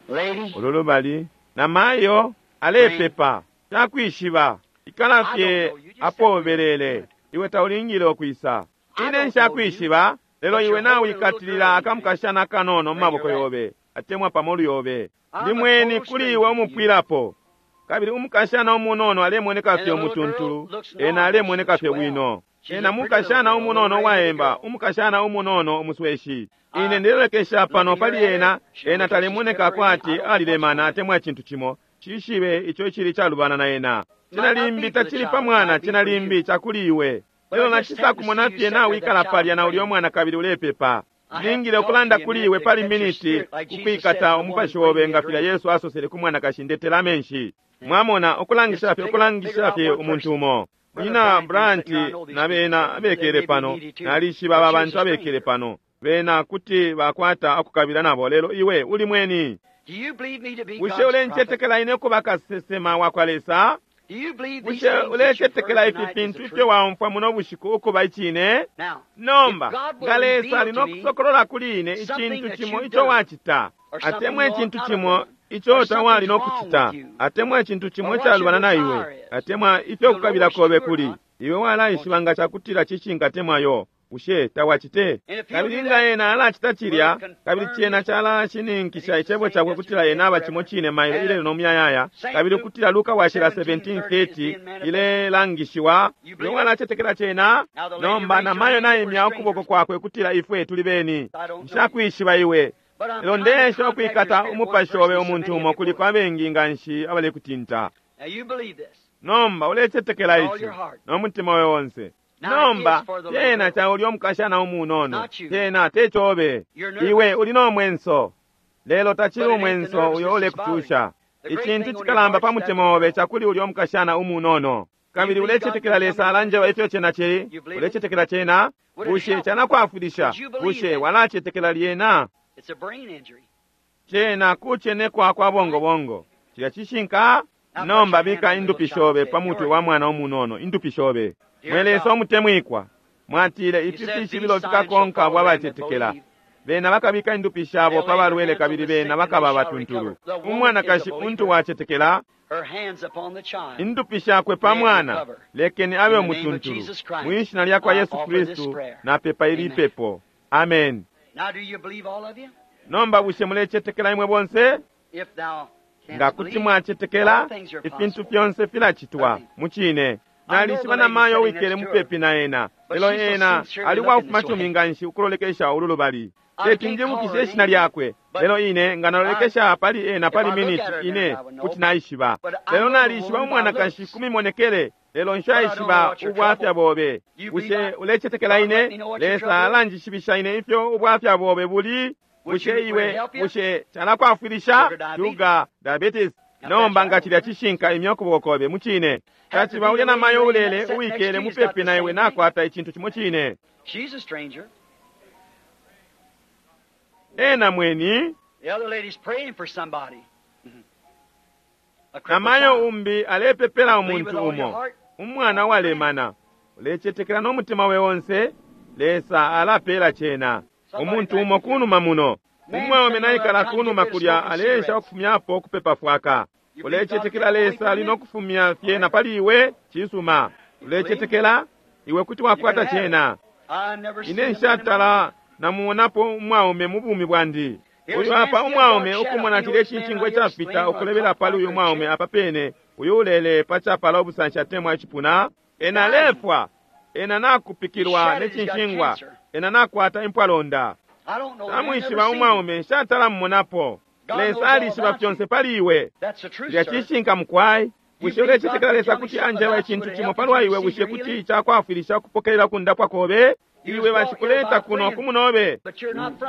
Lady, Ulu lubali namayo alepepa takwishiba ikala fye apo ubelele, iwe taulingile ukwisa. Ine nshakwishiba, lelo iwe nawikatilila akamukashana kanono mu maboko yobe atemwa pamolu yobe. Ndi mweni kuli iwe umupwilapo. Kabili umukashana umunono alemoneka fye umutuntulu, ena alemoneka fye bwino. Ena mukashana umunono uwaemba, umukashana umunono umusweshi. Ine ndelolekesha pano pali ena, ena talemoneka kwati alilemana atemwa icintu cimo. Cishibe ico cili calubana na ena. Cena limbi tacili pa mwana, cena limbi cakuli iwe. Lelo nacisakumona fye nawikala palya na ulya mwana kabili ulepepa. Ningile ukulanda kuli iwe pali miniti kukwikata umupashi obe nga filya Yesu asosele ku mwanakashi, ndetela amenshi. Mwamona, ukulangisha fye, ukulangisha fye umuntu umo. Munyina Brandt na bena abekele pano, nalishiba aba bantu abekele pano. Bena kuti bakwata ukukabila nabo, lelo iwe uli mweni. do you believe me to be Bushe God's prophet? ulencetekela ine kuba kasesema wa kwa Lesa? Do you believe these Bushe things that you've ulecetekela heard ifi tonight is fintu the ifyo truth? waumfwa muno bushiku ukuba icine? Now, Nomba if God will nga Lesa reveal ali to no me kusokolola kuli ine something icintu that cimo you've ico done, wacita, or something atemwa you ought icintu not cimo have done, ico or tawali no something's wrong kucita, with you, atemwa icintu cimo or what icalubana your na iwe, desire is, atemwa ifyo you'll know kukabila what's kobe true or kuli, not. iwe walaishiba nga cakutila cishinka temwayo, bushe tawacite? And if he'll Kabili do nga that, ena alacita cilya, will confirm kabili cena his calashininkisha that he's the icebo same cakwe kutila yesterday, ena aba forever. cimo cine mailo And ilelo no muyayaya, Saint kabili Luke ukutila Luka washila seventeen seventeen thirty is thirty being manifested. ilelangishiwa. You Iwe believe it? walacetekela cena? Now the lady Nomba raised her namayo hand, we're naimya ukuboko strangers. kwakwe kutila ifwe tuli beni. I don't know you. Nshakwishiba iwe. But I'm Lelo trying to ndesha contact your ukwikata spirit one umupashi person obe so many umuntu of umo you kuliko before. abengi nga nshi abalekutinta. Now you believe this. Nomba ulecetekela With all ici your heart. no mutima obe onse. Now Nomba it is for the little cena girl. ca ulya omukashana umunono, Not you. cena tecobe. You're nervous. Iwe uli no mwenso, lelo tacili But it ain't the umwenso uyo nervousness that's ulekucusha. bothering you. The great Icintu thing on your cikalamba heart pa is that mutima obe cakuli ulya omukashana umunono. Kabili You believe God ulecetekela can Lesa come alanjeba ifyo cena cili? You believe it? Ulecetekela cena? Would it Bushe help? canakwafwilisha? Would you believe Bushe that? walacetekela lyena? It's a brain injury. Cena kucenekwa kwa bongobongo. Cilya cishinka? Now Nomba put your hand bika on the indupi little shobe child pa and say, mutwe "You're wa mwana umunono, indupi shobe. Dear Mwe Lesa God, umutemwikwa, mwatile you ifi said these fishibilo signs shall fikakonka abo follow them that abacetekela. believe. Bena bakabika indupi shabo They'll pa lay their balwele hands on kabili the sick bena and they bakaba shall abatuntulu. recover. The woman is a Umwanakashi untu believer. wacetekela, Her hands upon the child. indupi shakwe pa May it mwana, recover. lekeni abe In the name of umutuntulu. Jesus Christ, Mwishina lya kwa I Yesu offer this Kristu prayer. napepa ili Amen. pepo. Amen. Now do you believe, all of you? Nomba bushe mulecetekela imwe bonse? If thou Nga canst kuti believe, mwacetekela, all things are ifintu possible. fyonse filacitwa Nothing. mucine. I know the Nalishiba lady namayo sitting wikele next to her, mupepi na ena, but lelo she's so ena sincerely ali looking wafuma this way. cumi nga nshi ukulolekesha ulu lubali. I Teti can't call njibukishe her ishina name, lyakwe, but lelo ine nga nalolekesha pali ena if pali I look miniti at her ine minute, I would know. kuti naishiba. But I Lelo know the nalishiba woman by umwanakashi looks. kumimonekele, lelo But I don't know nshaishiba what your ubwafya trouble. bobe. You believe Bushe I, ulecetekela God let ine? me know what your Lesa trouble is? alanjishibisha ine ifyo ubwafya bobe buli. Would Bushe you, would it iwe, help you? bushe calakwafwilisha? Sugar diabetes. Sugar diabetes. Now that's Nomba nga right. cilya cishinka imya ukuboko kobe mucine. Had to Caciba be ulya the lady namayo laying ulele that sitting next uwikele to you has got mupepi the na iwe same thing. nakwata icintu cimo cine. She's a stranger. Ena mweni, The other lady's praying for somebody. A crippled namayo child. umbi alepepela Believe with umuntu all your umo. heart. Umwana walemana. Ulecetekela no mutima we onse, Lesa alapela cena. Somebody Umuntu back umo here. kunuma muno. Man Umwaume sitting over there naikala trying to get kunuma rid of kulya smoking aleesha cigarettes. okufumyapo okupepa fwaka. You believe God Ulecetekela can take away Lesa from ali you? nokufumya All fyena right. pali iwe, cisuma. You believe? Ulecetekela, iwe kuti You can wakwata have it. cena. I never Ine seen a man in my life. nshatala namuonapo umwaume mu bumi bwandi. Here's Uyu a man apa sitting umwaume dark shadow. ukumona You know cilya this man cinshingwa right here icafita explaining a ukulebela pali uyu cock mwaume chair. apa pene, uyu ulele pa capala obusanshi atemwa icipuna, ena Dying. alefwa, ena He's nakupikilwa ne shattered. He's got cinshingwa, cancer. ena nakwata impwalonda. Namwishiba umwaume, nshatala mmonapo. Lesa alishiba fyonse pali iwe. Cilya cishinka mukwai. Bushe ulecetekela Lesa kuti anjeba icintu cimo palwa iwe? Bushe kuti cakwafwilisha ukupokelela kundapwa kobe? Iwe bacikuleta kuno kumunobe,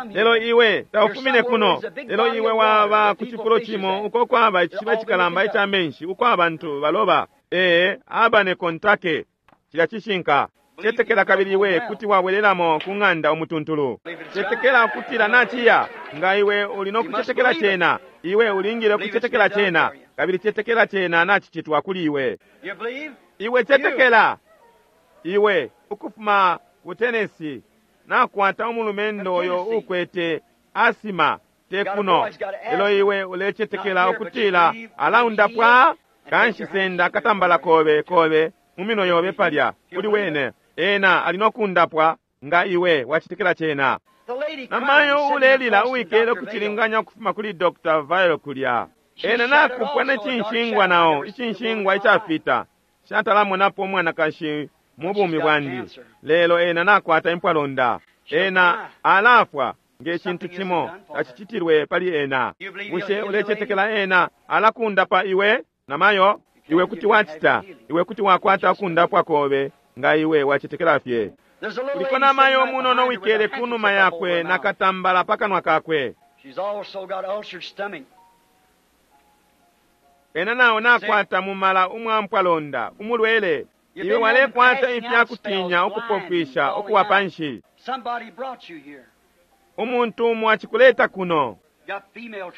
lelo iwe taufumine kuno. Lelo iwe waba ku cifulo cimo uko kwaba icishiba cikalamba ica menshi, uko abantu baloba. Ee, abane kontake. Cilya cishinka. Cetekela kabili iwe kuti wabwelelamo ku ng'anda umutuntulu. Cetekela kutila naciya. Nga iwe uli no kucetekela cena, iwe ulingile kucetekela cena, kabili cetekela cena nacicitwa kuli iwe. Iwe cetekela. Iwe ukufuma ku Tennessee, nakwata umulumendo uyo ukwete asima te kuno, lelo iwe ulecetekela ukutila alaundapwa. Kanshi senda akatambala kobe kobe mu minwe yobe palya kuli wene, ena ali no kundapwa nga iwe wacetekela cena. Namayo ulelila uwikele kucilinganya ukufuma kuli Doctor Vile kulya, ena nakupwa ne cinshingwa nao, icinshingwa icafita. Shatalamonapo umwanakashi mu bumi bwandi, lelo ena nakwata impwalonda. Ena alafwa nge cintu cimo tacicitilwe pali ena. Bushe ulecetekela ena alakundapa iwe namayo? Iwe kuti wacita, iwe kuti wakwata ukundapwa kobe nga iwe wacetekela fye. Kuliko namayo munono wikele kunuma yakwe nakatambala pakanwa kakwe. Ena nawo nakwata mumala umwampwalonda umulwele. Iwe walekwata ifyakutinya ukupofwisha ukuwa panshi. Umuntu umo acikuleta kuno,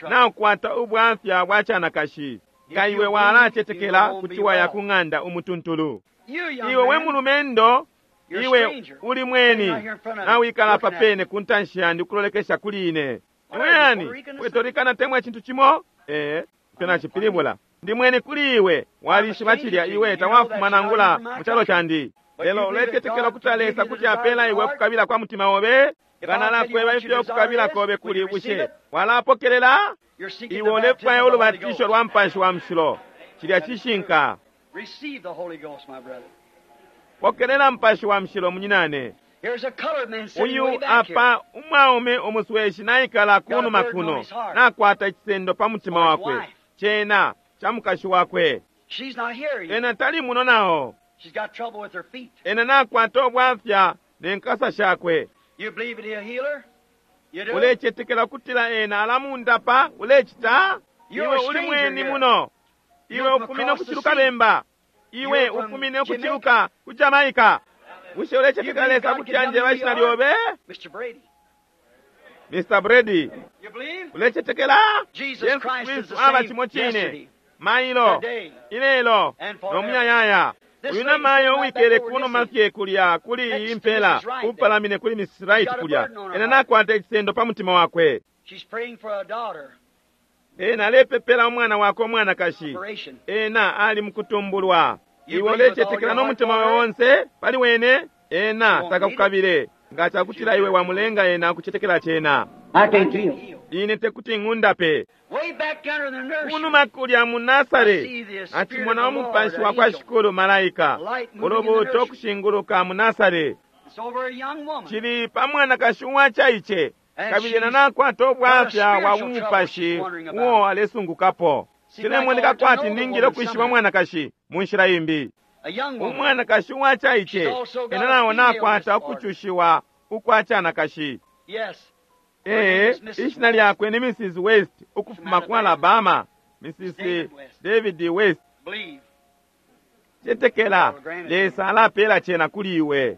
nakwata ubwafya bwa canakashi. Nga iwe walacetekela kuti waya ku ng'anda umutuntulu. Iwe we mulumendo, iwe uli mweni, nawikala papene ku ntanshi yandi ukulolekesha kuli ine. Iwe yani Puerto temwa cintu cimo? Ee, ifyo nacipilibula. Ndi mweni kuli iwe, walishiba cilya iwe tawafuma nangula mu calo candi. Lelo ulecetekela kuti Lesa kuti apela iwe kukabila kwa mutima obe? Nga nalakweba ifyo kukabila kobe kuli, bushe walapokelela? Iwe ulefwaya ulubatisho lwa Mupashi wa Mushilo. Cilya cishinka. Pokelela Mupashi wa Mushilo munyinane. Uyu apa umwaume umusweshi naikala kunuma kuno, nakwata icisendo pa mutima wakwe, cena ca mukashi wakwe. Ena tali muno nao. Ena nakwata ubwafya ne nkasa shakwe. Ulecetekela kutila ena alamundapa? Ulecita? Iwe uli mweni muno. Iwe ufumine ukuciluka bemba. Iwe ufumine ukuciluka ku Jamaica. Bushe ulecetekela Lesa kuti anjeba ishina lyobe? Mister Brady, ulecetekela? Yesu Kristu aba cimo cine mailo, ilelo, no muyayaya. Uyu namayo uwikele kunuma fye kulya kuli iyi impela, upalamine kuli Missus Wright kulya, ena nakwata icisendo pa mutima wakwe. Ena alepepela umwana wakwe umwanakashi. Ena ali mukutumbulwa. Iwe ulecetekela no mutima wawe onse pali wene? Ena takakukabile nga cakutila iwe wamulenga ena kucetekela cena. Ine tekuti ng'undape. Kunuma kulya mu Nasare, acimona umupashi wa kwa Shikulu malaika ulubuuto kushinguluka mu Nasare. Cili pa mwanakashi uwacaice, kabili ena nakwata ubwafya bwa bumupashi uo alesungukapo. Cilemoneka kwati ningile ukwishiba mwanakashi mu nshila imbi. Umwanakashi uwacaice, ena nawo nakwata ukucushiwa ukwa canakashi. Ee, ishina lyakwe ni Missus West ukufuma ku Alabama, Missus David West. Cetekela, Lesa alapela cena kuli iwe.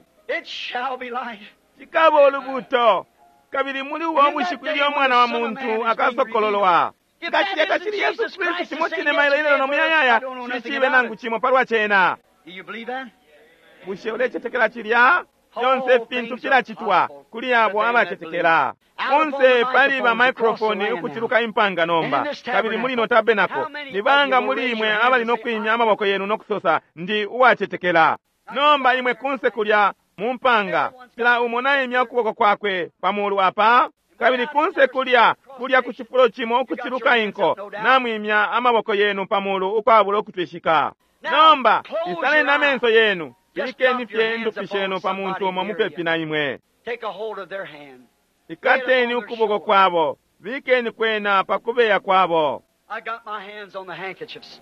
Cikaba ulubuto, kabili muli uwo bushiku ilyo Umwana wa Muntu akasokololwa. Nga cilya tacili Yesu Kristu cimo cine mailo ilelo no muyayaya, cishibe nangu cimo palwa cena. Bushe ulecetekela cilya? Fyonse fintu filacitwa kuli abo abacetekela. Kunse pali ba microphone ukuciluka impanga nomba, kabili muli no tabernacle. Ni banga muli imwe abali no kwimya amaboko yenu no kusosa, ndi uwacetekela. Nomba imwe kunse kulya mu mpanga, kila umo naimya ukuboko kwakwe pamulu apa, kabili kunse kulya kulya ku cifulo cimo ukuciluka inko, namwimya amaboko yenu pamulu ukwabula ukutwishika. Nomba isaleni amenso yenu, bilikeni fye indupi shenu pa muntu umo mupepi na imwe. Ikateni ukuboko kwabo, bikeni kwena pakubeya kwabo. I got my hands on the handkerchiefs.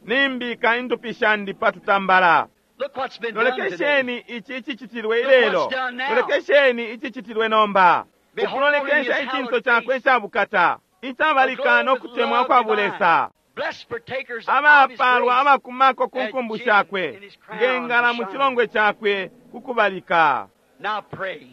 Nimbika indupi shandi patutambala. Look what's been done today. Lolekesheni ichi ichichitilwe ilelo. Lolekesheni ichichitilwe nomba. Ukulolekesha ichinso chakwe icabukata, icabalika nokutemwa kwa bulesa. Blessed partakers of his Abapalwa grace. abakumako ku nkumbu shakwe, ngengala mu chilongwe chakwe kukubalika. Now pray.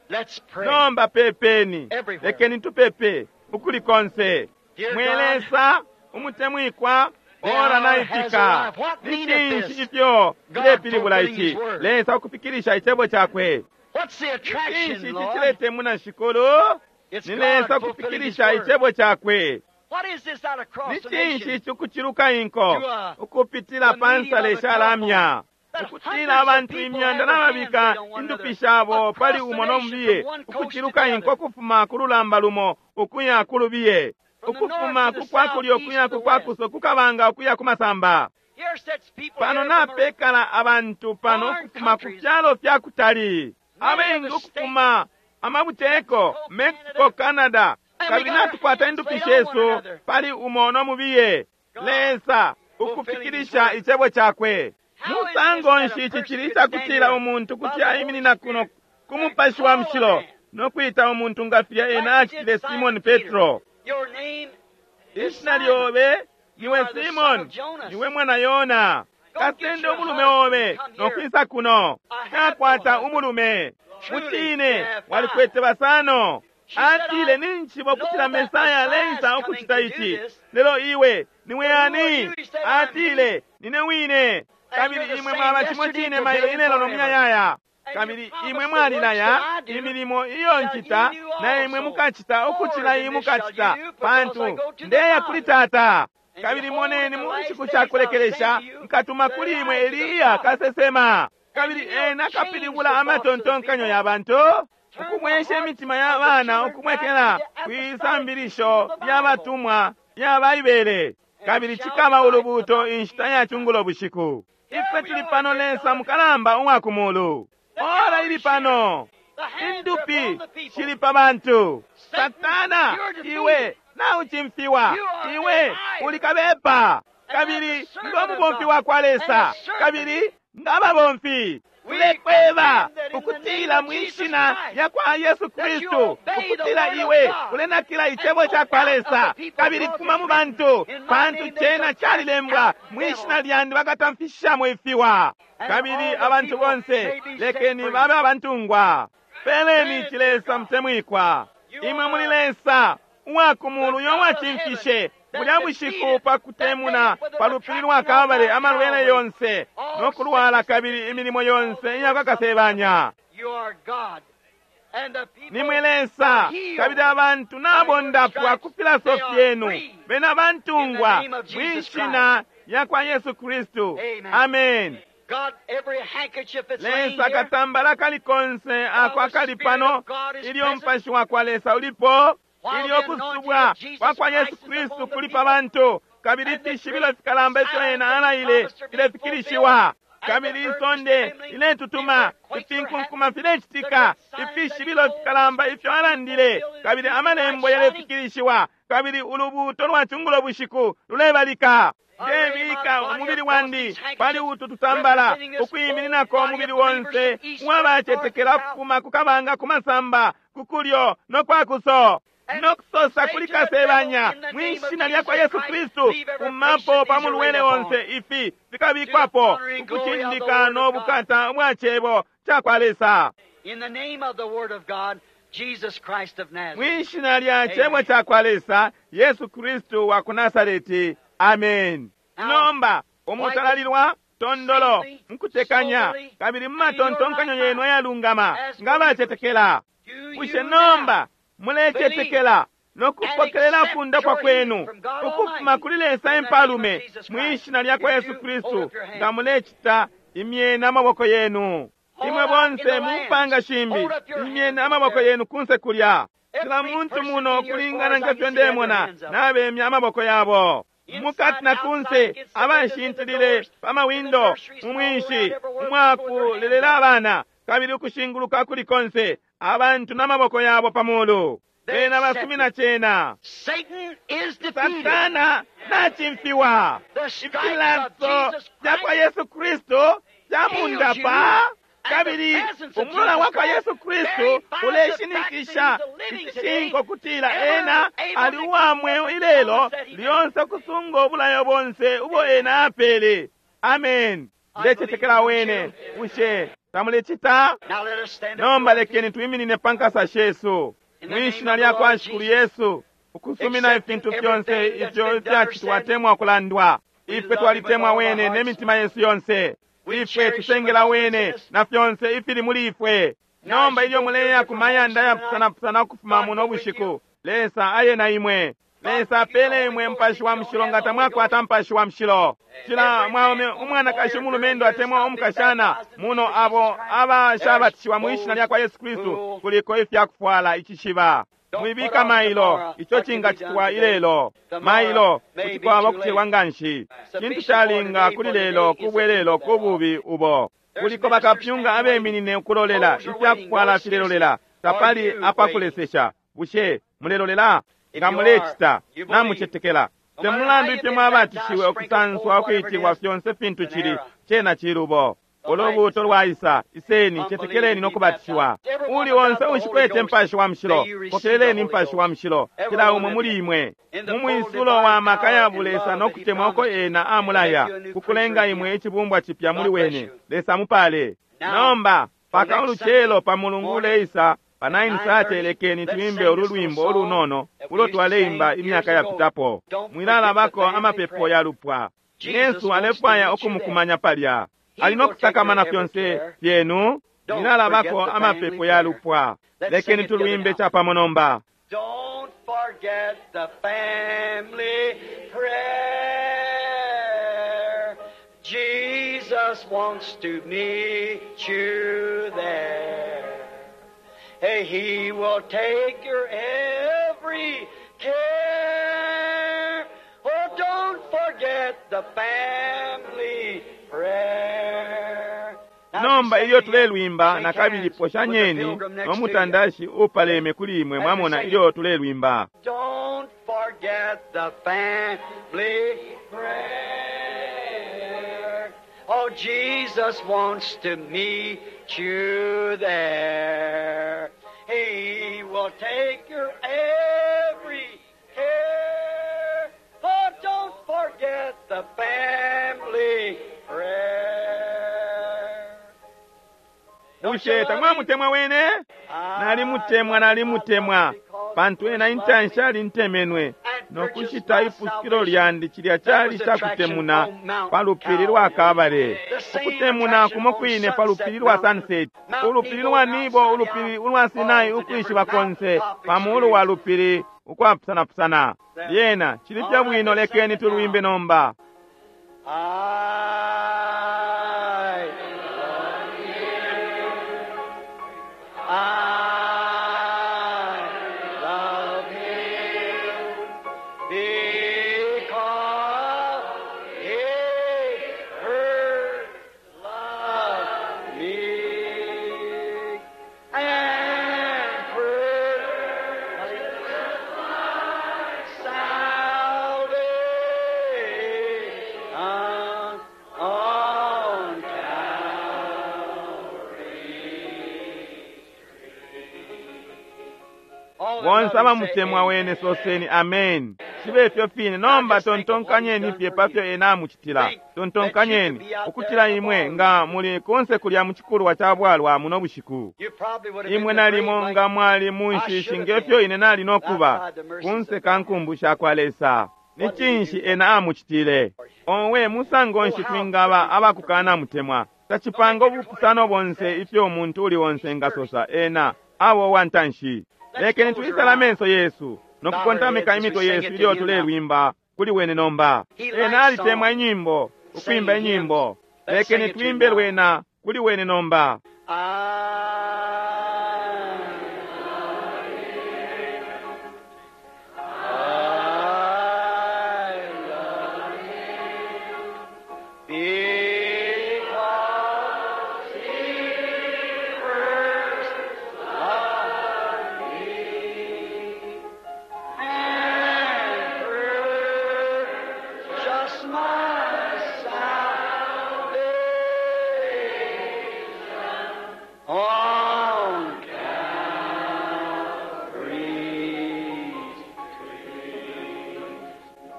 Let's pray. Nomba pepeni, Everywhere. lekeni tupepe ukuli konse. Dear Mwe God, Lesa umutemwikwa, the ora hour has naifika. arrived. What Ni meaneth cinshi this? ifyo God filepilibula fulfilling ici? his word. Lesa ukufikilisha icebo cakwe. What's the Cinshi attraction, ici Lord? ciletemuna Shikulu? It's Ni God Lesa fulfilling his ukufikilisha word. icebo cakwe. What is this out across Ni the cinshi nation? ici ukuciluka inko To, uh, ukupitila the pa meeting nsale of a shalamya That ukutila hundreds of abantu people imyanda have their n'ababika hands laid on one indupi another shabo across pali the umo nation n'omubiye from one coast to ukuciluka the inko other. ukufuma ku lulamba lumo ukuya ku lubiye From the ukufuma north to ku the kwakulyo south, east ukuya to ku the kwakuso kukabanga ukuya ku masamba. Here sits people Pano here from a- napekala abantu pano Foreign ukufuma ku countries. fyalo fya kutali, Many abengi of the ukufuma amabuteko Mexico, Canada, And we kabili got our natukwata hands indupi laid on shesu one another. pali umo n'omubiye. God Lesa ukufikilisha fulfilling his icebo cakwe. How is this Musango that a nshi ici person chili could icakutila stand here umuntu by kuti the Holy aiminina kuno Spirit ku and mupashi wa call a mushilo man nokwita umuntu nga filya ena like he did acitile Simon Simoni Peter? Petro. Your name is Ishina Simon. lyobe You niwe are the son Simoni, of Jonas. niwe mwana Yona. Go get Kasende your umulume husband obe and come here. nokwisa kuno. I have no Nakwata husband. umulume. Truly, Mucine you have five. walikwete basano. She said, Atile I ninchibo know kutila that Mesaya Messiah is leisa coming ukuchita to do ichi. this. Lelo iwe niwe But who are ani? you? He said, I'm Atile he. nine wine. And Kabili you're the imwe same mwaba chimo yesterday, chine mailo today, and inelo forever. nomuyayaya. And you Kabili promised imwe the works mwalilaya that I do imilimo iyo shall nchita you do na imwe also. mukachita More ukuchila than iyi this shall mukachita you do, because I pantu go to the ndeya kuli Father. tata. And Kabili behold, moneni in the mu last nshiku days I'll shakulekelesha send to you nkatuma the kuli imwe Elijah the Eliya prophet. kasesema. And Kabili he will ena change akapilibula the thoughts of the amatontonkanyo people, ya bantu turn the ukumwesha hearts imitima ya of the bana children back to ukumwekela the apostolic teaching kwisambilisho of the lya Bible. batumwa lya Baibele. And it Kabili shall be chikaba light ulubuto about the inshita ya evening chungulo time. bushiku. Here Ifwe we tuli are, pano dear Lesa God. mukalamba uwa kumulu. The Ora hour ili is here. pano. The hands are Indupi upon the people. shili pa bantu. Satan, Satana, you're defeated. iwe nauchimfiwa. You are a Iwe liar. uli kabepa. And I'm Kabili the servant ngo of mubomfi God. wa kwa And the Lesa. servant. Kabili ngababomfi. We Tulekweba command that in the name ukutila of mu Jesus ishina Christ lya kwa Yesu that you Kristu obey the ukutila word of iwe God ulenakila and icebo go ca kwa out of the Lesa people kabili because fuma it's mu written, bantu In my pantu name they cena shall cast calilembwa out mu ishina devils. lyandi bakatamfishishamo ifiwa And kabili all the abantu people bonse may be set lekeni free. babe abantungwa. Peleni Grant it, ici dear Lesa God. mutemwikwa. You Imwe muli are Lesa uwa ku the mulu uyo God of wacimfishe heaven bulya that bushiku defeated pa that day kutemuna with pa an lupili lwa attraction on Kalvale Mount amalwele Calvary. yonse All nokulwala sickness and kabili disease, imilimo all yonse the iya works of the devil. kwakasebanya. You are God. And the people Nimwe are Lesa kabili healed abantu by your nabondapwa stripes. ku filaso They are fyenu free bena in the bantungwa name of mwi Jesus Christ. shina lya kwa Yesu Kristu. Amen. Amen. God, every handkerchief that's laying Lesa here, katambala kali konse while ako the akali Spirit pano of God is ilyo present, mupashi wa kwa Lesa ulipo while ilyo the anointing kusubwa of Jesus kwa kwa Yesu Christ is Kristu upon the kuli pa people, bantu kabili and the ifishibilo great fikalamba ifyo signs ena that he alaile promised are being fulfilled, filefikilishiwa and the kabili earth is isonde trembling, the iletutuma earthquakes are happening, ifinkunkuma the filecitika great signs that he ifishibilo told us fikalamba ifyo be alandile fulfilled, and the kabili evening light amalembo shining. yalefikilishiwa kabili ulubuuto lwa chungulo bushiku lulebalika. I lay my Ndebika body umubili across wandi these pali handkerchiefs, utu tutambala representing this whole ukwimininako body umubili of believers wonse from east, west, north, and uwabacetekela south. ukufuma ku kabanga ku masamba ku kulyo no kwakuso And nokusosa say kuli to the devil, kasebanya in the mwi name of shina lya kwa Jesus Yesu Christ, Kristu leave every kumapo patient pa these are laid mulwele upon. onse ifi To the fikabikwapo honor and glory of the ukucindika Word no of God. bukata ubwa cebo ca kwa Lesa. In the name of the Word of God, Jesus Christ of Nazareth. Mwi shina lya cebo Amen. ca kwa Lesa Yesu Kristu wa ku Nasareti. Amen. Now, Nomba quietly, umutalalilwa tondolo safely, mukutekanya soberly, kabili mu and in your right matontonkanyo yenu mind, ayalungama as nga believers, bacetekela. do Bushe you now nomba believe mulecetekela and nokupokelela accept kundapwa your healing kwenu from God ukufuma Almighty kuli Lesa in the name of impalume Jesus mwi Christ? shina lya kwa If Yesu you hold Kristu up your nga hand. mulecita imyeni amaboko yenu. Imwe All out in bonse the mu mpanga lands, shimbi hold up your imyeni hands up amaboko there. yenu kunse kulya. Kila Every muntu person muno in here, as far kulingana as I nge can fyo see, have their ndemona hands up. nabemya amaboko yabo. Mukati Inside, na outside, kunse against the windows, in the abashintilile doors, pa in the mawindo nurseries, mu and all mwinshi around everywhere, people with their hands umwakulelela up. abana kabili ukushinguluka kuli konse Abantu n'amaboko yabo pa mulu bena basumina cena. Satan is defeated. Satana nachimfiwa. The stripes of Ifilaso Jesus vya kwa Christ Yesu Kristo vyamundapa kabili umulola wa kwa Yesu Kristu uleshinikisha icishinko kutila ena ali uwa mweo ilelo lyonse kusunga obulayo bonse ubo ena apele. Amen. Ndecetekela wene. Bushe tamulecita? Now let us stand up. Nomba lekeni twiminine pa nkasa shesu mwishina lya kwa Shikulu Yesu, ukusumina ifintu fyonse ifyo ifyacitwa temwa kulandwa. Ifwe twalitemwa wene ne mitima yesu yonse. Ifwe tusengela wene na fyonse ifili muli ifwe. Nomba ilyo muleya ku mayanda yapusanapusana ukufuma muno bushiku, Lesa aye na imwe. Lesa apele imwe mpashi wa mushilo nga tamwakwata mpashi wa mushilo. Cila mwaume umwanakashi umulumendo atemwa umukashana muno abo abashabatishiwa mwishina lya kwa Yesu Kristu kuliko ifyakufwala icishiba. Mwibika mailo ico cingacitwa ilelo. Mailo kuti kwaba kucelwa nganshi. Cintu calinga kuli lelo kubwelelo kububi ubo. Kuliko bakapyunga abeminine ukulolela ifyakufwala filelolela. Tapali apakulesesha. Bushe mulelolela? Nga mulecita namucetekela. Te mulandu ifyo mwabatishiwe ukusanswa ukwitilwa fyonse fintu cili cena cilubo. Ulubuto lwaisa, iseni cetekeleni nokubatishiwa. Uli onse ushikwete mpashi wa mushilo, pokeleleni mpashi wa mushilo, kila umwe muli imwe. Mu mwisulo wa maka ya bulesa nokutemwa uko ena amulaya, kukulenga imwe icibumbwa cipya muli wene. Lesa mupale. Nomba, paka ulucelo pa mulungu uleisa, pa nine thirty lekeni tuimbe ulu lwimbo ulunono ulo twaleimba imyaka yapitapo. Mwilalabako amapepo ya lupwa. Yesu alefwaya ukumukumanya palya. Ali nokusakamana fyonse fyenu. Mwilalabako amapepo ya lupwa. Lekeni tulwimbe chapamo nomba. Don't forget the family prayer. Jesus wants to meet you there. Hey, He will take your every care. Oh, don't forget the family prayer. Now, Nomba just ilyo say, tulelwimba shake nakabili hands with the poshanyeni pilgrim next to you. nomutandashi upaleme kuli imwe mwamona ilyo tulelwimba. Don't forget the family prayer. Oh, Jesus wants to meet you there. He will take your every care. Oh, don't forget the family prayer. Bushe tamwamutemwa wene? Nalimutemwa, nalimutemwa pantu ena intanshi alintemenwe nokushita ipusukilo lyandi cilya cali cakutemuna pa lupili lwa Kabale. Ukutemuna kumo kwine pa lupili lwa Sunset, ulupili lwa Nibo, ulupili ulwa Sinai, ukwishiba konse pa mulu wa lupili ukwapusanapusana. Lyena cili fye bwino, lekeni tulwimbe nomba. I love you. I love him because he first loved me and purchased salvation on Calvary. Bonse abamutemwa wene soseni amen. Cibe ifyo fine. Nomba tontonkanyeni fye pafyo ena amucitila. Tontonkanyeni ukutila imwe nga muli kunse kulya mu cikulwa ca bwalwa muno bushiku. You probably would have Imwe been the nalimo great nga like mwali mu nshishi ngefyo ine nali nokuba kunse ka nkumbu sha kwa Lesa. Ni cinshi ena amucitile? Owe musango nshi twingaba abakukana mutemwa? Tacipanga ubupusano bonse ifyo umuntu uli onse ngasosa ena abo wantanshi. Lekeni tuisala amenso yesu nokukontamika imitwe yesu ilyo tulelwimba kuli wene nomba. Ena alitemwa inyimbo, ukwimba inyimbo. Lekeni twimbe lwena kuli wene nomba. I I love him because he first loved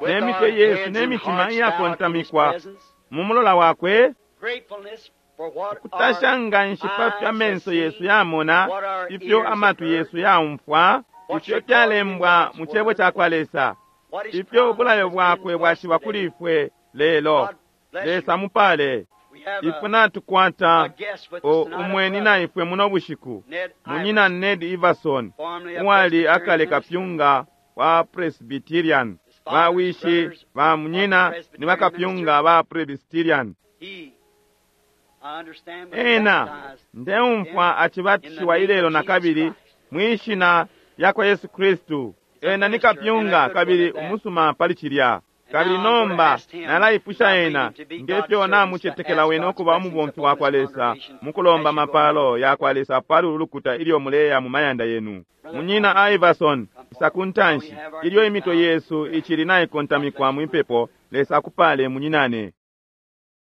Ne mitwe yesu ne mitima iyakontamikwa mu mulola wakwe, kutasha nga nshi pa fyo amenso yesu yamona, ifyo amatwi yesu yaumfwa, ifyo fyalembwa mu cebo ca kwa Lesa, ifyo ubulayo bwakwe bwashiba kuli ifwe lelo. Lesa mupale. Ifwe natukwata umweni na ifwe muno bushiku, munyina Ned Iverson, uwali akale kapyunga wa Presbyterian. Bawishi ba munyina ni bakapyunga ba Presbyterian. Ena ndeumfwa acibatishiwa ilelo na kabili mwishina lya kwa Yesu Kristu. Ena ni kapyunga kabili umusuma pali cilya. Kabili nomba nalaipusha ena ngefyo namucetekela wene ukuba umubomfi wa kwa Lesa mukulomba mapalo ya kwa Lesa pali ulu lukuta ilyo muleya mu mayanda yenu. Munyina Iverson, isa ku ntanshi ilyo imitwe yesu icili naikontamikwa mwipepo. Lesa akupale munyinane.